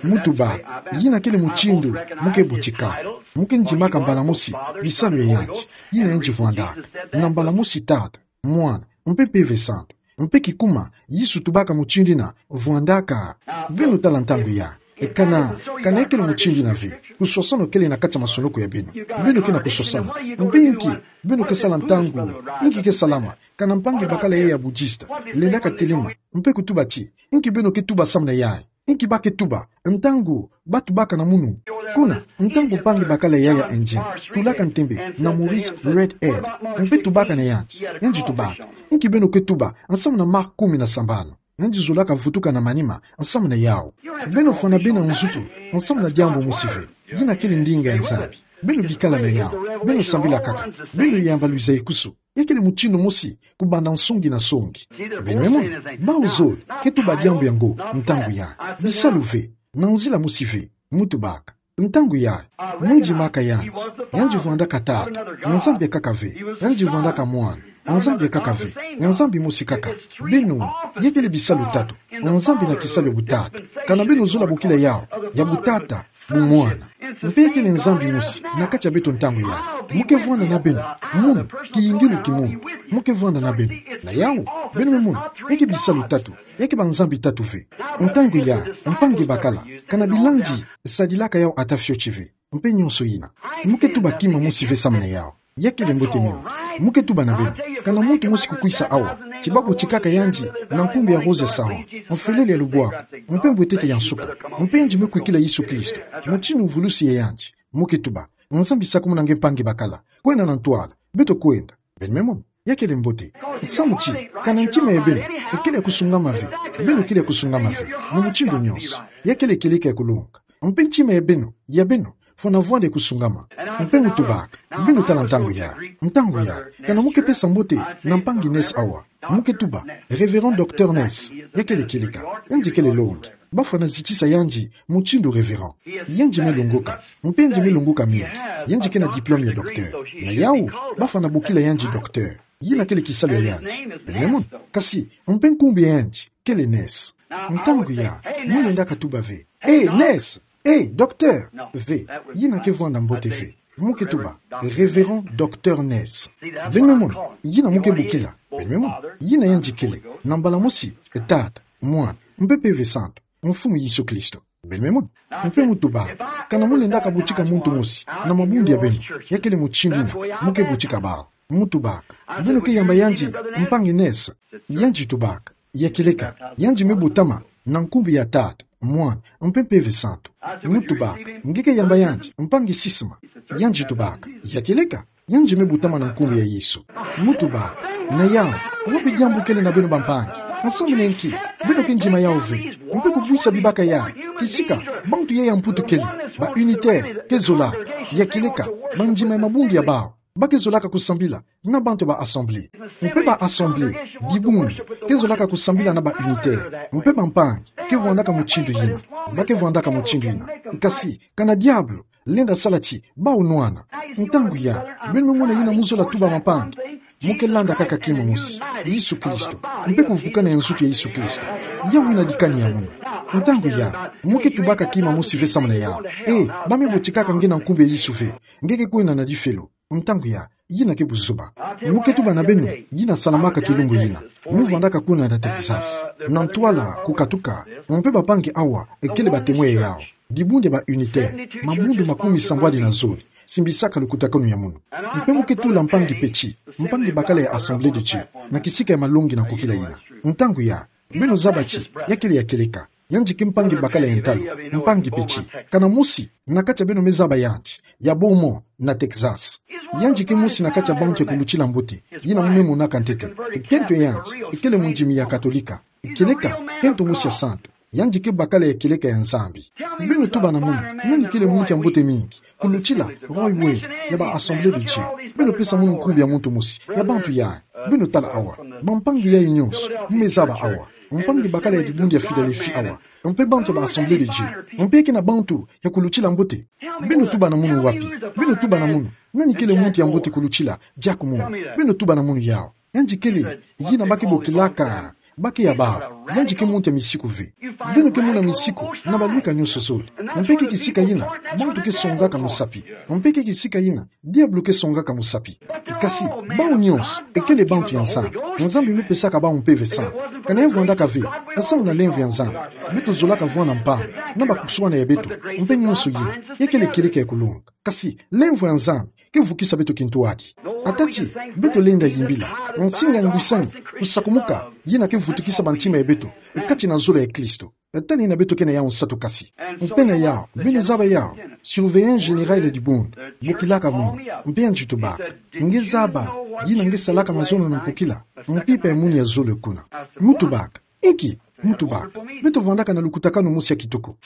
Mutubaka, yina kele mutindu, mu ke butika. Mu ke ndimaka mbala mosi, bisalu ya yandi, yina yandi vwandaka. Na mbala mosi Tata, Mwana, mpe Mpeve Santu. Mpe kikuma, Yesu tubaka mutindu yina, vwandaka. Beno tala ntangu yayi. Kana, kana ya kele mutindu yina ve. Kuswaswano kele na kati ya masunuku ya beno. Beno ke na kuswasana. Mpe inki, beno ke sala ntangu. Inki ke salama. Kana mpangi bakala yayi ya bouddhiste. Lendaka telema. Mpe kutuba ti. Inki beno ke tuba samu na yayi. Inki ba ke tuba, ntangu, ba tubaka na munu. Kuna, ntangu mpangi bakala yayi ya Indien, tulaka ntembe, na Maurice Red Head, mpe tubaka na yandi, yandi tubaka. Inki beno ke tuba, nsamu na Marc kumi na sambanu. yandi zolaka vutuka na manima nsamu na yawu. Beno fwana bena nzutu nsamu na diambu mosi ve. Yina kele ndinga ya Nzambi. Beno bikala na yawu. Beno sambila kaka. Beno yamba lwiza ekusu. Ya kele mutindu mosi kubanda nsongi na nsongi. Beno me mona, bawu zole ke tuba diambu yango ntangu yayi. Bisalu ve, na nzila mosi ve, mutu baka. Ntangu yayi, mundimaka yandi, yandi vwandaka Tata, Nzambi kaka ve, yandi vwandaka Mwana, Nzambi kaka ve, Nzambi mosi kaka. Beno, ya kele bisalu tatu, Nzambi na kisalu ya butatu. Kana beno zola bokila yawu, ya butata, bumwana. Mpe ya kele Nzambi mosi na kati ya beto ntangu yayi. Mu ke vwanda na beno, munu, kiyingilu ki munu. Mu ke vwanda na beno. Na yawu, beno me mona, ya ke bisalu tatu, ya ke banzambi tatu ve. Ntangu yayi, mpangi bakala, kana bilandi sadilaka yawu ata fioti ve. Mpe nyonso yina. Mu ke tuba kima mosi ve samu na yawu. Ya kele mbote mingi. Mu ke tuba na beno. Kana muntu mosi kukwisa awa, ti babotikaka yandi na nkumbu ya Rose Saron, mfelele ya lubwaku, mpe mbwetete ya nsuka, mpe yandi me kwikila Yesu Kristo, mutindu mvulusi ya yandi. Mu ke tuba, Nzambi sakumuna nge mpangi bakala. Kwenda na ntwala. Beto kwenda. Beno me mona. Ya kele mbote. Samu ti, kana ntima ya beno ekele ya kusungama ve, beno kele ya kusungama ve, na mutindu nyonso. Ya kele kieleka ya kulonga. Mpe ntima ya beno, ya beno, fwana vwanda ya kusungama. Mpe mu tubaka, beno tala ntangu yayi, ntangu yayi, kana mu ke pesa mbote na mpangi Ness awa. Mu ke tuba, Révérend Docteur Ness, ya kele kieleka, yandi kele longi. Bafwana zitisa yandi mutindu révérend. Yandi me longoka, mpe yandi me longoka mingi. Yandi ke na diplôme ya docteur. Na yawu, bafwana bokila yandi docteur. Yina kele kisalu ya yandi. Beno me mona, kasi, mpe nkumbu ya yandi kele Ness. Ntangu yayi, mu lendaka tuba ve, eh, Ness, eh, docteur. Ve, yina ke vwanda mbote ve. Mu ke tuba, Révérend Docteur Ness. Beno me mona, yina mu ke bokila. Beno me mona, yina yandi kele, na mbala mosi, Tata, Mwana, mpe Mpeve Santu, Mfumu Yesu Kristo. Beno me mona. Mpe mu tubaka, kana mu lendaka botika muntu mosi na mabundu ya beno, ya kele mutindu yina mu ke botika bawu. Mu tubaka, beno ke yamba yandi mpangi Ness. Yandi tubaka, ya kieleka, yandi me botama na nkumbu ya Tata, Mwana, mpe Mpeve Santu. Mu tubaka, nge ke yamba yandi mpangi Sisma. Yandi tubaka, ya kieleka, yandi me botama na nkumbu ya Yesu. Mu tubaka, na yawu, wapi diambu kele na beno bampangi? Nsamu na nki beno ke ndima yawu ve? Mpe kubwisa bibaka yayi, kisika bantu yayi ya Mputu kele, ba unitaire, ke zolaka, ya kieleka, bandima ya mabundu ya bawu. Ba ke zolaka kusambila na bantu ya ba assemblée. Mpe ba assemblée, dibundu, ke zolaka kusambila na ba unitaire. Mpe bampangi ke vwandaka mutindu yina. Ba ke vwandaka mutindu yina. Kasi, kana diabulu lenda sala ti bawu nwana. Ntangu yayi, beno me mona yina mu zola tuba bampangi. Mu ke landa kaka kima mosi, Yesu Kristo, mpe kuvukana ya nzutu ya Yesu Kristo. Yawu yina dikani ya munu. Ntangu yayi, mu ke tubaka kima mosi ve samu na yawu. Eh, ba me botikaka nge na nkumbu ya Yesu ve. Nge ke kwenda na difelo. Ntangu yayi, yina ke buzoba. Mu ke tuba na beno, yina salamaka kilumbu yina. Mu vwandaka kuna na Texas. Na ntwala, kukatuka, mpe bampangi awa, kele ba témoin ya yawu. Dibundu ya ba unitaire, mabundu makumi sambwadi na zole, simbisaka lukutakanu ya munu. Mpe mu ke tula mpangi Petit, mpangi bakala ya Assemblée de Dieu, na kisika ya malongi na kukila yina. Ntangu yayi, beno zaba ti, ya kele ya kieleka. Yandi ke mpangi bakala ya ntalu, mpangi Petit. Kana mosi na kati ya beno me zaba yandi, ya Beaumont, na Texas. Yandi ke mosi na kati ya bantu ya kulutila mbote, yina mu me monaka ntete. Kento ya yandi kele mondimi ya Katolika. Kieleka, kento mosi ya santu. Yandi ke bakala ya kieleka ya Nzambi. Beno tuba na munu, nani kele muntu ya mbote mingi kulutila Roy Wade ya ba Assemblée de Dieu? Beno pesa munu nkumbu ya muntu mosi ya bantu yayi. Beno tala awa, bampangi yayi nyonso mu me zaba awa. Mpangi bakala ya dibundu ya Philadelphie awa, mpe bantu ya ba Assemblée de Dieu, mpe ke na bantu ya kulutila mbote. Beno tuba na munu wapi? Beno tuba na munu, nani kele muntu ya mbote kulutila Jack Moore? Beno tuba na munu yawu. Yandi kele, yina ba ke bokilaka, ba ke ya bawu. Yandi ke muntu ya misiku ve. Beno ke mona misiku na balwika nyonso zole. Mpe ke kisika yina bantu ke songaka musapi. Mpe ke kisika yina diabulu ke songaka musapi. Kasi, bawu nyonso kele bantu ya Nzambi. Nzambi me pesaka bawu Mpeve Santu. Kana ya vwandaka ve, nsamu na lemvo ya Nzambi, beto zolaka vwanda mpangi na bakuswana ya beto, mpe nyonso yina, ya kele kieleka ya kulonga. Kasi, lemvo ya Nzambi ke vukisa beto kintwadi. Ata ti beto lenda yimbila nsinga ya ngwisani, kusakumuka, yina ke vutukisa bantima ya beto kati na zolo ya Kristo. Tali yina beto ke na yawu nsatu kasi. Mpe na yawu, beno zaba yawu, surveillant général ya dibundu, bokilaka munu, mpe yandi tubaka, nge zaba yina nge salaka mazono na nkokila, mpimpa ya munu ya zole kuna. Mu tubaka, inki Muntu baka, beto vwandaka na lukutakanu mosi ya kitoko.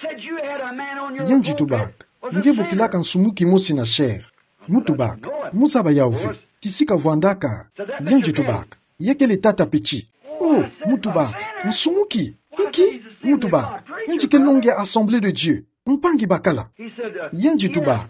Yandi tubaka, nge bokilaka nsumuki mosi na chair. Muntu baka, mu zaba yau ve, kisika vwandaka. Yandi tubaka, ya kele tata Petit. Oh, muntu baka, nsumuki. Inki? Muntu baka, yandi ke longue ya Assemblée de Dieu. Mpangi bakala. Yandi tubaka,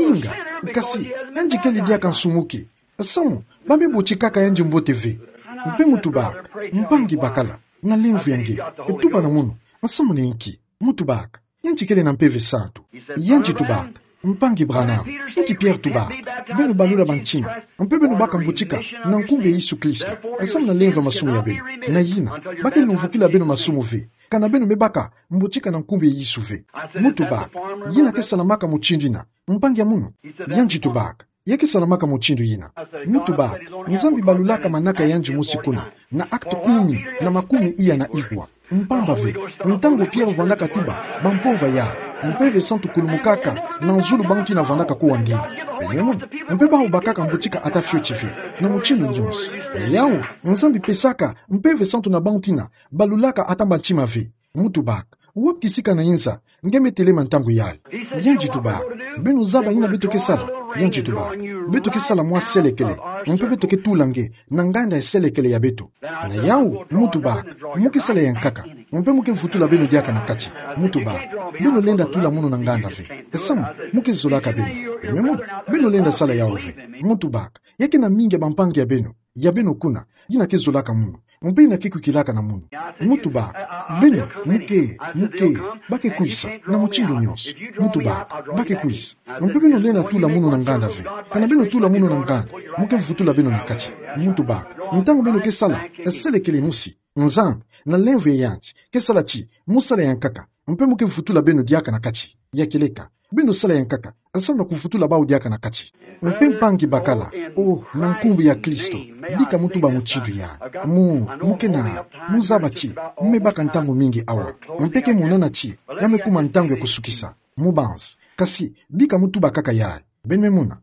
inga, kasi, yandi kele diaka nsumuki. Samu, ba me botikaka yandi mbote ve. Mpe muntu baka, mpangi bakala, na lemvo ya nge, tuba na mono, samu na inki? Muntu baka, yandi kele na Mpeve Santu. Yandi tubaka, mpangi Branham, inki Pierre tubaka, beno balula bantima, mpe beno baka mbotika, na nkumbu ya Yesu Kristo, samu na lemvo ya masumu ya beno. Na yina, ba ke lumvukila beno masumu ve, kana beno me baka mbotika na nkumbu ya Yesu ve. Muntu baka, yina ke salamaka mutindu yina, mpangi ya mono? Yandi tubaka, ya ke salamaka mutindu yina. Muntu baka, Nzambi balulaka manaka yandi mosi kuna, na Actes kumi, na makumi iya na ivwa. Mpamba ve, ntangu Pierre vwandaka tuba, ba mpova ya, Mpeve Santu kulumukaka, na zulu bantu yina vwandaka kuwa nge. Beno me mono, mpe bawu bakaka mbotika ata fioti ve, na mutindu nyonso. Na yau, Nzambi pesaka Mpeve Santu na bantu yina balulaka ata bantima ve. Muntu baka, wapi kisika na inza, nge me telema ntangu yayi? Yandi tubaka, beno zaba yina beto ke sala? Yandi tubaka, beto ke sala mwa selekele, mpe beto ke tula nge na nganda ya selekele ya beto. Na yau, muntu baka, mu ke sala ya nkaka, mpe mu ke vutula beno diaka na kati. Muntu baka, beno lenda tula mono na nganda ve. Samu, mu ke zolaka beno. Beno me mono, beno lenda sala yau ve. Muntu baka, ya ke na mingi ya bampangi ya beno, ya beno kuna, yina ke zolaka mono, mpe yina ke kwikilaka na mono. Muntu baka, beno, mu ke, mu ke, ba ke kwisa, na mutindu nyonso. Muntu baka, ba ke kwisa. Mpe beno lenda tula mono na nganda ve. Kana beno tula mono na nganda, mu ke vutula beno na kati. Muntu baka, ntangu beno ke sala, selekele mosi, Nzambi, na lemvo ya yandi, ke sala ti, mu sala ya nkaka, mpe mu ke vutula beno diaka na kati. Ya kieleka, beno sala ya nkaka, samu na kuvutula bawu diaka na kati. Mpe mpangi bakala, oh, na nkumbu ya Kristo, bika mu tuba mutindu yayi. Mu, mu ke na, mu zaba ti, mu me baka ntangu mingi awa. Mpe ke monana ti, ya me kuma ntangu ya kusukisa. Mu banza, kasi, bika mu tuba kaka yayi. Beno me mona.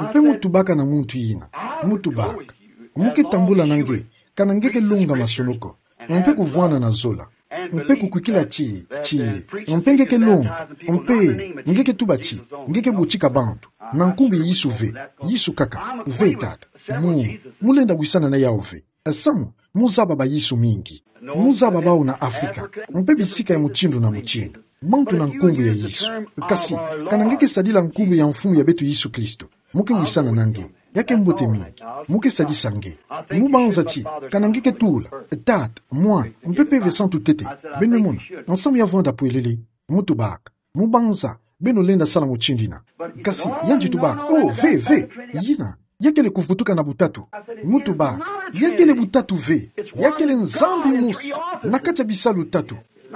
Mpe mu tubaka na muntu yina, muntu baka, mu ke tambula na nge, kana nge ke longa masonoko, mpe kuvwana na zola, mpe kukwikila ti, ti, mpe nge ke longa, mpe nge ke tuba ti, nge ke botika bantu, na nkumbu ya Yesu ve, Yesu kaka, ve tata, mu, mu lenda wisana na yau ve. Samu, mu zaba ba Yesu mingi. Mu zaba bawu na Afrika, mpe bisika ya mutindu na mutindu. Bantu na nkumbu ya Yesu. Kasi, kana nge ke sadila nkumbu ya Mfumu ya beto Yesu Kristo, mu ke wisana na nge. Ya ke mbote mingi. Mu ke sadisa nge. Mu banza ti, kana nge ke tula, Tata, Mwana, mpe Mpeve Santu ntete. Beno me mona, nsamu ya vwanda pwelele. Mu tubaka. Mu banza, beno lenda sala mutindu yina. Kasi, yandi tubaka, oh, ve, ve, yina. Ya kele kuvutuka na butatu. Mu tubaka, ya kele butatu ve. Ya kele Nzambi mosi. Na kati ya bisalu tatu.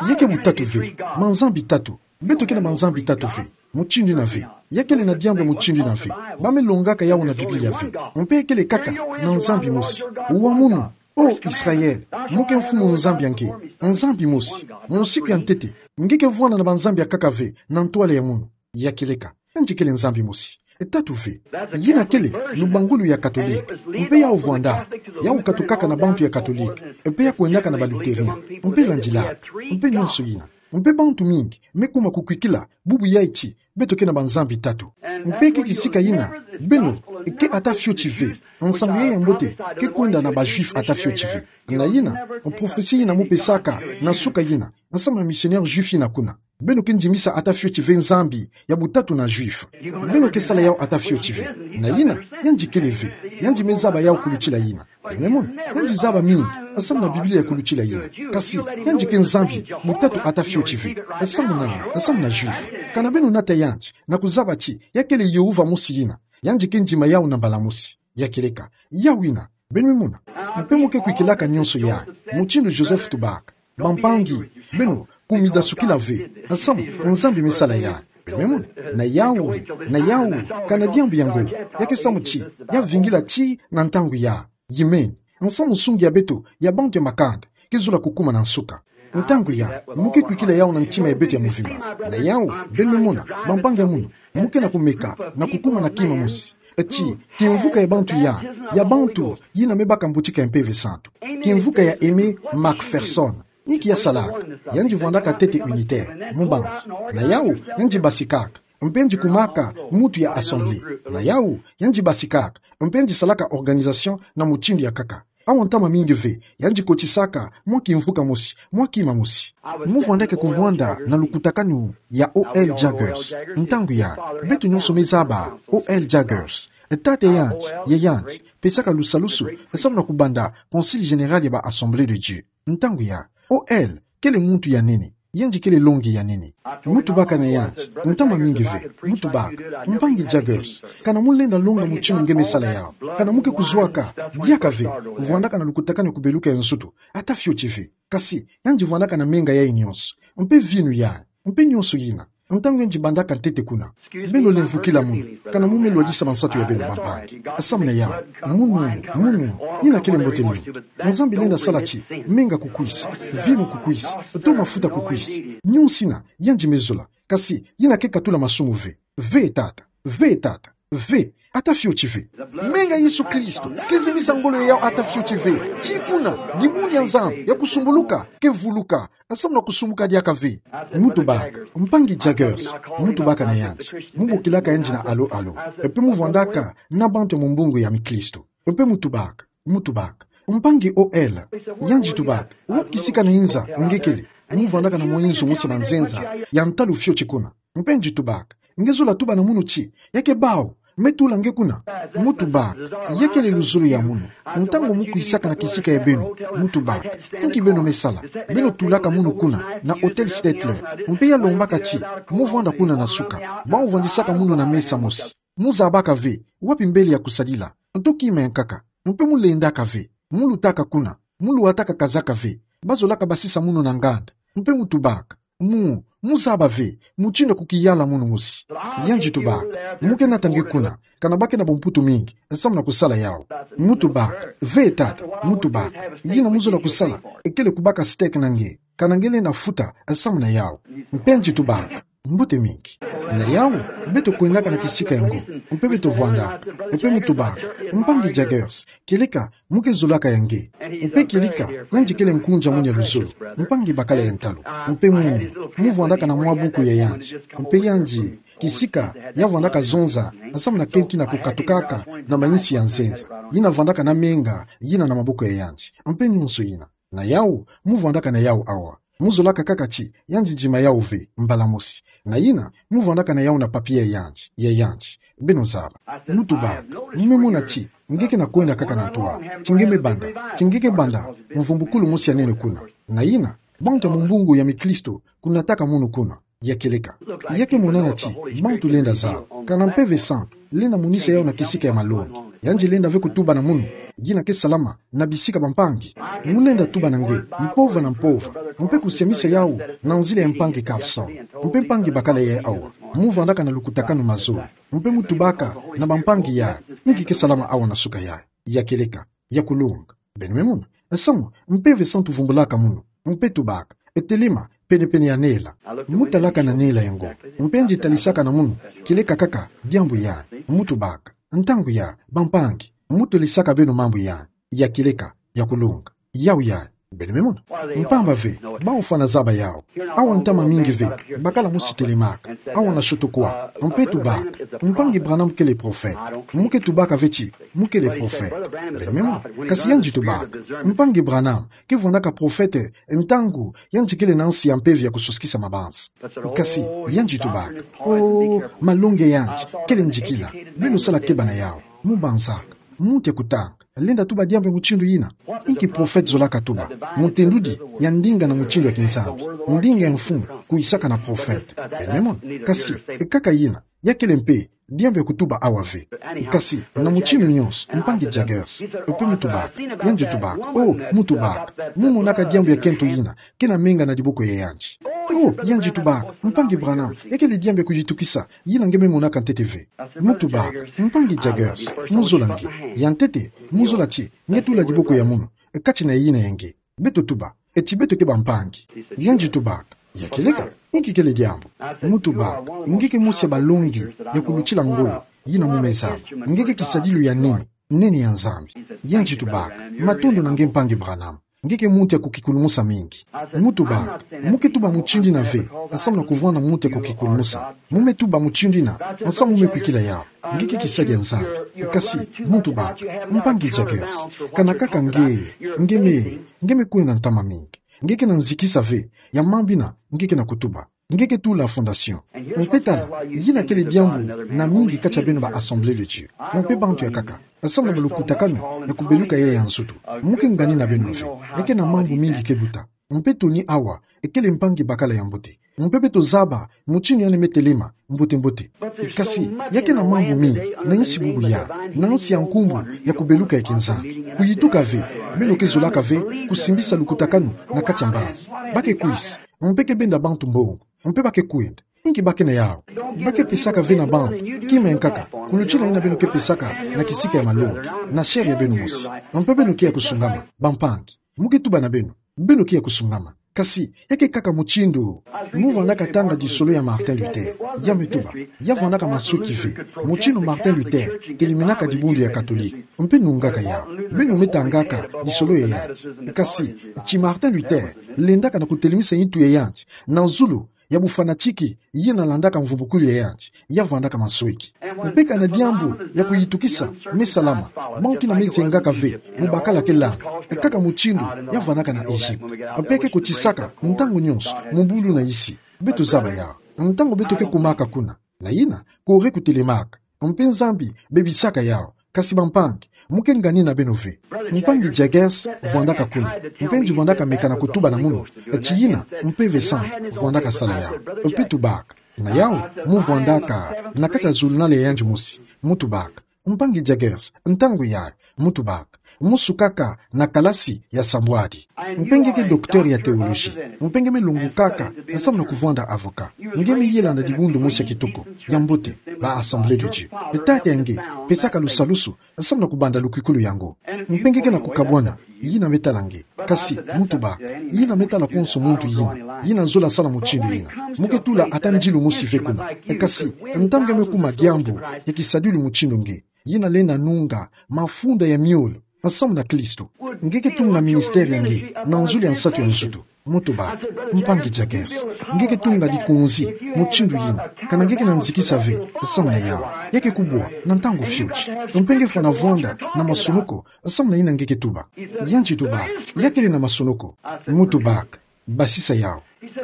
Ya ke butatu ve. Manzambi tatu. Beto ke na manzambi tatu ve. Mutindu yina ve. Ya kele na diambu ya mutindu yina ve. Ba me longaka yau na Biblia ve. Mpe ya kele kaka na Nzambi mosi. Wa munu, oh Israel, mu ke Mfumu Nzambi ya nge. Nzambi mosi. Musiku ya ntete. Nge ke vwana na banzambi ya nkaka ve, na ntwala ya munu. Ya kieleka. Yandi kele Nzambi mosi. Tatu ve. Yina kele, lubangulu ya Katolike. Mpe yau vwanda. Yau katukaka na bantu ya Katolike. Mpe ya kwendaka na ba Lutherien. Mpe landilaka. Mpe nyonso yina. Mpe bantu mingi me kuma kukwikila, bubu yayi ti, beto ke na banzambi tatu. Mpe ke kisika yina, beno, ke ata fioti ve. Nsangu yayi ya mbote, ke kwenda na ba Juifs ata fioti ve. Na yina, prophetie yina mu pesaka, na suka yina, nsamu na missionnaire Juif yina kuna. Beno ke ndimisa ata fioti ve Nzambi ya butatu na Juif. Beno ke sala yau ata fioti ve. Na yina, yandi kele ve. Yandi me zaba yau kulutila yina. Beno me mona, yandi zaba mingi, nsamu na Biblia ya kulutila yina. Kasi, yandi ke Nzambi, butatu ata fioti ve. Nsamu na, nsamu na Juif. Kana beno nata yandi, na kuzaba ti, ya kele Yehova mosi yina. Yandi ke ndima yau na mbala mosi. Ya kieleka, yau yina. Beno me mona. Mpe mu ke kwikilaka nyonso yayi. Mutindu Joseph tubaka. Bampangi, beno, kumidasukila ve. Nsamu, Nzambi me sala yayi. Beno me mona. Na yau, na yau, kana diambu yango. Ya ke samu ti, ya vingila ti, na ntangu yayi. Yimeni. Nsamu nsungi ya beto, ya bantu ya makanda. Ke zola kukuma na nsuka. Ntangu yayi, mu ke kwikila yau na ntima ya beto ya muvimba. Na yau, beno me mona, bampangi ya munu. Mu ke na kumeka, na kukuma na kima mosi. Ti, kimvuka ya bantu yayi, ya bantu, yina me baka mbutika ya Mpeve Santu. Kimvuka ya Aimé McPherson. Inki ya salaka? Yandi vwandaka ntete unitaire, mubansi. Na yawu, yandi basikaka. Mpe yandi kumaka mutu ya assemblée. Na yawu, yandi basikaka. Mpe yandi salaka organisation na mutindu ya nkaka. Awa ntama mingi ve, yandi kotisaka mwa kimvuka mosi, mwa kima mosi. Mu vwandaka kuvwanda na lukutakanu ya O L Jaggers. Ntangu ya, beto nyonso me zaba O L Jaggers. Tata yandi, ya yandi, pesaka lusalusu, samu na kubanda Concile Général ya ba Assemblée de Dieu. Ntangu ya, O L kele muntu ya nene, yandi kele longi ya nene. Mu tubaka na yandi ntama mingi ve, mu tubaka: Mpangi Jaggers, kana mu lenda longa mutindu nge me sala yawu, kana mu ke kuzwaka diaka ve, vwandaka na lukutakanu ya kubeluka ya nsutu, ata fioti ve. Kasi yandi vwandaka na menga yayi nyonso, mpe vinu yayi, mpe nyonso yina. Ntangu yandi bandaka ntete kuna, beno lemvukila munu, kana mu me lwadisa mansatu ya beno, bampangi. Samu na yawu, munu, munu, yina kele mbote mingi. Nzambi lenda sala ti menga kukwisa, vinu kukwisa, to mafuta kukwisa. Nyonso yina yandi me zola, kasi yina ke katula masumu ve. Ve tata, ve tata, ve, ata fioti ve. Menga Yesu Kristo ke zimisa ngolo ya yawu ata fioti ve. Ti kuna, dibundu ya Nzambi ya kusumbuluka ke vuluka, samu na kusumuka diaka ve. Mu tubaka: Mpangi Jaggers, mu tubaka na yandi, mu bokilaka yandi na alo alo, mpe mu vwandaka na bantu ya mumbungu ya mikristo. Mpe mu tubaka, mu tubaka: Mpangi O L, yandi tubaka, wapi kisika na inza nge kele? Mu vwandaka na mwa inzo mosi ya manzenza ya ntalu fioti kuna. Mpe yandi tubaka: Nge zola tuba na munu ti, ya ke bawu, me tula nge kuna. Mu tubaka: Ya kele luzolo ya munu. Ntangu mu kwisaka na kisika ya beno, mu tubaka: Inki beno me sala? Beno tulaka munu kuna, na Hôtel Statler. Mpe ya lombaka ti mu vwanda kuna na suka, bawu vwandisaka munu na mesa mosi. Mu zabaka ve wapi mbele ya kusadila, to kima ya nkaka. Mpe mu lendaka ve, mu lutaka kuna, mu luataka kazaka ve, bazolaka basisa munu na nganda. Mpe mu tubaka: Mu, mu zaba ve mutindu ya kukiyala munu mosi. Yandi tubaka: Mu ke nata nge kuna, kana ba ke na bumputu mingi samu na kusala yawu. Mu tubaka: Ve tata, mu tubaka, yina mu zola kusala kele kubaka steak na nge, kana nge lenda futa samu na yawu. Mpe yandi tubaka: Mbote mingi. Na yawu, beto kwendaka na kisika yango, mpe beto vwandaka. Mpe mu tubaka: Mpangi Jaggers, kieleka mu ke zolaka ya nge. Mpe kieleka, yandi kele nkunja munu ya luzolo, mpangi bakala ya ntalu. Mpe mu, mu vwandaka na mwa buku ya yandi. Mpe yandi, kisika ya vwandaka zonza samu na kento yina kukatukaka na mainsi ya nzenza, yina vwandaka na menga yina na maboko ya yandi, mpe nyonso yina. Na yawu, mu vwandaka na yawu awa. Mu zolaka kaka ti yandi ndima yawu ve mbala mosi. Na yina, mu vwandaka na yawu na papier ya yandi, ya yandi. Beno zaba. Mu tubaka: Mu me mona ti nge ke na kwenda kaka na ntwala, ti nge me banda, ti nge ke banda mvumbukulu mosi ya nene kuna. Na yina, bantu ya mumbungu ya mikristo kunataka munu kuna. Ya kieleka, ya ke monana ti bantu lenda zaba, kana Mpeve Santu lenda monisa yawu na kisika ya malongi. Yandi lenda ve kutuba na munu, yina ke salama na bisika, bampangi. Mu lenda tuba na nge mpova na mpova, mpe kusiamisa yawu na nzila ya mpangi Carson. Mpe mpangi bakala yayi awa, mu vwandaka na lukutakanu mazolo. Mpe mu tubaka na bampangi yayi: Inki ke salama awa na suka yayi? Ya kieleka, ya kulunga. Beno me mona. Samu Mpeve Santu vumbulaka munu, mpe tubaka: Telema penepene ya nela. Mu talaka na nela yango, mpe yandi talisaka na munu kieleka kaka diambu yayi. Mu tubaka: Ntangu yayi, bampangi, mu tolisaka beno mambu yayi. Ya kieleka, ya kulunga. Yawu yayi. Beno me mona. Mpamba ve, bawu fwana zaba yawu. Awa ntama mingi ve bakala mosi telemaka awa na Chautauqua, mpe tubaka: Mpangi Branham kele prophète. Mu ke tubaka ve ti mu kele prophète. Beno me mona. Kasi yandi tubaka: Mpangi Branham ke vwandaka prophète ntangu yandi kele na nsi ya mpeve ya kusosikisa mabanza. Kasi yandi tubaka: Oh, malongi ya yandi kele ndikila. Beno sala keba na yawu. Mu banzaka. Muntu ya kutanga lenda tuba diambu ya mutindu yina. Inki prophète zolaka tuba? Mutendudi ya ndinga na mutindu ya kinzambi, ndinga ya mfumu kwisaka na prophète. Beno me mona. Kasi kaka yina, ya kele mpe diambu ya kutuba awa ve. Kasi na mutindu nyonso, mpangi Jaggers, mpe mu tubaka, yandi tubaka: Oh, mu tubaka, mu monaka diambu ya kento yina ke na menga na diboko ya yandi. Oh, yandi tubaka: Mpangi Branham, ya kele diambu ya kuyitukisa yina nge me monaka ntete ve. Mu tubaka: Mpangi Jaggers, mu zola nge. Ya ntete, mu zola ti nge tula diboko ya munu kati na yina ya nge. Beto tuba, eti beto ke bampangi. Yandi tubaka: Ya kieleka, inki kele diambu? Mu tubaka: Nge ke mosi ya balongi ya kulutila ngolo yina mu me zaba. Nge ke kisadilu ya nene. Nene ya Nzambi. Yandi tubaka: Matondo na nge mpangi Branham. Nge ke muntu ya kukikulumusa mingi. Mu tubaka: Mu ke tuba mutindu ina ve, nsamu na kuvwanda muntu ya kukikulumusa. Mu me tuba mutindu ina, nsamu mu me kwikila yawu. Nge ke kisadi ya Nzambi. Kasi, mu tubaka: Mpangi Jagers, kana kaka nge, nge me, nge me kwenda ntama mingi. Nge ke na nzikisa ve ya mambu ina nge ke na kutuba. Nge ke tula fondation. Mpe tala, yina kele diambu na mingi kati ya beno ba Assemblée de Dieu. Mpe bantu ya kaka, nsamu na balukutakanu ya kubeluka yayi ya nsutu. Mu ke ngani na beno ve, ya ke na mambu mingi ke luta. Mpe toni awa, ekele mpangi bakala ya mbote. Mpe beto zaba mutindu yandi me telema, mbote-mbote. Kasi, ya ke na mambu mingi na nsi bubu yayi, na nsi ya nkumbu ya kubeluka ya kinzambi. Kuyituka ve, beno ke zolaka ve kusimbisa lukutakanu na kati ya mbazi. Ba ke kwisa, mpe ke benda bantu mbongo, mpe ba ke kwenda. Inki ba ke na yawu? Ba ke pesaka ve na bantu kima ya nkaka, kulutila yina beno ke pesaka na kisika ya malongi, na chair ya beno mosi. Mpe beno ke ya kusungama, bampangi. Mu ke tuba na beno, beno ke ya kusungama. Kasi, ya ke kaka mutindu. Mu vwandaka tanga lisolo ya Martin Luther. Ya me tuba, ya vwandaka masweki ve mutindu Martin Luther teleminaka dibundu ya Katolike. Mpe nungaka yawu, beno me tangaka lisolo ya yandi. Kasi, ti Martin Luther lendaka na kutelemisa nitu ya yandi na zulu ya bufanatiki yina landaka mvumbukulu ya yandi, ya vwandaka masweki. Mpe kana diambu ya kuyitukisa me salama, bantu yina me zengaka ve bubakala ke landa, kaka mutindu ya vwandaka na Egypte. Mpe ke kotisaka ntangu nyonso mu bulu na isi. Beto zaba yawu. Ntangu beto ke kumaka kuna, na yina, kore kutelemaka. Mpe Nzambi bebisaka yawu. Kasi bampangi, mu ke ngani na beno ve. Mpangi Jagers vwandaka kuna. Mpe yandi vwandaka meka na kutuba na munu, ti yina Mpeve Santu vwandaka sala yawu. Mpe tubaka na yawu, mu vwandaka na kati ya zulunale ya yandi mosi. Mu tubaka: Mpangi Jagers, ntangu yayi, mu tubaka, mu sukaka na kalasi ya sabwadi. Mpe nge ke docteur ya théologie. Mpe nge me longokaka nsamu na kuvwanda avocat. Nge me yela na dibundu mosi ya kitoko, ya mbote, ba Assemblée de Dieu. Tata ya nge pesaka lusalusu nsamu na kubanda lukwikulu yango. Mpe nge ke na kukabwana yina me tala nge. Kasi, mu tubaka, yina me tala konso muntu yina, yina zola sala mutindu yina. Mu ke tula ata ndilu mosi ve kuna. Kasi, ntangu nge me kuma diambu ya kisadilu mutindu nge, yina lenda nunga mafunda ya miolo nsamu na Kristo, nge ke tunga ministère ya nge na nzuli ya nsatu ya nsutu. Mu tubaka: Mpangi Jagers, nge ke tunga dikunzi mutindu yina, kana nge ke na nzikisa ve nsamu na yawu? Ya ke kubwa na ntangu fioti. Mpe nge fwana vwanda na masonoko nsamu na yina nge ke tuba. Yandi tubaka: Ya kele na masonoko? Mu tubaka: Basisa yawu.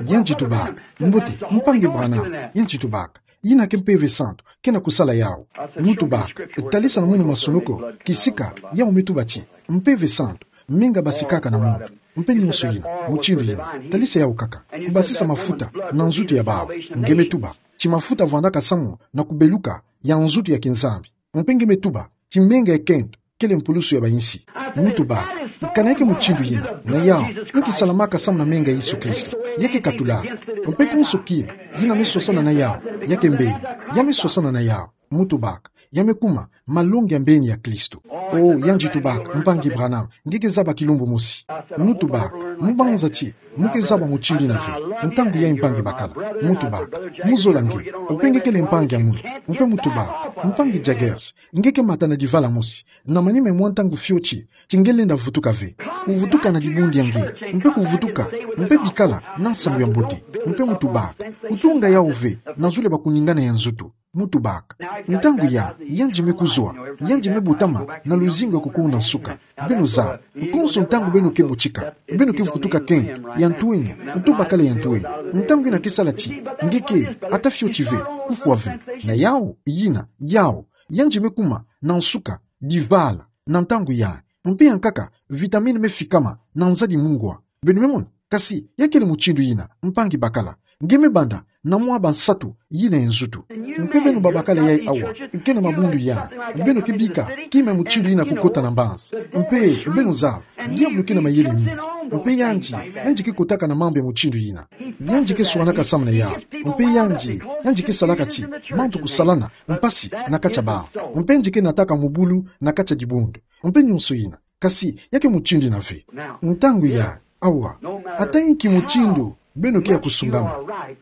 Yandi tubaka: Mbote, Mpangi Branham. Yandi tubaka: Yina ke Mpeve Santu ke na kusala yawu. Mu tubaka: Talisa na munu masonoko kisika yawu me tuba ti Mpeve Santu menga basikaka na muntu. Mpe nyonso yina, mutindu yina, talisa yawu kaka. Kubasisa mafuta na nzutu ya bawu. Nge me tuba ti mafuta vwandaka samu na kubeluka ya nzutu ya kinzambi. Mpe nge me tuba ti menga ya kento kele mpulusu ya bayinsi. Mu tubaka: Kana ya ke mutindu yina, na yawu, inki salamaka samu na menga ya Yesu Kristo? Ya ke katula. Mpe konso kima yina me swasana na yawu, ya ke mbeni. Ya me swasana na yawu. Mu tubaka: Ya me kuma malongi ya mbeni ya Kristo. O, yandi tubaka: Mpangi Branham, nge ke zaba kilumbu mosi. Mu tubaka: Mu banza ti mu ke zaba mutindu yina ve, ntangu yayi, mpangi bakala. Mu tubaka: Mu zola nge, mpe nge kele mpangi ya munu. Mpe mu tubaka: Mpangi Jagers, nge ke mata na divala mosi, na manima ya mwa ntangu fioti ti nge lenda vutuka ve. Kuvutuka na dibundu ya nge, mpe kuvutuka, mpe bikala na nsangu ya mbote. Mpe mu tubaka: Kutunga yawu ve na zulu ya bakuningana ya nzutu. Mu tubaka: Ntangu yayi, yandi me kuzwa, yandi me botama na luzingu ya kukonda nsuka. Beno zaba, konso ntangu beno ke butika, beno ke vutuka kento ya ntwenya, nto bakala ya ntwenya. Ntangu yina ke sala ti nge ke ata fioti ve, kufwa ve. Na yawu, yina, yawu, yandi me kuma na nsuka divala na ntangu yayi. Mpe ya nkaka, vitamine me fikama na nzadi mungwa. Beno me mona? Kasi ya kele mutindu yina, mpangi bakala, nge me banda na mwa ba nsatu yina ya nzutu. Mpe beno babakala yayi awa, ke na mabundu yayi, beno ke bika kima ya mutindu yina kukota na mbazi. Mpe beno zaba, diabulu ke na mayele mingi. Mpe yandi, yandi ke kotaka na mambu ya mutindu yina. Yandi ke swanaka samu na yawu. Mpe yandi, yandi ke salaka ti bantu kusalana mpasi na kati ya bawu. Mpe yandi ke nataka mubulu na kati ya dibundu. Mpe nyonso yina. Kasi ya ke mutindu yina ve. Ntangu yayi, awa, ata inki mutindu beno ke ya kusungama,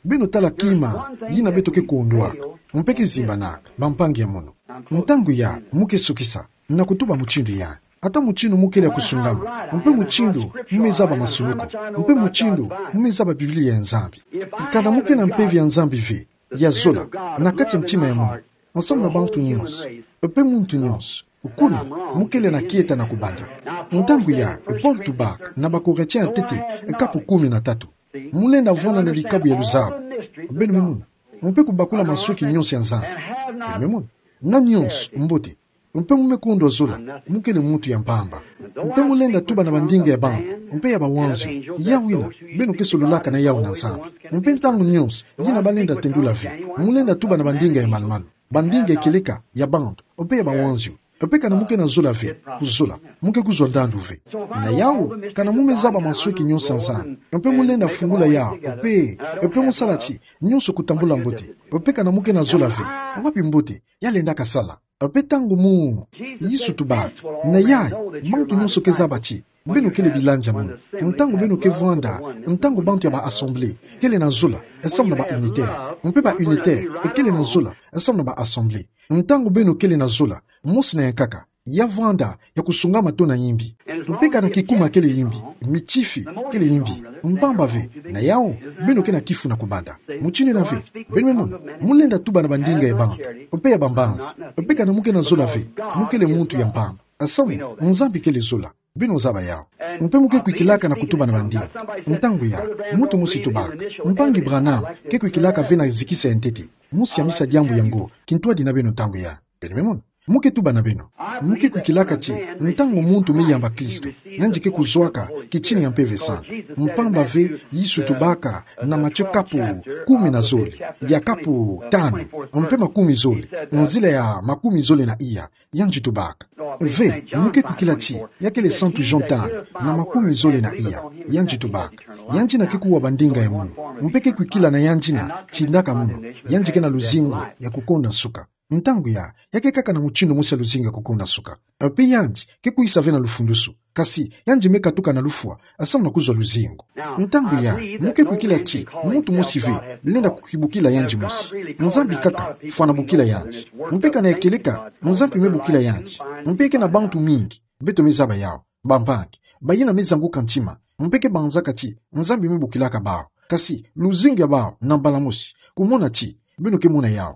beno tala kima yina beto ke kondwaka, mpe ke zimbanaka, bampangi ya munu. Ntangu yayi, mu ke sukisa. Na kutuba mutindu ya, ata mutindu mu kele ya kusungama, mpe mutindu mu me zaba masunuku, mpe mutindu mu me zaba Biblia ya Nzambi. Kana mu ke na mpeve ya Nzambi ve, ya zola, na kati ya ntima ya munu, ensemble na bantu nyonso, mpe muntu nyonso, kuna mu kele na kieta na kubanda. Ntangu ya, Paul tubaka na ba Corinthiens ya ntete, kapu kumi na tatu: Mu lenda vwanda na dikabu ya luzabu. Beno me mona. Mpe kubakula mansweki nyonso ya Nzambi. Beno me mona. Na nyonso mbote. Mpe mu me kondwa zola, mu kele muntu ya mpamba. Mpe mu lenda tuba na bandinga ya bantu, mpe ya bawanzio, yawina beno ke sololaka na yawu na Nzambi. Mpe ntangu nyonso, yina ba lenda tendula ve, mu lenda tuba na bandinga ya malu-malu, bandinga ya kieleka ya bantu, mpe ya bawanzio. Mpe kana mu ke na zola ve, kuzola, mu ke kuzwa ndandu ve. Na yawu, kana mu me zaba mansweki nyonso ya Nzambi, mpe mu lenda fungula yawu, mpe, mpe mu sala ti nyonso kutambula mbote. Mpe kana mu ke na zola ve, wapi mbote ya lendaka sala? Mpe ntangu mu, Yesu tubaka, na yayi, bantu nyonso ke zaba ti beno kele bilanja munu. Ntangu beno ke vwanda, ntangu bantu ya ba assemblée kele na zola, ensemble na ba unitaire. Mpe ba unitaire kele na zola, ensemble na ba assemblée. Ntangu beno kele na zola mosi na ya nkaka, ya vwanda ya kusungama tona yimbi. Mpe kana kikuma kele yimbi, mitifi kele yimbi, mpamba ve, na yawu, beno ke na kifu na kubanda. Mutindu yina ve, beno me mona, mu lenda tuba na bandinga ya bantu, mpe ya bambanzi, mpe kana mu ke na zola ve, mu kele muntu ya mpamba. Ensemble, Nzambi kele zola. Beno zaba yawu. Mpe mu ke kwikilaka na kutuba na bandinga. Ntangu ya, muntu mosi tubaka, Mpangi Branham ke kwikilaka ve na zikisa ya ntete. Mosi ya misa diambu yango kintwadi na beno ntangu ya. Beno me mona. Mu ke tuba na beno. Mu ke kwikilaka ti, ntangu muntu me yamba Kristo, yandi ke kuzwaka kitini ya Mpeve Santu. Mpamba ve, Yesu tubaka na Matthieu kapu kumi na zole, ya kapu tanu, mpe makumi zole, nzila ya makumi zole na iya, yandi tubaka. Ve, mu ke kwikila ti, ya kele Santu Jean tanu, na makumi zole na iya, yandi tubaka. Yandi yina ke kuwa bandinga ya munu, mpe ke kwikila na yandi yina tindaka munu, yandi ke na luzingu ya kukonda nsuka. Ntangu ya, ya ke kaka na mutindu mosi ya luzingu ya kukonda nsuka. Mpe yandi ke kwisa ve na lufundusu. Kasi, yandi me katuka na lufwa, ensemble na kuzwa luzingu. Ntangu ya, mu ke kwikila ti, muntu mosi ve lenda kukibukila yandi mosi. Nzambi kaka fwana bukila yandi. Mpe kana ya kieleka, Nzambi me bukila yandi. Mpe ke na bantu mingi, beto me zaba yawu, bampangi, bayina me zanguka ntima, mpe ke banzaka ti Nzambi me bukilaka bawu. Kasi, luzingu ya bawu na mbala mosi, kumona ti beno ke mona yawu.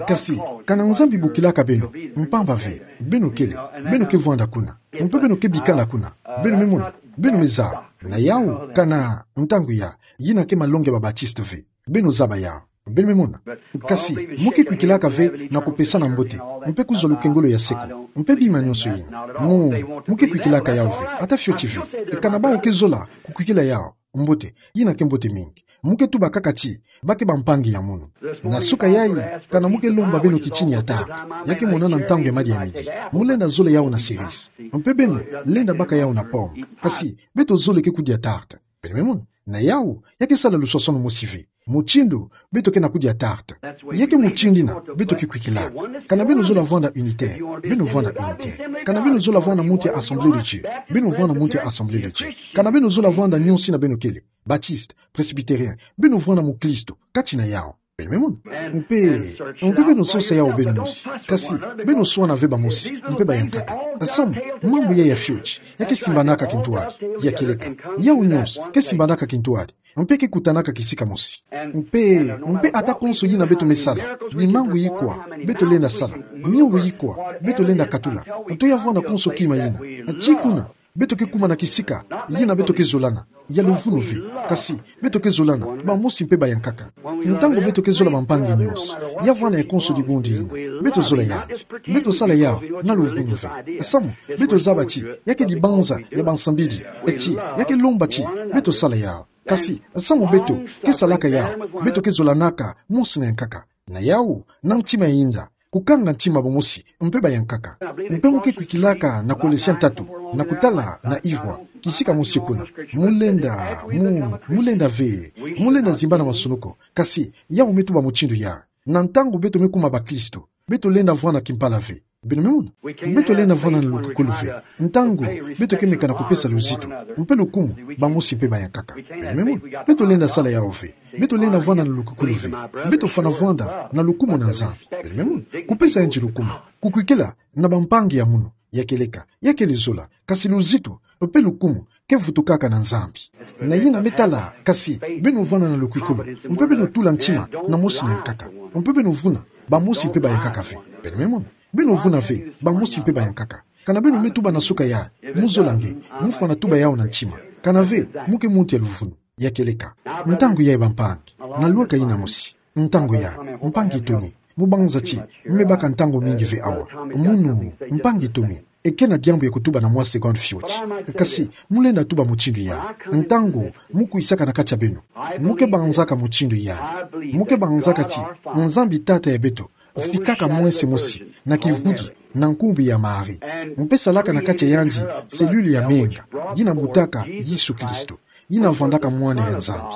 Kasi, kana Nzambi bukilaka beno, mpamba ve, beno kele, beno ke vwanda kuna, mpe beno ke bikana kuna. Beno me mona, beno me zaba. Na yawu, kana, ntangu ya, yina ke malongi ya ba Baptiste ve. Beno zaba yawu. Beno me mona. Kasi, mu ke kwikilaka ve na kupesana mbote, mpe kuzwa lukengolo ya seko, mpe bima nyonso yina. Mu, mu ke kwikilaka yawu ve, ata fioti ve. E kana bawu ke zola kukwikila yawu, mbote, yina ke mbote mingi. Mu ke tuba kaka ti, ba ke bampangi ya munu. Na suka yayi, kana mu ke lomba beno kitini ya tarte, ya ke monana ntangu ya madi ya midi, mu lenda zola yawu na cerise. Mpe beno lenda baka yawu na pomme. Kasi, beto zole ke kudia tarte. Beno me mona. Na yawu, ya ke sala luswaswanu mosi ve. Mutindu beto ke na kudia tarte, ya ke mutindu yina beto ke kwikilaka. Kana beno zola vwanda unitaire, beno vwanda unitaire. Kana beno zola vwanda muntu ya Assemblée de Dieu, beno vwanda muntu ya Assemblée de Dieu. Kana beno zola vwanda nyonso yina beno kele, Baptiste, Presbytérien, beno vwanda mukristo kati na yawu. Beno me mona. Mpe, mpe beno sosa yawu beno mosi. Kasi, beno swana ve bamosi, mpe bayankaka. Ensemble, mambu yayi ya fioti, ya ke simbanaka kintwadi, ya kieleka. Yawu nyonso ke simbanaka kintwadi, mpe ke kutanaka kisika mosi. Mpe, mpe ata konso yina beto me sala, bimangu yikwa beto lenda sala, miongo yikwa beto lenda katula, nto ya vwanda konso kima yina, tii kuna beto ke kuma na kisika yina beto ke zolana ya luvunu ve. Kasi, beto ke zolana bamosi mpe bayankaka. Ntangu beto ke zola bampangi nyonso, ya vwanda ya konso dibundu yina, beto zola yandi, beto sala yawu na luvunu ve. Samu, beto zaba ti, ya ke dibanza ya bansambidi, eti, ya ke lomba ti beto sala yawu. Kasi, samu beto ke salaka yawu, beto ke zolanaka mosi na yankaka. Na yawu, na ntima ya inda, kukanga ntima bamosi mpe bayankaka. Mpe mu ke kwikilaka na Colossiens tatu, na kutala na ivwa, kisika mosi kuna. Mu lenda, mu, mu lenda ve, mu lenda zimbana masunuku. Kasi, yawu me tuba mutindu ya, na ntangu beto me kuma bakristo, beto lenda vwanda kimpala ve. Beno me mona. Beto lenda vwanda na lukukulu ve, ntangu beto ke meka na kupesa luzitu, mpe lukumu, bamosi mpe bayankaka. Beno me mona. Beto lenda sala yawu ve. Beto lenda vwanda na lukukulu ve. Beto fwana vwanda na lukumu na Nzambi. Beno me mona. Kupesa yandi lukumu. Kukwikila na bampangi ya munu. Ya keleka, ya kele zola, kasi luzitu, mpe lukumu, ke vutukaka na Nzambi. Na yina me tala, kasi, beno vwanda na lukwikulu, mpe beno tula ntima, na mosi na nkaka. Mpe beno vuna, bamosi mpe bayankaka ve. Beno me mona, beno vuna ve, bamosi mpe bayankaka. Kana beno me tuba na suka ya, muzola nge, mufwana tuba yawu na ntima. Kana ve, mu ke muntu ya luvunu. Ya keleka. Ntangu yayi bampangi. Na lweka yina mosi. Ntangu ya, mpangi Tony. Mu banza ti, mu me baka ntangu mingi ve awa. Munu, mpangi Tony. Ekena diambu ya kutuba na mwa seconde fioti. Kasi, mu lenda tuba mutindu ya. Ntangu, mu kwisaka na kati ya beno. Mu ke banzaka mutindu ya. Mu ke banzaka ti, Nzambi Tata ya beto. Fikaka mwese mosi, na kivudi, na nkumbu ya Marie. Mpe salaka na kati ya yandi, cellule ya menga, yina butaka Yesu Kristo, yina vwandaka mwana ya Nzambi.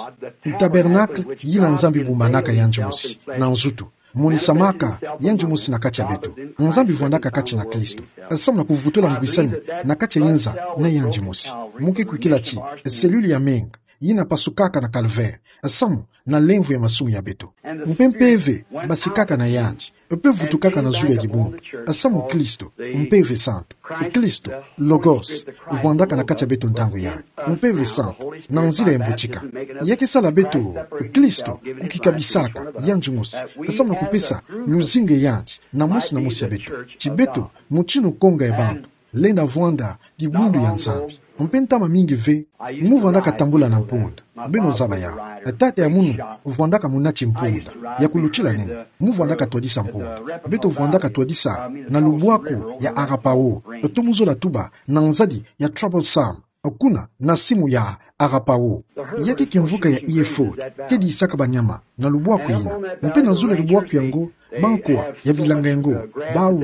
Tabernacle, yina Nzambi bumbanaka yandi mosi, na nzutu. Monisamaka, yandi mosi na kati ya beto. Nzambi vwandaka kati na Kristo. Samu na kuvutula ngwisani, na kati ya inza, na yandi mosi. Mu ke kwikila ti, cellule ya menga, yina pasukaka na Calvaire, samu na lemvo ya masumu ya beto. Mpe mpeve, basikaka na yandi, mpe vutukaka na zulu ya dibundu, samu Kristo, mpeve santu, Kristo, Logos, vwandaka na kati ya beto ntangu ya, mpeve santu, na nzila ya mbutika. Ya ke sala beto, Kristo, kukikabisaka, yandi mosi, samu na kupesa, luzingu ya yandi, na mosi na mosi ya beto, ti beto, mutindu nkonga ya bantu, lenda vwanda, dibundu ya Nzambi. Mpe ntama mingi ve, mu vwandaka tambula na mpunda. Beno zaba ya. Tata ya munu, vwandaka munati mpunda. Ya kulutila nene. Mu vwandaka twadisa mpunda. Beto vwandaka twadisa, na lubwaku ya Arapaho. To mu zola tuba, na nzadi ya troublesome. Kuna, na simu ya Arapaho. Ya ke kimvuka ya Hereford, ke disaka banyama, na lubwaku yina. Mpe na zulu ya lubwaku yango, bankwa, ya bilanga yango, bawu,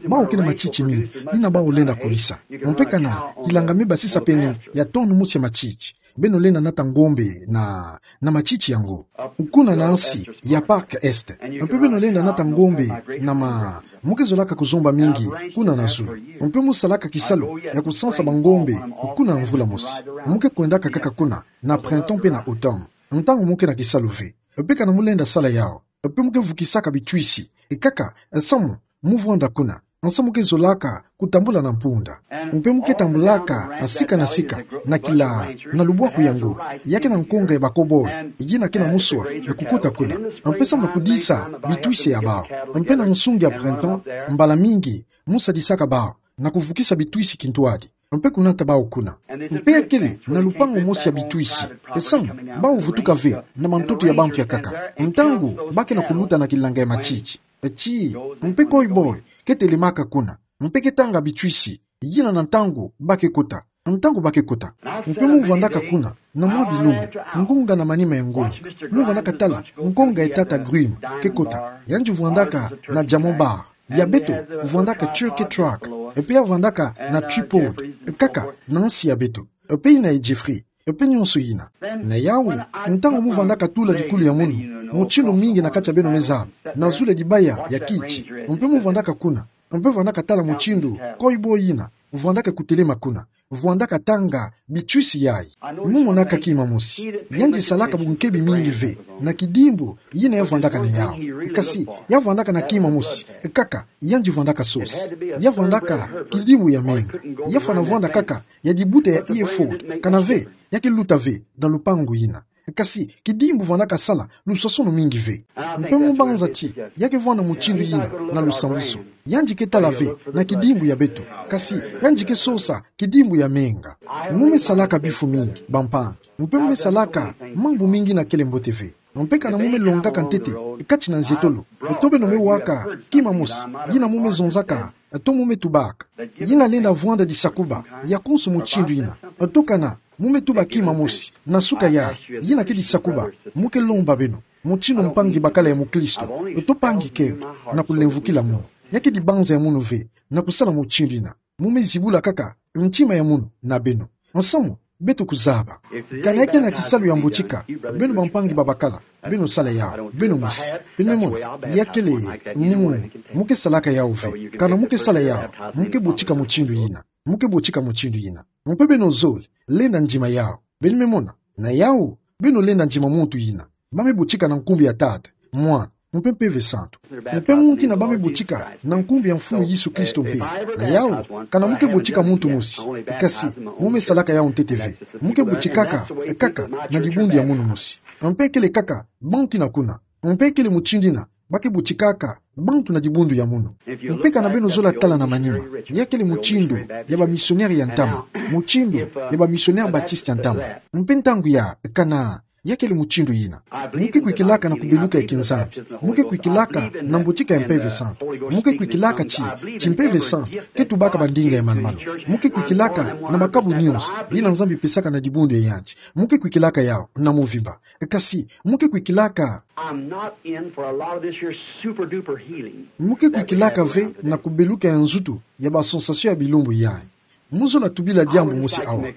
bawu ke na matiti mingi, yina bawu lenda kulisa. Mpe kana, kilanga me basisa pene, ya tonne mosi ya matiti. Beno lenda nata ngombe, na, na matiti yango. Kuna na nsi, ya Park Est. Mpe beno lenda nata ngombe, na ma, mu ke zolaka kuzomba mingi, kuna na zulu. Mpe mu salaka kisalu, ya kusansa bangombe, kuna mvula mosi. Mu ke kwendaka kaka kuna, na printemps mpe na automne. Ntangu mu ke na kisalu ve. Mpe kana mu lenda sala yawu. Mpe mu ke vukisaka bitwisi. Kaka, samu, mu vwanda kuna. Samu ke zolaka, kutambula na mpunda. Mpe mu ke tambulaka, sika na sika, na kila, na lubwaku yango. Ya ke na nkonga ya ba cowboy, yina ke na muswa, ya kukota kuna. Mpe samu na kudisa, bitwisi ya bawu. Mpe na nsungi ya printemps, mbala mingi, mu sadisaka bawu, na kuvukisa bitwisi kintwadi. Mpe kunata bawu kuna. Mpe ya kele na lupangu mosi ya bitwisi. Samu, bawu vutuka ve na mantoto ya bantu ya nkaka. Ntangu, ba ke na kuluta na kilanga ya matiti. Ti, mpe cowboy, ke telemaka kuna. Mpe ke tanga bitwisi. Yina na ntangu, ba ke kota. Ntangu ba ke kota. Mpe mu vwandaka kuna, na mwa bilumbu. Ngonga na manima ya ngonga. Mu vwandaka tala, nkonga ya tata Grimm, ke kota. Yandi vwandaka, na Diamond Bar. Ya beto, vwandaka Turkey Truck, mpe ya vwandaka na Tripod, kaka, na nsi ya beto, mpe yina ya Jeffrey, mpe nyonso yina. Na yawu, ntangu mu vwandaka tula dikulu ya munu, mutindu mingi na kati ya beno me zaba, na zulu ya dibaya ya kiti, mpe mu vwandaka kuna, mpe vwandaka tala mutindu, cowboy yina, vwandaka kutelema kuna. Vwandaka tanga, bitwisi yayi. Mu monaka kima mosi. Yandi salaka bunkebi mingi ve, na kidimbu, yina ya vwandaka na yawu. Kasi, ya vwandaka na kima mosi, kaka, yandi vwandaka sosa. Ya vwandaka, kidimbu ya menga. Ya fwana vwanda kaka, ya dibuta ya Hereford, kana ve, ya ke luta ve, na lupangu yina. Kasi, kidimbu vwandaka sala, lusasono mingi ve. Mpe mu banza ti, ya ke vwanda mutindu yina, na lusambwiso. Yandi ke tala ve, na kidimbu ya beto. Kasi, yandi ke sosa, kidimbu ya menga. Mu me salaka bifu mingi, bampangi. Mpe mu me salaka, mambu mingi yina kele mbote ve. Mpe kana mu me longaka ntete, kati na nzietolo. To beno me waka, kima mosi, yina mu me zonzaka, to mu me tubaka. Yina lenda vwanda disakuba, ya konso mutindu yina. To kana, mu me tuba kima mosi, na suka ya, yina ke disakuba, mu ke lomba beno, mutindu mpangi bakala ya mukristo, to mpangi keo, na kulemvukila munu. Ya ke dibanza ya munu ve, na kusala mutindu yina. Mu me zibula kaka, ntima ya munu, na beno. Nsamu, beto kuzaba. Kana ya ke na kisalu ya mbotika, beno bampangi babakala, beno sala yawu, beno mosi. Beno me mona, ya kele, mu, mu ke salaka yawu ve. Kana mu ke sala yawu, mu ke botika mutindu yina. Mu ke botika mutindu yina. Mpe beno zole, lenda ndima yawu. Beno me mona, na yawu, beno lenda ndima muntu yina. Ba me botika na nkumbu ya Tata, Mwana, mpe Mpeve Santu. Mpe mu ntina ba me botika na nkumbu ya Mfunu Yesu Kristo mpe. Na yau, ka na mu ke botika muntu mosi. Kasi, mo me salaka yau ntete ve. Mu ke botikaka, kaka, na dibundu ya munu mosi. Mpe kele kaka, bantu ina kuna. Mpe kele mutindu ina, ba ke botikaka, bantu na dibundu ya munu. Mpe ka na beno zola tala na manima. Ya kele mutindu, ya bamisionere ya ntama. Mutindu, ya bamisionere Baptiste ya ntama. Mpe ntangu ya, ka na, ya kele mutindu ina. Mu ke kwikilaka na kubeluka ya kinzambi. Mu ke kwikilaka na mbotika ya Mpeve Santu. Mu ke kwikilaka ti, ti Mpeve Santu, ke tubaka bandinga ya manumanu. Mu ke kwikilaka na makabu nyonso, yina Nzambi pesaka na dibundu ya yandi. Mu ke kwikilaka yau, na mvimba. Kasi, mu ke kwikilaka. I'm not in for a lot of this here super duper healing. Mu ke kwikilaka ve na kubeluka ya nzutu, ya ba sensation ya bilumbu yayi. Mu zola tubila diambu mosi awa.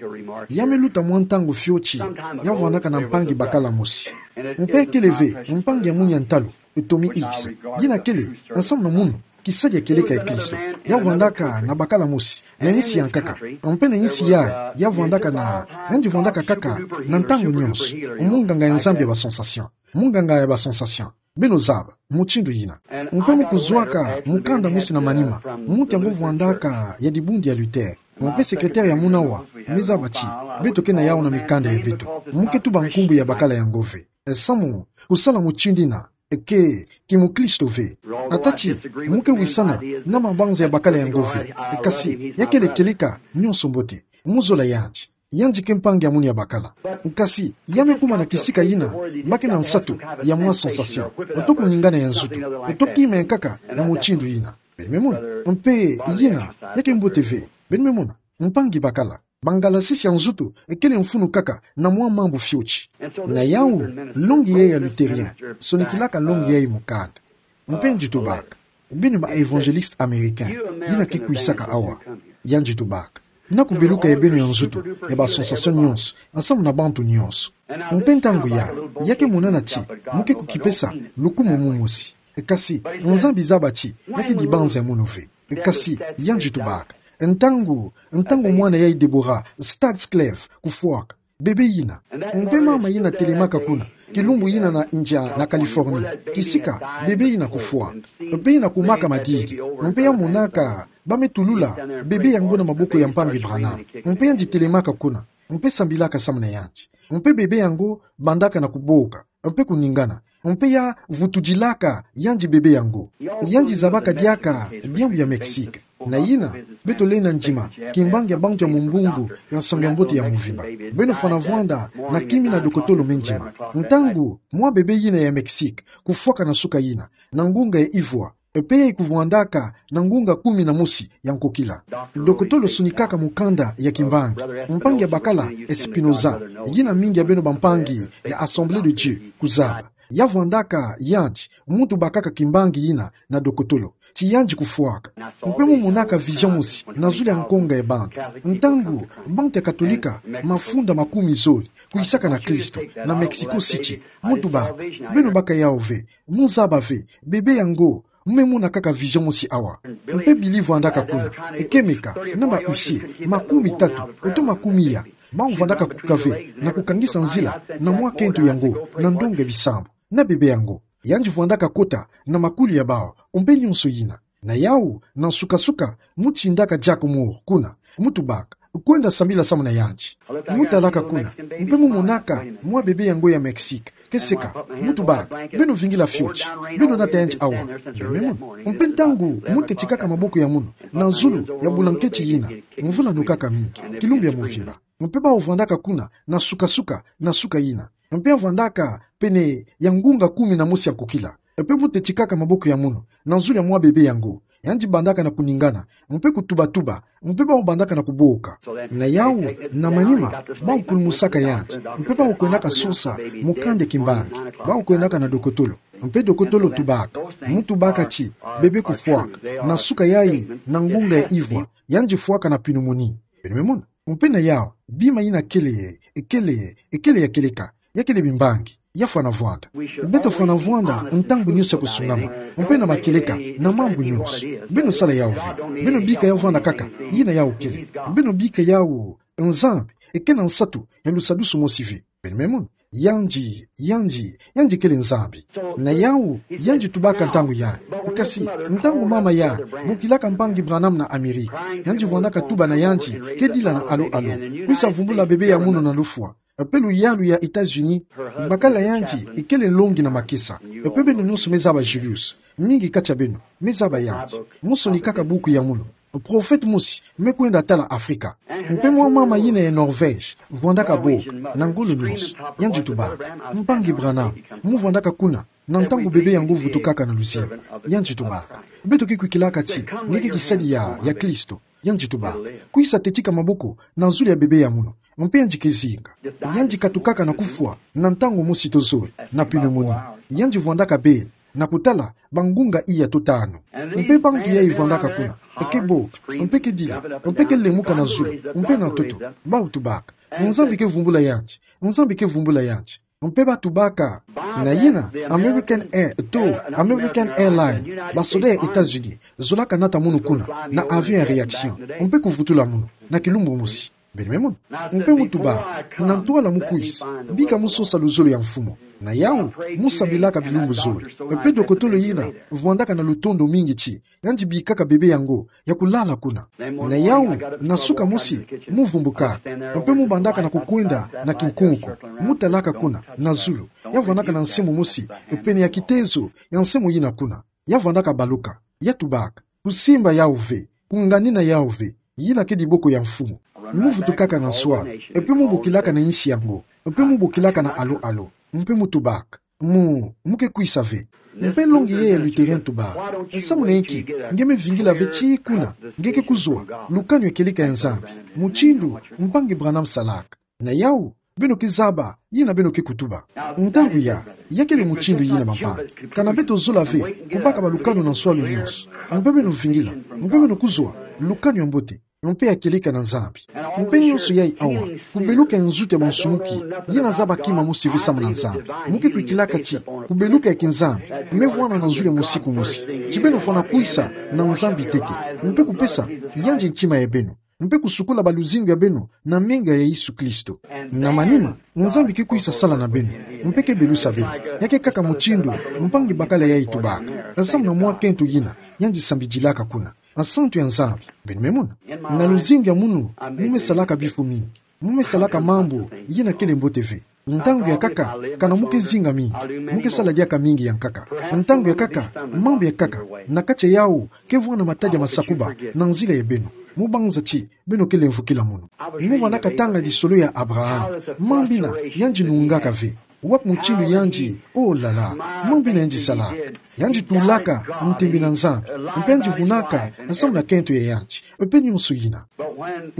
Ya me luta mwa ntangu fioti, ya vwandaka na mpangi bakala mosi. Mpe kele ve, mpangi ya munu ya ntalu, Tommy Hicks. Yina kele, ensemble na munu, kisadi ya kieleka ya Kristo. Ya vwandaka na bakala mosi, na insi ya nkaka. Mpe na insi yayi, ya vwandaka na, yandi vwandaka kaka, na ntangu nyonso. Munganga ya Nzambi ya ba sensation. Munganga ya ba sensation. Beno zaba, mutindu yina. Mpe mu kuzwaka, mukanda mosi na manima. Muntu yango vwandaka ya dibundu ya Luther. Mpe secrétaire ya munu awa, me zaba ti, beto ke na yau na mikanda ya beto. Mu ke tuba nkumbu ya bakala yango ve. E samu, kusala mutindu ina, ke, kimukristo ve. Ata ti, mu ke wisana, na mabanza ya bakala yango ve. Kasi, ya kele kieleka, nyonso mbote. Mu zola yandi. Yandi ke mpangi ya munu ya bakala. Kasi, ya me kuma na kisika yina, ba ke na nsatu, ya mwa sensation. Oto kuningana ya nzutu. Oto kima ya nkaka, ya mutindu yina. Beno me mona. Mpe, yina, ya ke mbote ve. Beno me mona. Mpangi bakala. Bangalasisi ya nzutu, kele mfunu kaka, na mwa mambu fioti. Na yau, longi yayi ya Lutherien, sonikilaka longi yayi mukanda. Mpe yandi tubaka. Beno ba évangéliste américain, yina ke kwisaka awa. Yandi tubaka. Na kubeluka ya beno ya nzutu, ya ba sensation nyonso, ensemble na bantu nyonso. Mpe ntangu ya, ya ke monana ti, mu ke kukipesa, lukumu mu mosi. Kasi, Nzambi zaba ti, ya ke dibanza ya munu ve. Kasi, yandi tubaka. Ntangu, ntangu mwana yayi Deborah, Stadsklev, kufwaka. Bebe yina. Mpe mama yina telemaka kuna. Kilumbu yina na ndia na Californie. Kisika, bebe yina kufwa. Mpe yina kumaka madiki. Mpe ya monaka, ba me tulula. Bebe yango na maboko ya mpangi Branham. Mpe yandi telemaka kuna. Mpe sambilaka samu na yandi. Mpe bebe yango bandaka na kuboka. Mpe kuningana. Mpe ya vutudilaka yandi bebe yango. Yandi zabaka diaka diambu ya Mexique. Na yina, beto lenda ndima, kimbangi ya bantu ya mumbungu, ya nsangu ya mbote ya mvimba. Beno fwana vwanda, na kimi na dokotolo me ndima. Ntangu, mwa bebe yina ya Mexique, kufwaka na suka yina, na ngunga ya ivwa, mpe ya ikuvwandaka, na ngunga kumi na mosi ya nkokila. Dokotolo sonikaka mukanda ya kimbangi. Mpangi ya bakala, Espinoza, yina mingi ya beno bampangi, ya Assemblée de Dieu, kuzaba. Ya vwandaka, yandi, muntu bakaka kimbangi yina, na dokotolo. Ti yandi kufwaka. Mpe mu monaka vision mosi, na zulu ya nkonga ya bantu. Ntangu, bantu ya Katolika, mafunda makumi zole, kwisaka na Kristo, na Mexico City. Mu tubaka. Beno baka yau ve, mu zaba ve, bebe yango, mu me mona kaka vision mosi awa. Mpe Billy vwandaka kuna, ekemeka, na ba huissier, makumi tatu, oto makumi ya, bau vwandaka kuka ve, na kukangisa nzila, na mwa kento yango, na ndonga ya bisambu, na bebe yango. Yandi vwandaka kota, na makuli ya bau, mpe nyonso yina. Na yau, na nsuka-nsuka, mu tindaka Jack Moore, kuna, mu tubaka, kwenda sambila samu na yandi. Mu talaka kuna, mpe mu monaka, mwa bebe yango ya Mexique, ke seka, mu tubaka, beno vingila fioti, beno nata yandi awa, beno me mona. Mpe ntangu, mu tetikaka maboko ya munu, na zulu, ya bulanketi yina, mvula nokaka mingi, kilumbu ya mvimba. Mpe bau vwandaka kuna, na nsuka-nsuka, na suka yina. Mpe ya vwandaka, pene, ya ngunga kumi na mosi ya nkokila. Mpe mu tetikaka maboko ya munu, na zulu ya mwa bebe yango. Yandi bandaka na kuningana, mpe kutuba-tuba, mpe bau bandaka na kuboka. Na yau, na manima, bau kulumusaka yandi, mpe bau kwendaka sosa, mukanda ya kimbangi, bau kwendaka na dokotolo. Mpe dokotolo tubaka, mu tubaka ti, bebe kufwaka, na suka yayi, na ngunga ya ivwa, yandi fwaka na pneumonie. Beno me mona. Mpe na yau, bima yina kele, kele, kele ya kieleka, ya kele bimbangi, ya fwana vwanda. Beto fwana vwanda, ntangu nyonso ya kusungama, mpe na makieleka, na mambu nyonso. Beno sala yau ve, beno bika yau vwanda kaka, yina yau kele. Beno bika yau, Nzambi, ke na nsatu, ya lusadusu mosi ve. Beno me mona. Yandi, yandi, yandi kele Nzambi. Na yawu, yandi tubaka ntangu ya. Kasi, ntangu mama ya bokilaka mpangi Branham na Amerika, yandi vwandaka tuba na yandi, kedila na alo alo. Kwisa vumbula bebe ya munu na lufwa. Pe luyalu ya États-Unis, bakala yandi, ikele nlongi na makesa. Pe beno nyonso me zaba Julius. Mingi kati ya beno me zaba yandi. Mu sonikaka buku ya munu. Profete mosi me kwenda tala Afrika. Mpe mwa mama yina ya Norvège, vwandaka bo, na ngolo nyonso, yandi tubaka: Mpangi Branham, mu vwandaka kuna, na ntangu bebe yango vutukaka na luzingu, yandi tubaka: Beto ke kwikilaka ti nge ke kisadi ya, ya Kristo, yandi tubaka: Kwisa tetika maboko na zulu ya bebe ya munu. Mpe yandi ke zinga. Yandi katukaka na kufwa, na ntangu mosi to zole, na pneumonie. Yandi vwandaka bele, na kutala bangunga iya to tanu. Mpe bantu yayi vwandaka kuna, ke boka, mpe kedila, mpe kelemuka na zulu, mpe na ntoto, bau tubaka: Nzambi ke vumbula yandi, Nzambi ke vumbula yandi. Mpe batubaka. Na yina, American Air, to, American Airline, basoda ya États-Unis, zolaka nata munu kuna, na avion ya réaction, mpe kuvutula munu, na kilumbu mosi. Beno me mona. Mpe mu tuba, na ntwala mu kwisa, bika mu sosa luzolo ya Mfumu. Na yawu, mu sambilaka bilumbu zole. Mpe dokotolo yina vwandaka na lutondo mingi ti yandi bikaka bebe yango ya kulala kuna. Na yawu, na suka mosi, mu vumbukaka. Mpe mu bandaka na kukwenda na kinkunku. Mu talaka kuna, na zulu. Ya vwandaka na nsemo mosi, pene ya kitezo ya nsemo yina kuna. Ya vwandaka baluka. Ya tubaka: Kusimba yawu ve, kunganina yawu ve, yina ke diboko ya Mfumu. Mu vutukaka na nswala, mpe mu bokilaka na insi yango, mpe mu bokilaka na alo alo, mpe mu tubaka: Mu, mu ke kwisa ve. Mpe nlongi ye ya Lutheran tubaka: Samu na inki nge me vingila ve tii kuna, nge ke kuzwa lukanu ya kieleka ya Nzambi, mutindu Mpangi Branham salaka? Na yawu, beno ke zaba yina beno ke kutuba. Ntangu ya, ya kele mutindu yina, bampangi. Kana beto zola ve kubaka balukanu na nswalu nyonso. Mpe beno vingila, mpe beno kuzwa lukanu ya mbote, mpe ya kieleka na Nzambi. Mpe nyonso yayi awa, kubeluka ya nzutu ya bansumuki, yina zaba kima mosi ve samu na Nzambi. Mu ke kwikilaka ti kubeluka ya kiNzambi me vwama na zulu ya musiku mosi. Ti beno fwana kwisa na Nzambi ntete, mpe kupesa yandi ntima ya beno, mpe kusukula baluzingu ya beno na menga ya Yesu Kristo. Na manima, Nzambi ke kwisa sala na beno, mpe ke belusa beno. Ya ke kaka mutindu mpangi bakala yayi tubaka, samu na mwa kento yina yandi sambidilaka kuna. Nsantu ya Nzambi, beno me mona. Na luzingu ya munu, mu me salaka bifu mingi. Mu me salaka mambu yina kele mbote ve. Ntangu ya nkaka, kana mu ke zinga mingi, mu ke sala diaka mingi ya nkaka. Ntangu ya nkaka, mambu ya nkaka na kati ya yawu ke vwanda matadi ya masakuba na nzila ya beno. Mu banza ti beno ke lemvokila munu. Mu vwandaka tanga lisolo ya Abraham. Mambu yina yandi nungaka ve. Wapi mutindu yandi, oh là là, mambu yina yandi salaka. Yandi tulaka ntembe na Nzambi, mpe yandi vunaka samu na kento ya yandi, mpe nyonso yina.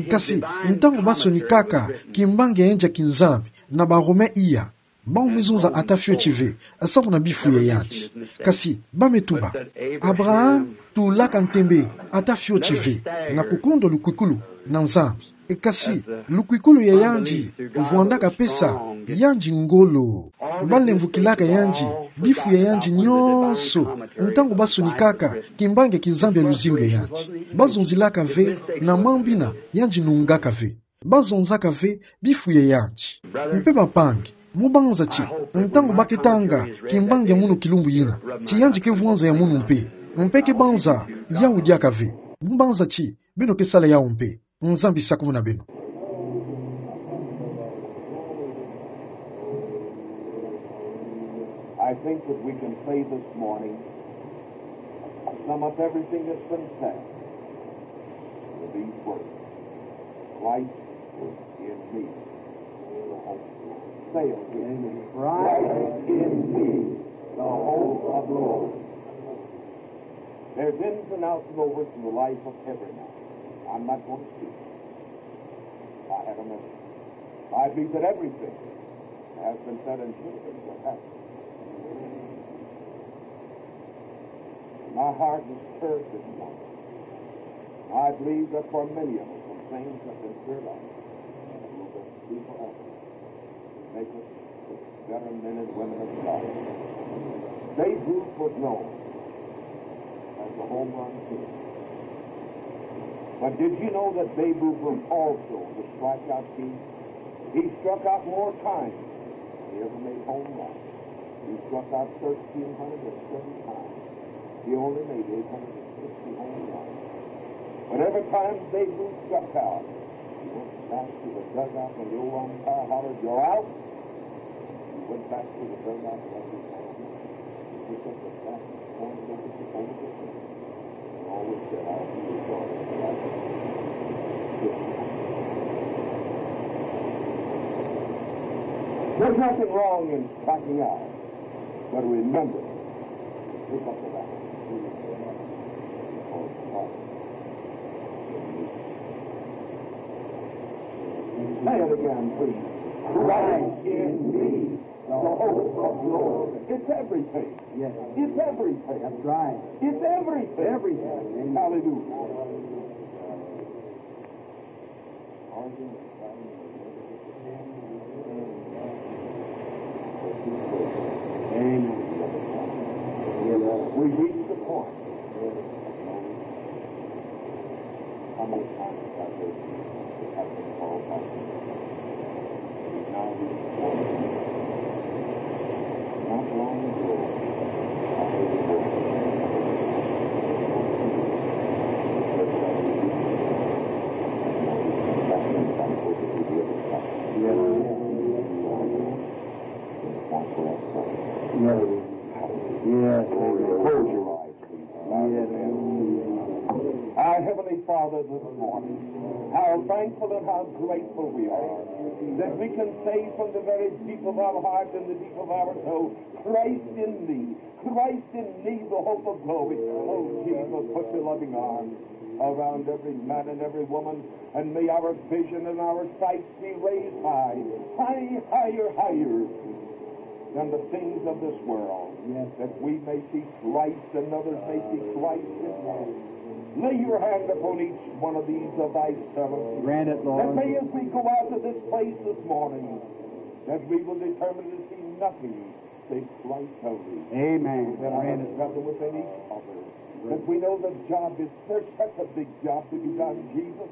Kasi, ntangu ba sonikaka kimbangi ya yandi ya kiNzambi na ba Romain iya, bau me zonza ata fioti ve samu na bifu ya yandi. Kasi, ba me tuba: Abraham tulaka ntembe ata fioti ve na kukondwa lukwikulu na Nzambi. Kasi, lukwikulu ya yandi vwandaka pesa yandi ngolo. Ba lemvokilaka yandi bifu ya yandi nyonso ntangu ba sonikaka kimbangi ya kiNzambi ya luzingu ya yandi. Ba zonzilaka ve na mambu yina yandi nungaka ve. Ba zonzaka ve bifu ya yandi. Mpe bampangi, mu banza ti, ntangu ba ke tanga kimbangi ya munu kilumbu yina, ti yandi ke vwanza ya munu mpe, mpe ke banza yawu diaka ve. Mu banza ti beno ke sala yawu mpe. Nzambi sakumuna beno. I think that we can say this morning, sum up everything that's been said with these words: Christ in me, the hope of glory. Say it with me. Christ in me, the hope of glory. There's ins and outs and overs in the life of every man. I'm not going to speak. I had a message. I believe that everything has been said and should have been said has been. My heart was stirred this morning. I believe that for many of us, some things have been cleared up and will be forever. Make us better men and women of God. Babe Ruth was known as the home run king. But did you know that Babe Ruth was also the strikeout king? He struck out more times He ever made home runs. He struck out thirteen hundred and seven times. He only made eight hundred and sixty home runs. But every time Babe Ruth struck out, he went back to the dugout when the old umpire hollered, "You're out." He went back to the dugout and he picked up the bat and pointed over the, over the fence. And always said, "I'll be your daughter." There's nothing wrong in striking out, but remember, pick up the bat. Say it again, please. Christ in me, the hope of glory. It's everything. Yes. It's everything. That's right. It's everything. Everything. Amen. Hallelujah. Amen. We reach the point. How many times have they, have been called back? Now we, not long ago, I heard a voice. That means I'm supposed to be the other side. Yes. That's what I said. Yes. Yes. Close your eyes. Yes. Our Heavenly Father, this morning, how thankful and how grateful we are that we can say from the very deep of our heart and the deep of our soul, "Christ in me, Christ in me, the hope of glory." Oh, Jesus, put your loving arms around every man and every woman, and may our vision and our sight be raised high, high, higher, higher than the things of this world, yes, that we may see Christ and others may see Christ in us. Lay your hand upon each one of these of thy servants. Grant it, Lord. That may, as we go out of this place this morning, that we will determine to see nothing save Christ only. Amen. Grant it. That our brother within each other, that we know the job is, there's such a big job to be done, Jesus.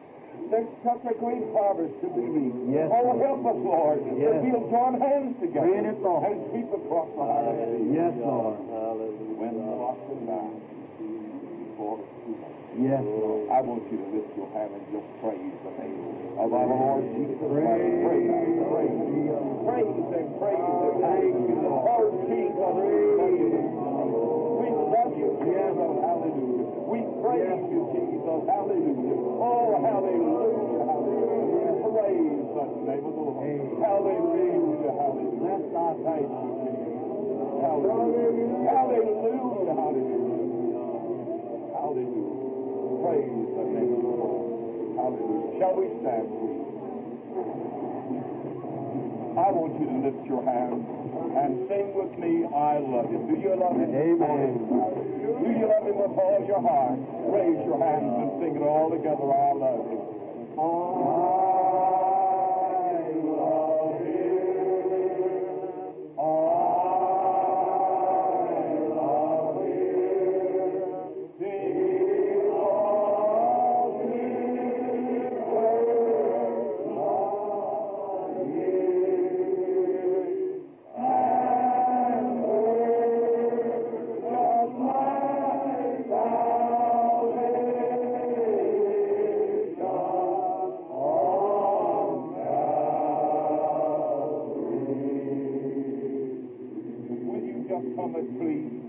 There's such a great harvest to be reaped. Yes, Lord. Oh, help us, Lord, that we'll join hands together and sweep across the harvest field. Yes, Lord. Hallelujah. Win the lost and bound before it's too late. Yes, Lord. I want you to lift your hand and just praise the name of our Lord Jesus Christ. Praise, praise, praise Him, praise Him. Thank you, Lord. Oh, Jesus, we love you. We love you, Jesus. Hallelujah. We praise you, Jesus. Hallelujah. Oh, hallelujah, hallelujah. Praise the name of the Lord. Hallelujah, hallelujah. Thank you, Jesus. Hallelujah. Hallelujah, hallelujah. Hallelujah. Praise the name of the Lord. Hallelujah. Shall we stand, please? I want you to lift your hand and sing with me, "I love him." Do you love him this morning? Amen. Do you love him with all your heart? Raise your hands and sing it all together, "I love him." I love him. I love him. Will you just come and please?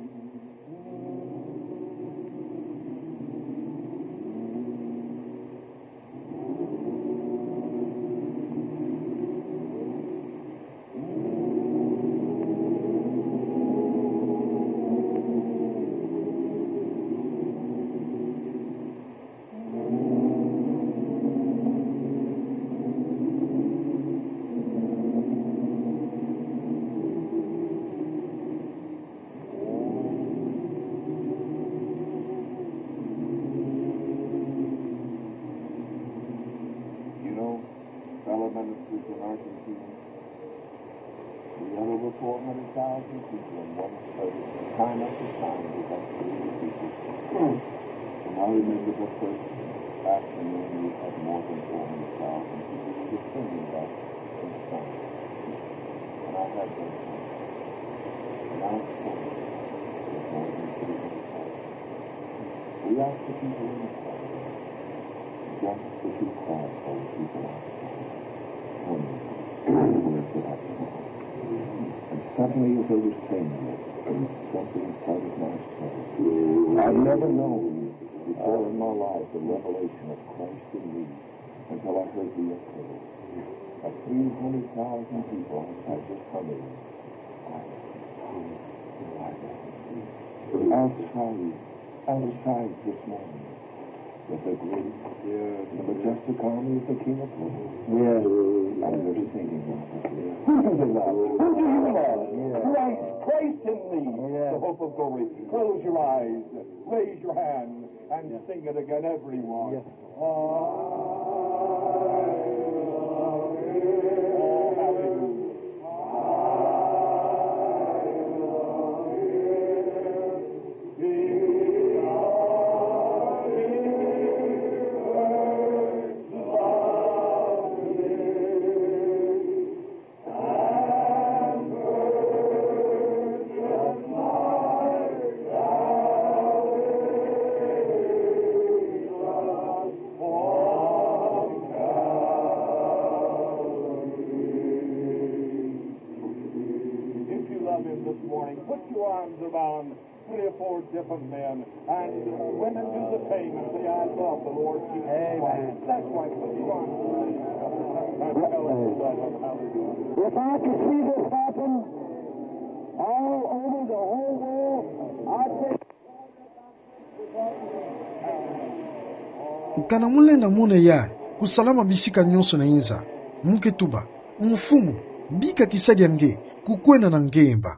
You know, fellow ministers in Argentina, we had over four hundred thousand people in one service, time after time, we went through the people. And I remember the first afternoon we had more than four hundred thousand people. We were singing that in Spanish. Now it's time. Now it's time. We ask that you join us, Father, just as you cried for the people outside. Come, we lift it up. And suddenly, as I was saying this, something started my soul. I've never known before in my life the revelation of Christ in me until I heard the echo of three hundred thousand people outside this coming. Outside, outside this morning, with the great, the majestic army of the King of Glory. Yes. And they're singing out loud. Who do you love? Who do you love? Yes. Christ, Christ in me, yes, the hope of glory. Close your eyes, raise your hand, and, yes, sing it again, everyone. Yes. If you love him this morning, put your arms around three or four different men and women, do the same and say, "I love the Lord Jesus Christ." Amen. That's right. Put your arms around him and tell him you love him. Hallelujah. If I could see this happen all over the whole world, I'd say Kana molenda mona ya kusalama bisika nyonso na inza, muke tuba: Mfumu, bika kisadia nge kukwenda na nge mba.